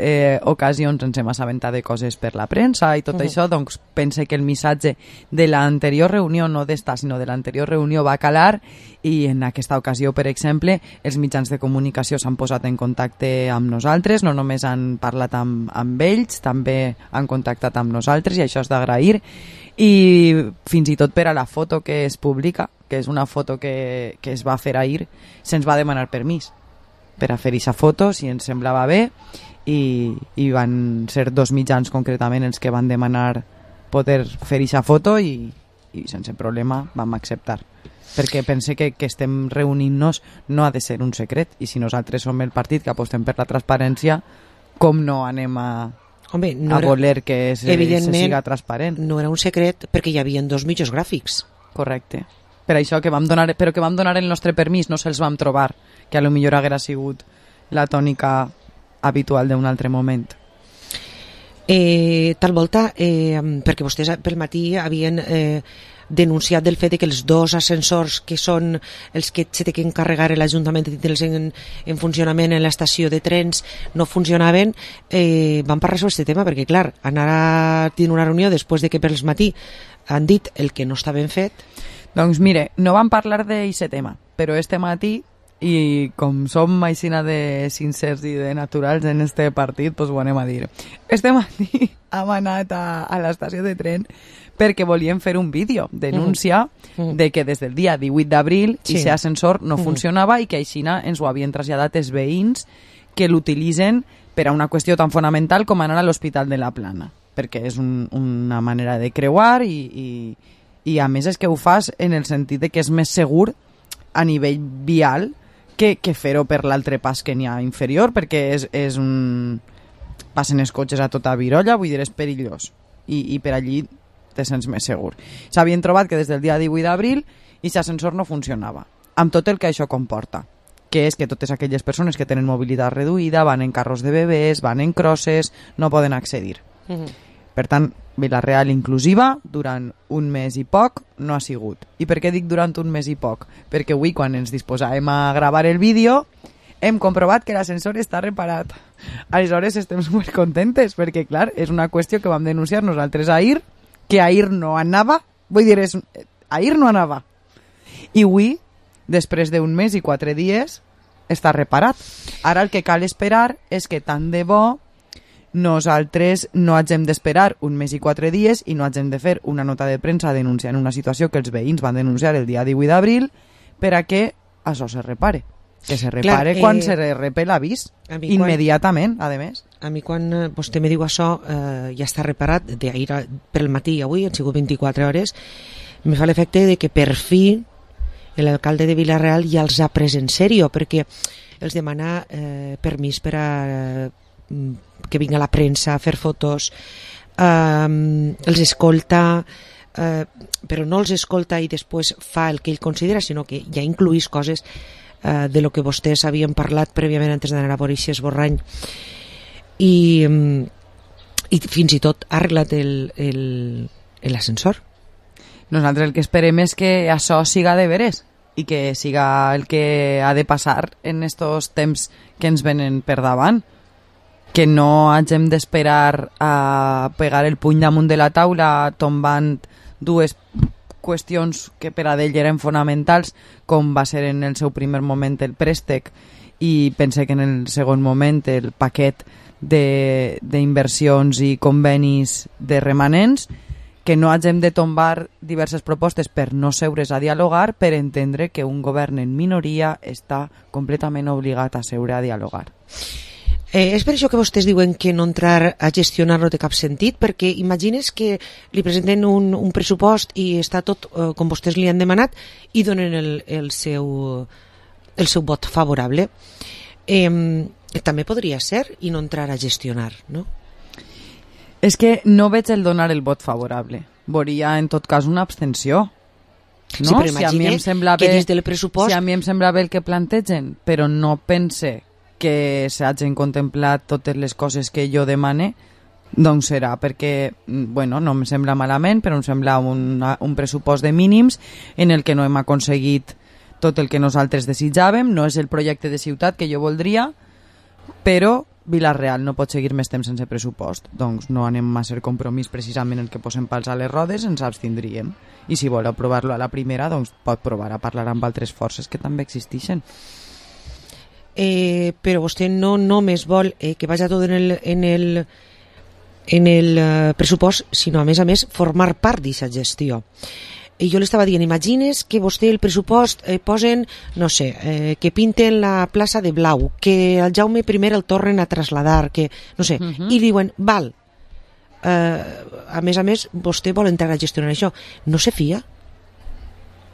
ocasions ens hem assabentat de coses per la premsa i tot això, doncs pense que el missatge de l'anterior reunió, no d'esta, sinó de l'anterior reunió, va calar, i en aquesta ocasió, per exemple, els mitjans de comunicació s'han posat en contacte amb nosaltres, no només han parlat amb ells, també han contactat amb nosaltres, i això és d'agrair. I fins i tot per a la foto que es publica, que és una foto que es va fer ahir, se'ns va demanar permís per a fer aquesta foto, si ens semblava bé, i van ser 2 mitjans concretament els que van demanar poder fer aquesta foto, i sense problema vam acceptar, perquè pense que estem reunint-nos no ha de ser un secret, i si nosaltres som el partit que apostem per la transparència, com no anem a voler que se siga transparent? No era un secret, perquè hi havia 2 mitjos gràfics. Correcte. Per això que vam donar el nostre permís, no se'ls vam trobar, que a lo millor haguera sigut la tònica habitual d'un altre moment. Tal volta, perquè vostès pel matí havien denunciat del fet que els 2 ascensors que són els que s'ha d'encarregar l'Ajuntament de tindre'ls en funcionament en l'estació de trens no funcionaven, van parlar sobre aquest tema, perquè clar, anar a tenir una reunió després de que pel matí han dit el que no està ben fet. Doncs mire, no vam parlar d'aquest tema, però este matí i com som aixina de sincers i de naturals en este partit, doncs ho anem a dir. Este matí hem anat a l'estació de tren perquè volíem fer un vídeo, denúncia de que des del dia 18 d'abril aquest ascensor no funcionava i que aixina ens ho havien traslladat els veïns que l'utilitzen per a una qüestió tan fonamental com anar a l'Hospital de la Plana, perquè és una manera de creuar i a més és que ho fas en el sentit de que és més segur a nivell vial que fer-ho per l'altre pas que n'hi ha inferior, perquè és un... passen els cotxes a tota virolla, vull dir, és perillós i per allí te sents més segur. S'havien trobat que des del dia 18 d'abril aquest ascensor no funcionava, amb tot el que això comporta, que és que totes aquelles persones que tenen mobilitat reduïda van en carros de bebès, van en crosses, no poden accedir. Per tant, Vila-real inclusiva durant un mes i poc no ha sigut. I per què dic durant un mes i poc? Perquè avui, quan ens disposàvem a gravar el vídeo, hem comprovat que l'ascensor està reparat. Aleshores estem supercontentes, perquè clar, és una qüestió que vam denunciar nosaltres ahir, que ahir no anava, vull dir, ahir no anava. I avui, després d'un mes i 4 dies, està reparat. Ara el que cal esperar és que tant de bo nosaltres no hagem d'esperar un mes i 4 dies i no hagem de fer una nota de premsa denunciant una situació que els veïns van denunciar el dia 18 d'abril per a que això se repare. Que se repare quan se repe l'avís, immediatament, a més. A mi quan vostè me diu això, ja està reparat, d'ahir pel matí i avui, han sigut 24 hores, me fa l'efecte de que per fi l'alcalde de Vila-real ja els ha pres en sèrio, perquè els demana permís per a que vinga la premsa a fer fotos, els escolta, però no els escolta i després fa el que ell considera, sinó que ja incluís coses de lo que vostès havien parlat prèviament antes d'anar a veure aquest esborrany, i fins i tot ha arreglat l'ascensor. Nosaltres el que esperem és que això siga de veres i que siga el que ha de passar en estos temps que ens venen per davant, que no hagem d'esperar a pegar el puny damunt de la taula tombant dues qüestions que per a d'ell eren fonamentals, com va ser en el seu primer moment el préstec i pense que en el segon moment el paquet d'inversions i convenis de remanents, que no hagem de tombar diverses propostes per no seure's a dialogar, per entendre que un govern en minoria està completament obligat a seure a dialogar. És per això que vostès diuen que no entrar a gestionar no té cap sentit, perquè imagines que li presenten un pressupost i està tot com vostès li han demanat i donen el seu vot favorable. També podria ser i no entrar a gestionar, no? És que no veig el donar el vot favorable. Veuria en tot cas una abstenció. No? Sí, però imagine que des del pressupost... Si a mi em sembla bé el que plantegen, però no pense que s'hagin contemplat totes les coses que jo demane, doncs serà perquè, bueno, no em sembla malament, però em sembla un pressupost de mínims en el que no hem aconseguit tot el que nosaltres desitjàvem, no és el projecte de ciutat que jo voldria, però Vila-real no pot seguir més temps sense pressupost, doncs no anem a ser compromís precisament el que posem pals a les rodes, ens abstindríem, i si vol aprovar-lo a la primera, doncs pot provar a parlar amb altres forces que també existeixen. Però vostè no només vol que vagi tot en el pressupost, sinó a més formar part d'aquesta gestió. I jo li estava dient, imagines que vostè el pressupost posen, no sé, que pinten la plaça de blau, que el Jaume I el tornen a trasladar, que no sé, i diuen, val, a més vostè vol entrar a gestionar això, no se fia?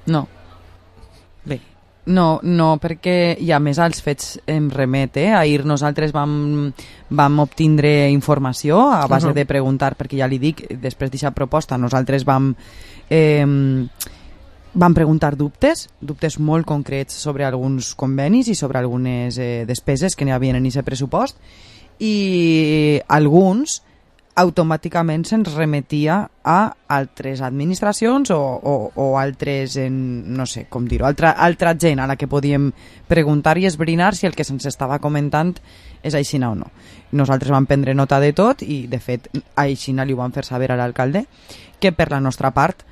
No. Bé. No, perquè i a més als fets em remet, ahir nosaltres vam obtindre informació a base de preguntar, perquè ja li dic, després d'aquesta proposta nosaltres vam preguntar dubtes molt concrets sobre alguns convenis i sobre algunes despeses que n'hi havia en aquest pressupost, i alguns automàticament se'ns remetia a altres administracions o altres, no sé com dir-ho, altra gent a la que podíem preguntar i esbrinar si el que se'ns estava comentant és aixina o no. Nosaltres vam prendre nota de tot i, de fet, aixina li ho vam fer saber a l'alcalde, que per la nostra part,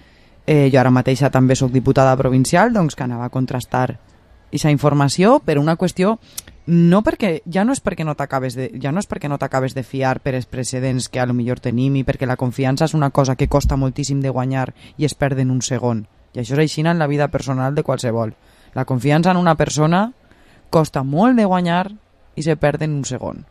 jo ara mateixa també soc diputada provincial, doncs que anava a contrastar aquesta informació per una qüestió ja no és perquè no t'acabes de fiar per els precedents que a lo millor tenim i perquè la confiança és una cosa que costa moltíssim de guanyar i es perd en un segon. I això és així en la vida personal de qualsevol. La confiança en una persona costa molt de guanyar i se perd en un segon.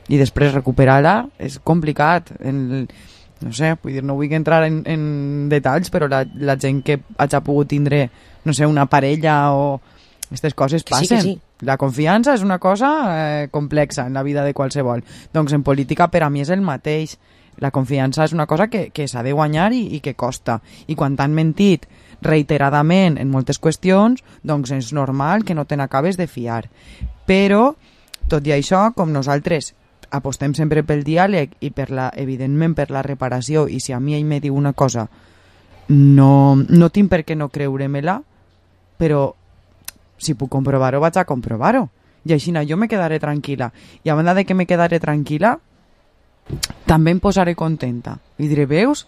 I després recuperar-la és complicat. No sé, vull dir, no vull entrar en detalls, però la gent que hagi pogut tindre, no sé, una parella o aquestes coses passen. Sí. La confiança és una cosa complexa en la vida de qualsevol. Doncs en política per a mi és el mateix. La confiança és una cosa que s'ha de guanyar i que costa. I quan t'han mentit reiteradament en moltes qüestions, doncs és normal que no te n'acabes de fiar. Però, tot i això, com nosaltres apostem sempre pel diàleg i evidentment per la reparació, i si a mi ell me diu una cosa no tinc per què no creure-me-la, però si puc comprovar-ho, vaig a comprovar-ho. I així jo me quedaré tranquil·la. I a banda de que me quedaré tranquil·la, també em posaré contenta. I diré, veus?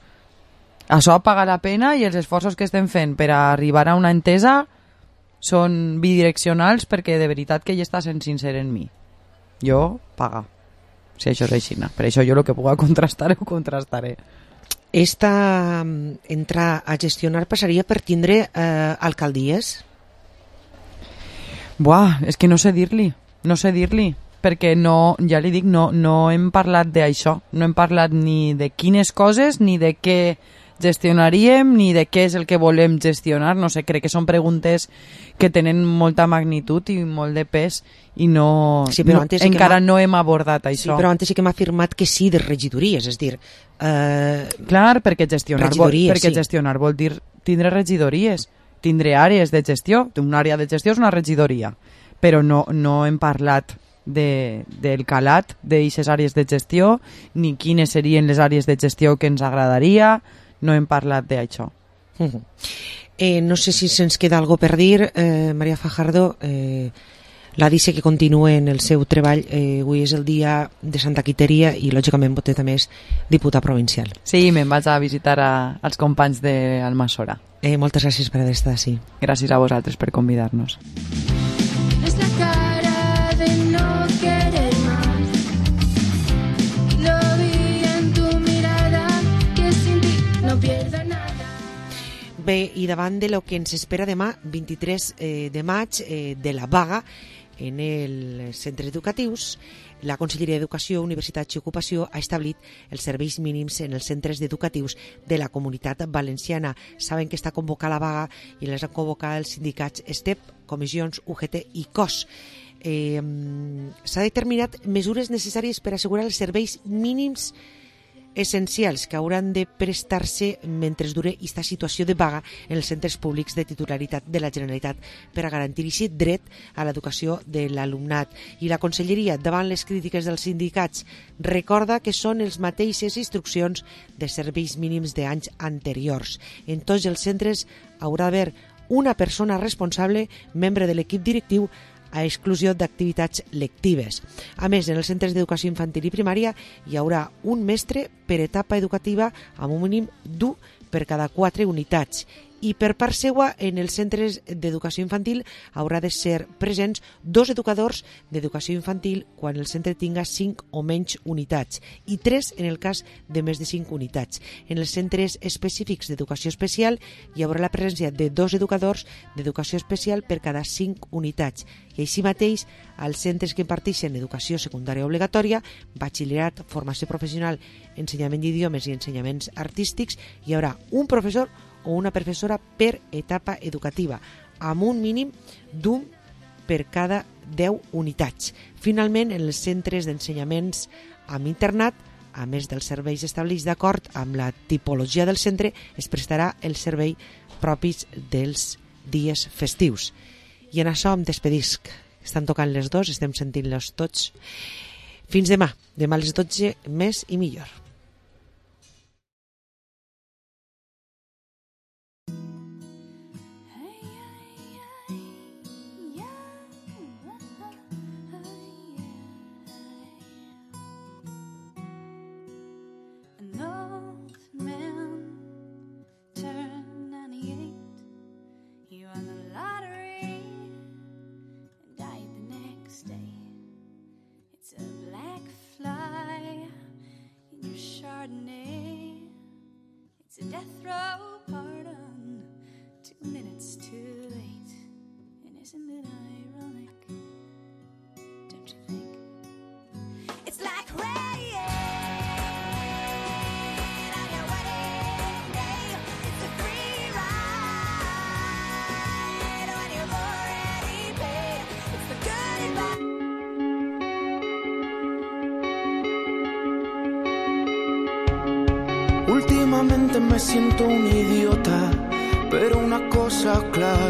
Això paga la pena i els esforços que estem fent per arribar a una entesa són bidireccionals perquè de veritat que ell està sent sincer en mi. Jo, paga. Si això és així. Per això jo el que puc contrastar ho contrastaré. Entrar a gestionar passaria per tindre alcaldies? Buah, és que no sé dir-li, perquè ja li dic, no hem parlat d'això, no hem parlat ni de quines coses, ni de què gestionaríem, ni de què és el que volem gestionar, no sé, crec que són preguntes que tenen molta magnitud i molt de pes i encara no hem abordat això. Sí, però antes sí que m'ha afirmat que sí de regidories, és dir... Clar, perquè gestionar vol dir tindre regidories, tindre àrees de gestió. Una àrea de gestió és una regidoria, però no hem parlat del calat d'aquestes àrees de gestió, ni quines serien les àrees de gestió que ens agradaria, no hem parlat d'això. No sé si se'ns queda algo per dir, Maria Fajardo. La dice que continua en el seu treball. Avui és el dia de Santa Quiteria i lògicament vostè també és diputat provincial. Sí, me'n vaig a visitar als companys d'Almassora. Moltes gràcies per haver estat així. Gràcies a vosaltres per convidar-nos. Es la cara de no querer más. Lo vi en tu mirada, que sin ti no pierdo nada. Bé, i davant de lo que ens espera demà, 23 de maig, de la vaga en els centres educatius, la Conselleria d'Educació, Universitats i Ocupació ha establit els serveis mínims en els centres educatius de la Comunitat Valenciana. Saben que està convocada la vaga i les han convocat els sindicats STEP, comissions UGT i COS. S'ha determinat mesures necessàries per assegurar els serveis mínims essencials que hauran de prestar-se mentre dure aquesta situació de vaga en els centres públics de titularitat de la Generalitat per a garantir aquest dret a l'educació de l'alumnat. I la Conselleria, davant les crítiques dels sindicats, recorda que són les mateixes instruccions de serveis mínims d'anys anteriors. En tots els centres haurà d'haver una persona responsable, membre de l'equip directiu, a exclusió d'activitats lectives. A més, en els centres d'educació infantil i primària hi haurà un mestre per etapa educativa amb un mínim d'1 per cada 4 unitats. I per part seua, en els centres d'educació infantil haurà de ser presents 2 educadors d'educació infantil quan el centre tinga 5 o menys unitats i 3 en el cas de més de 5 unitats. En els centres específics d'educació especial hi haurà la presència de 2 educadors d'educació especial per cada 5 unitats. I així mateix, als centres que imparteixen educació secundària obligatòria, batxillerat, formació professional, ensenyament d'idiomes i ensenyaments artístics, hi haurà un professor o una professora per etapa educativa, amb un mínim d'1 per cada 10 unitats. Finalment, en els centres d'ensenyaments amb internat, a més dels serveis establerts d'acord amb la tipologia del centre, es prestarà el servei propis dels dies festius. I en això em despedisc. Estan tocant les 2, estem sentint-los tots. Fins demà. Demà a les 12, més i millor. Chardonnay. It's a death row pardon, 2 minutes too late. And isn't it ironic? Don't you think? It's like rain on your wedding day. It's a free ride when you've already paid. It's the good and bad. Últimamente me siento un idiota, pero una cosa clara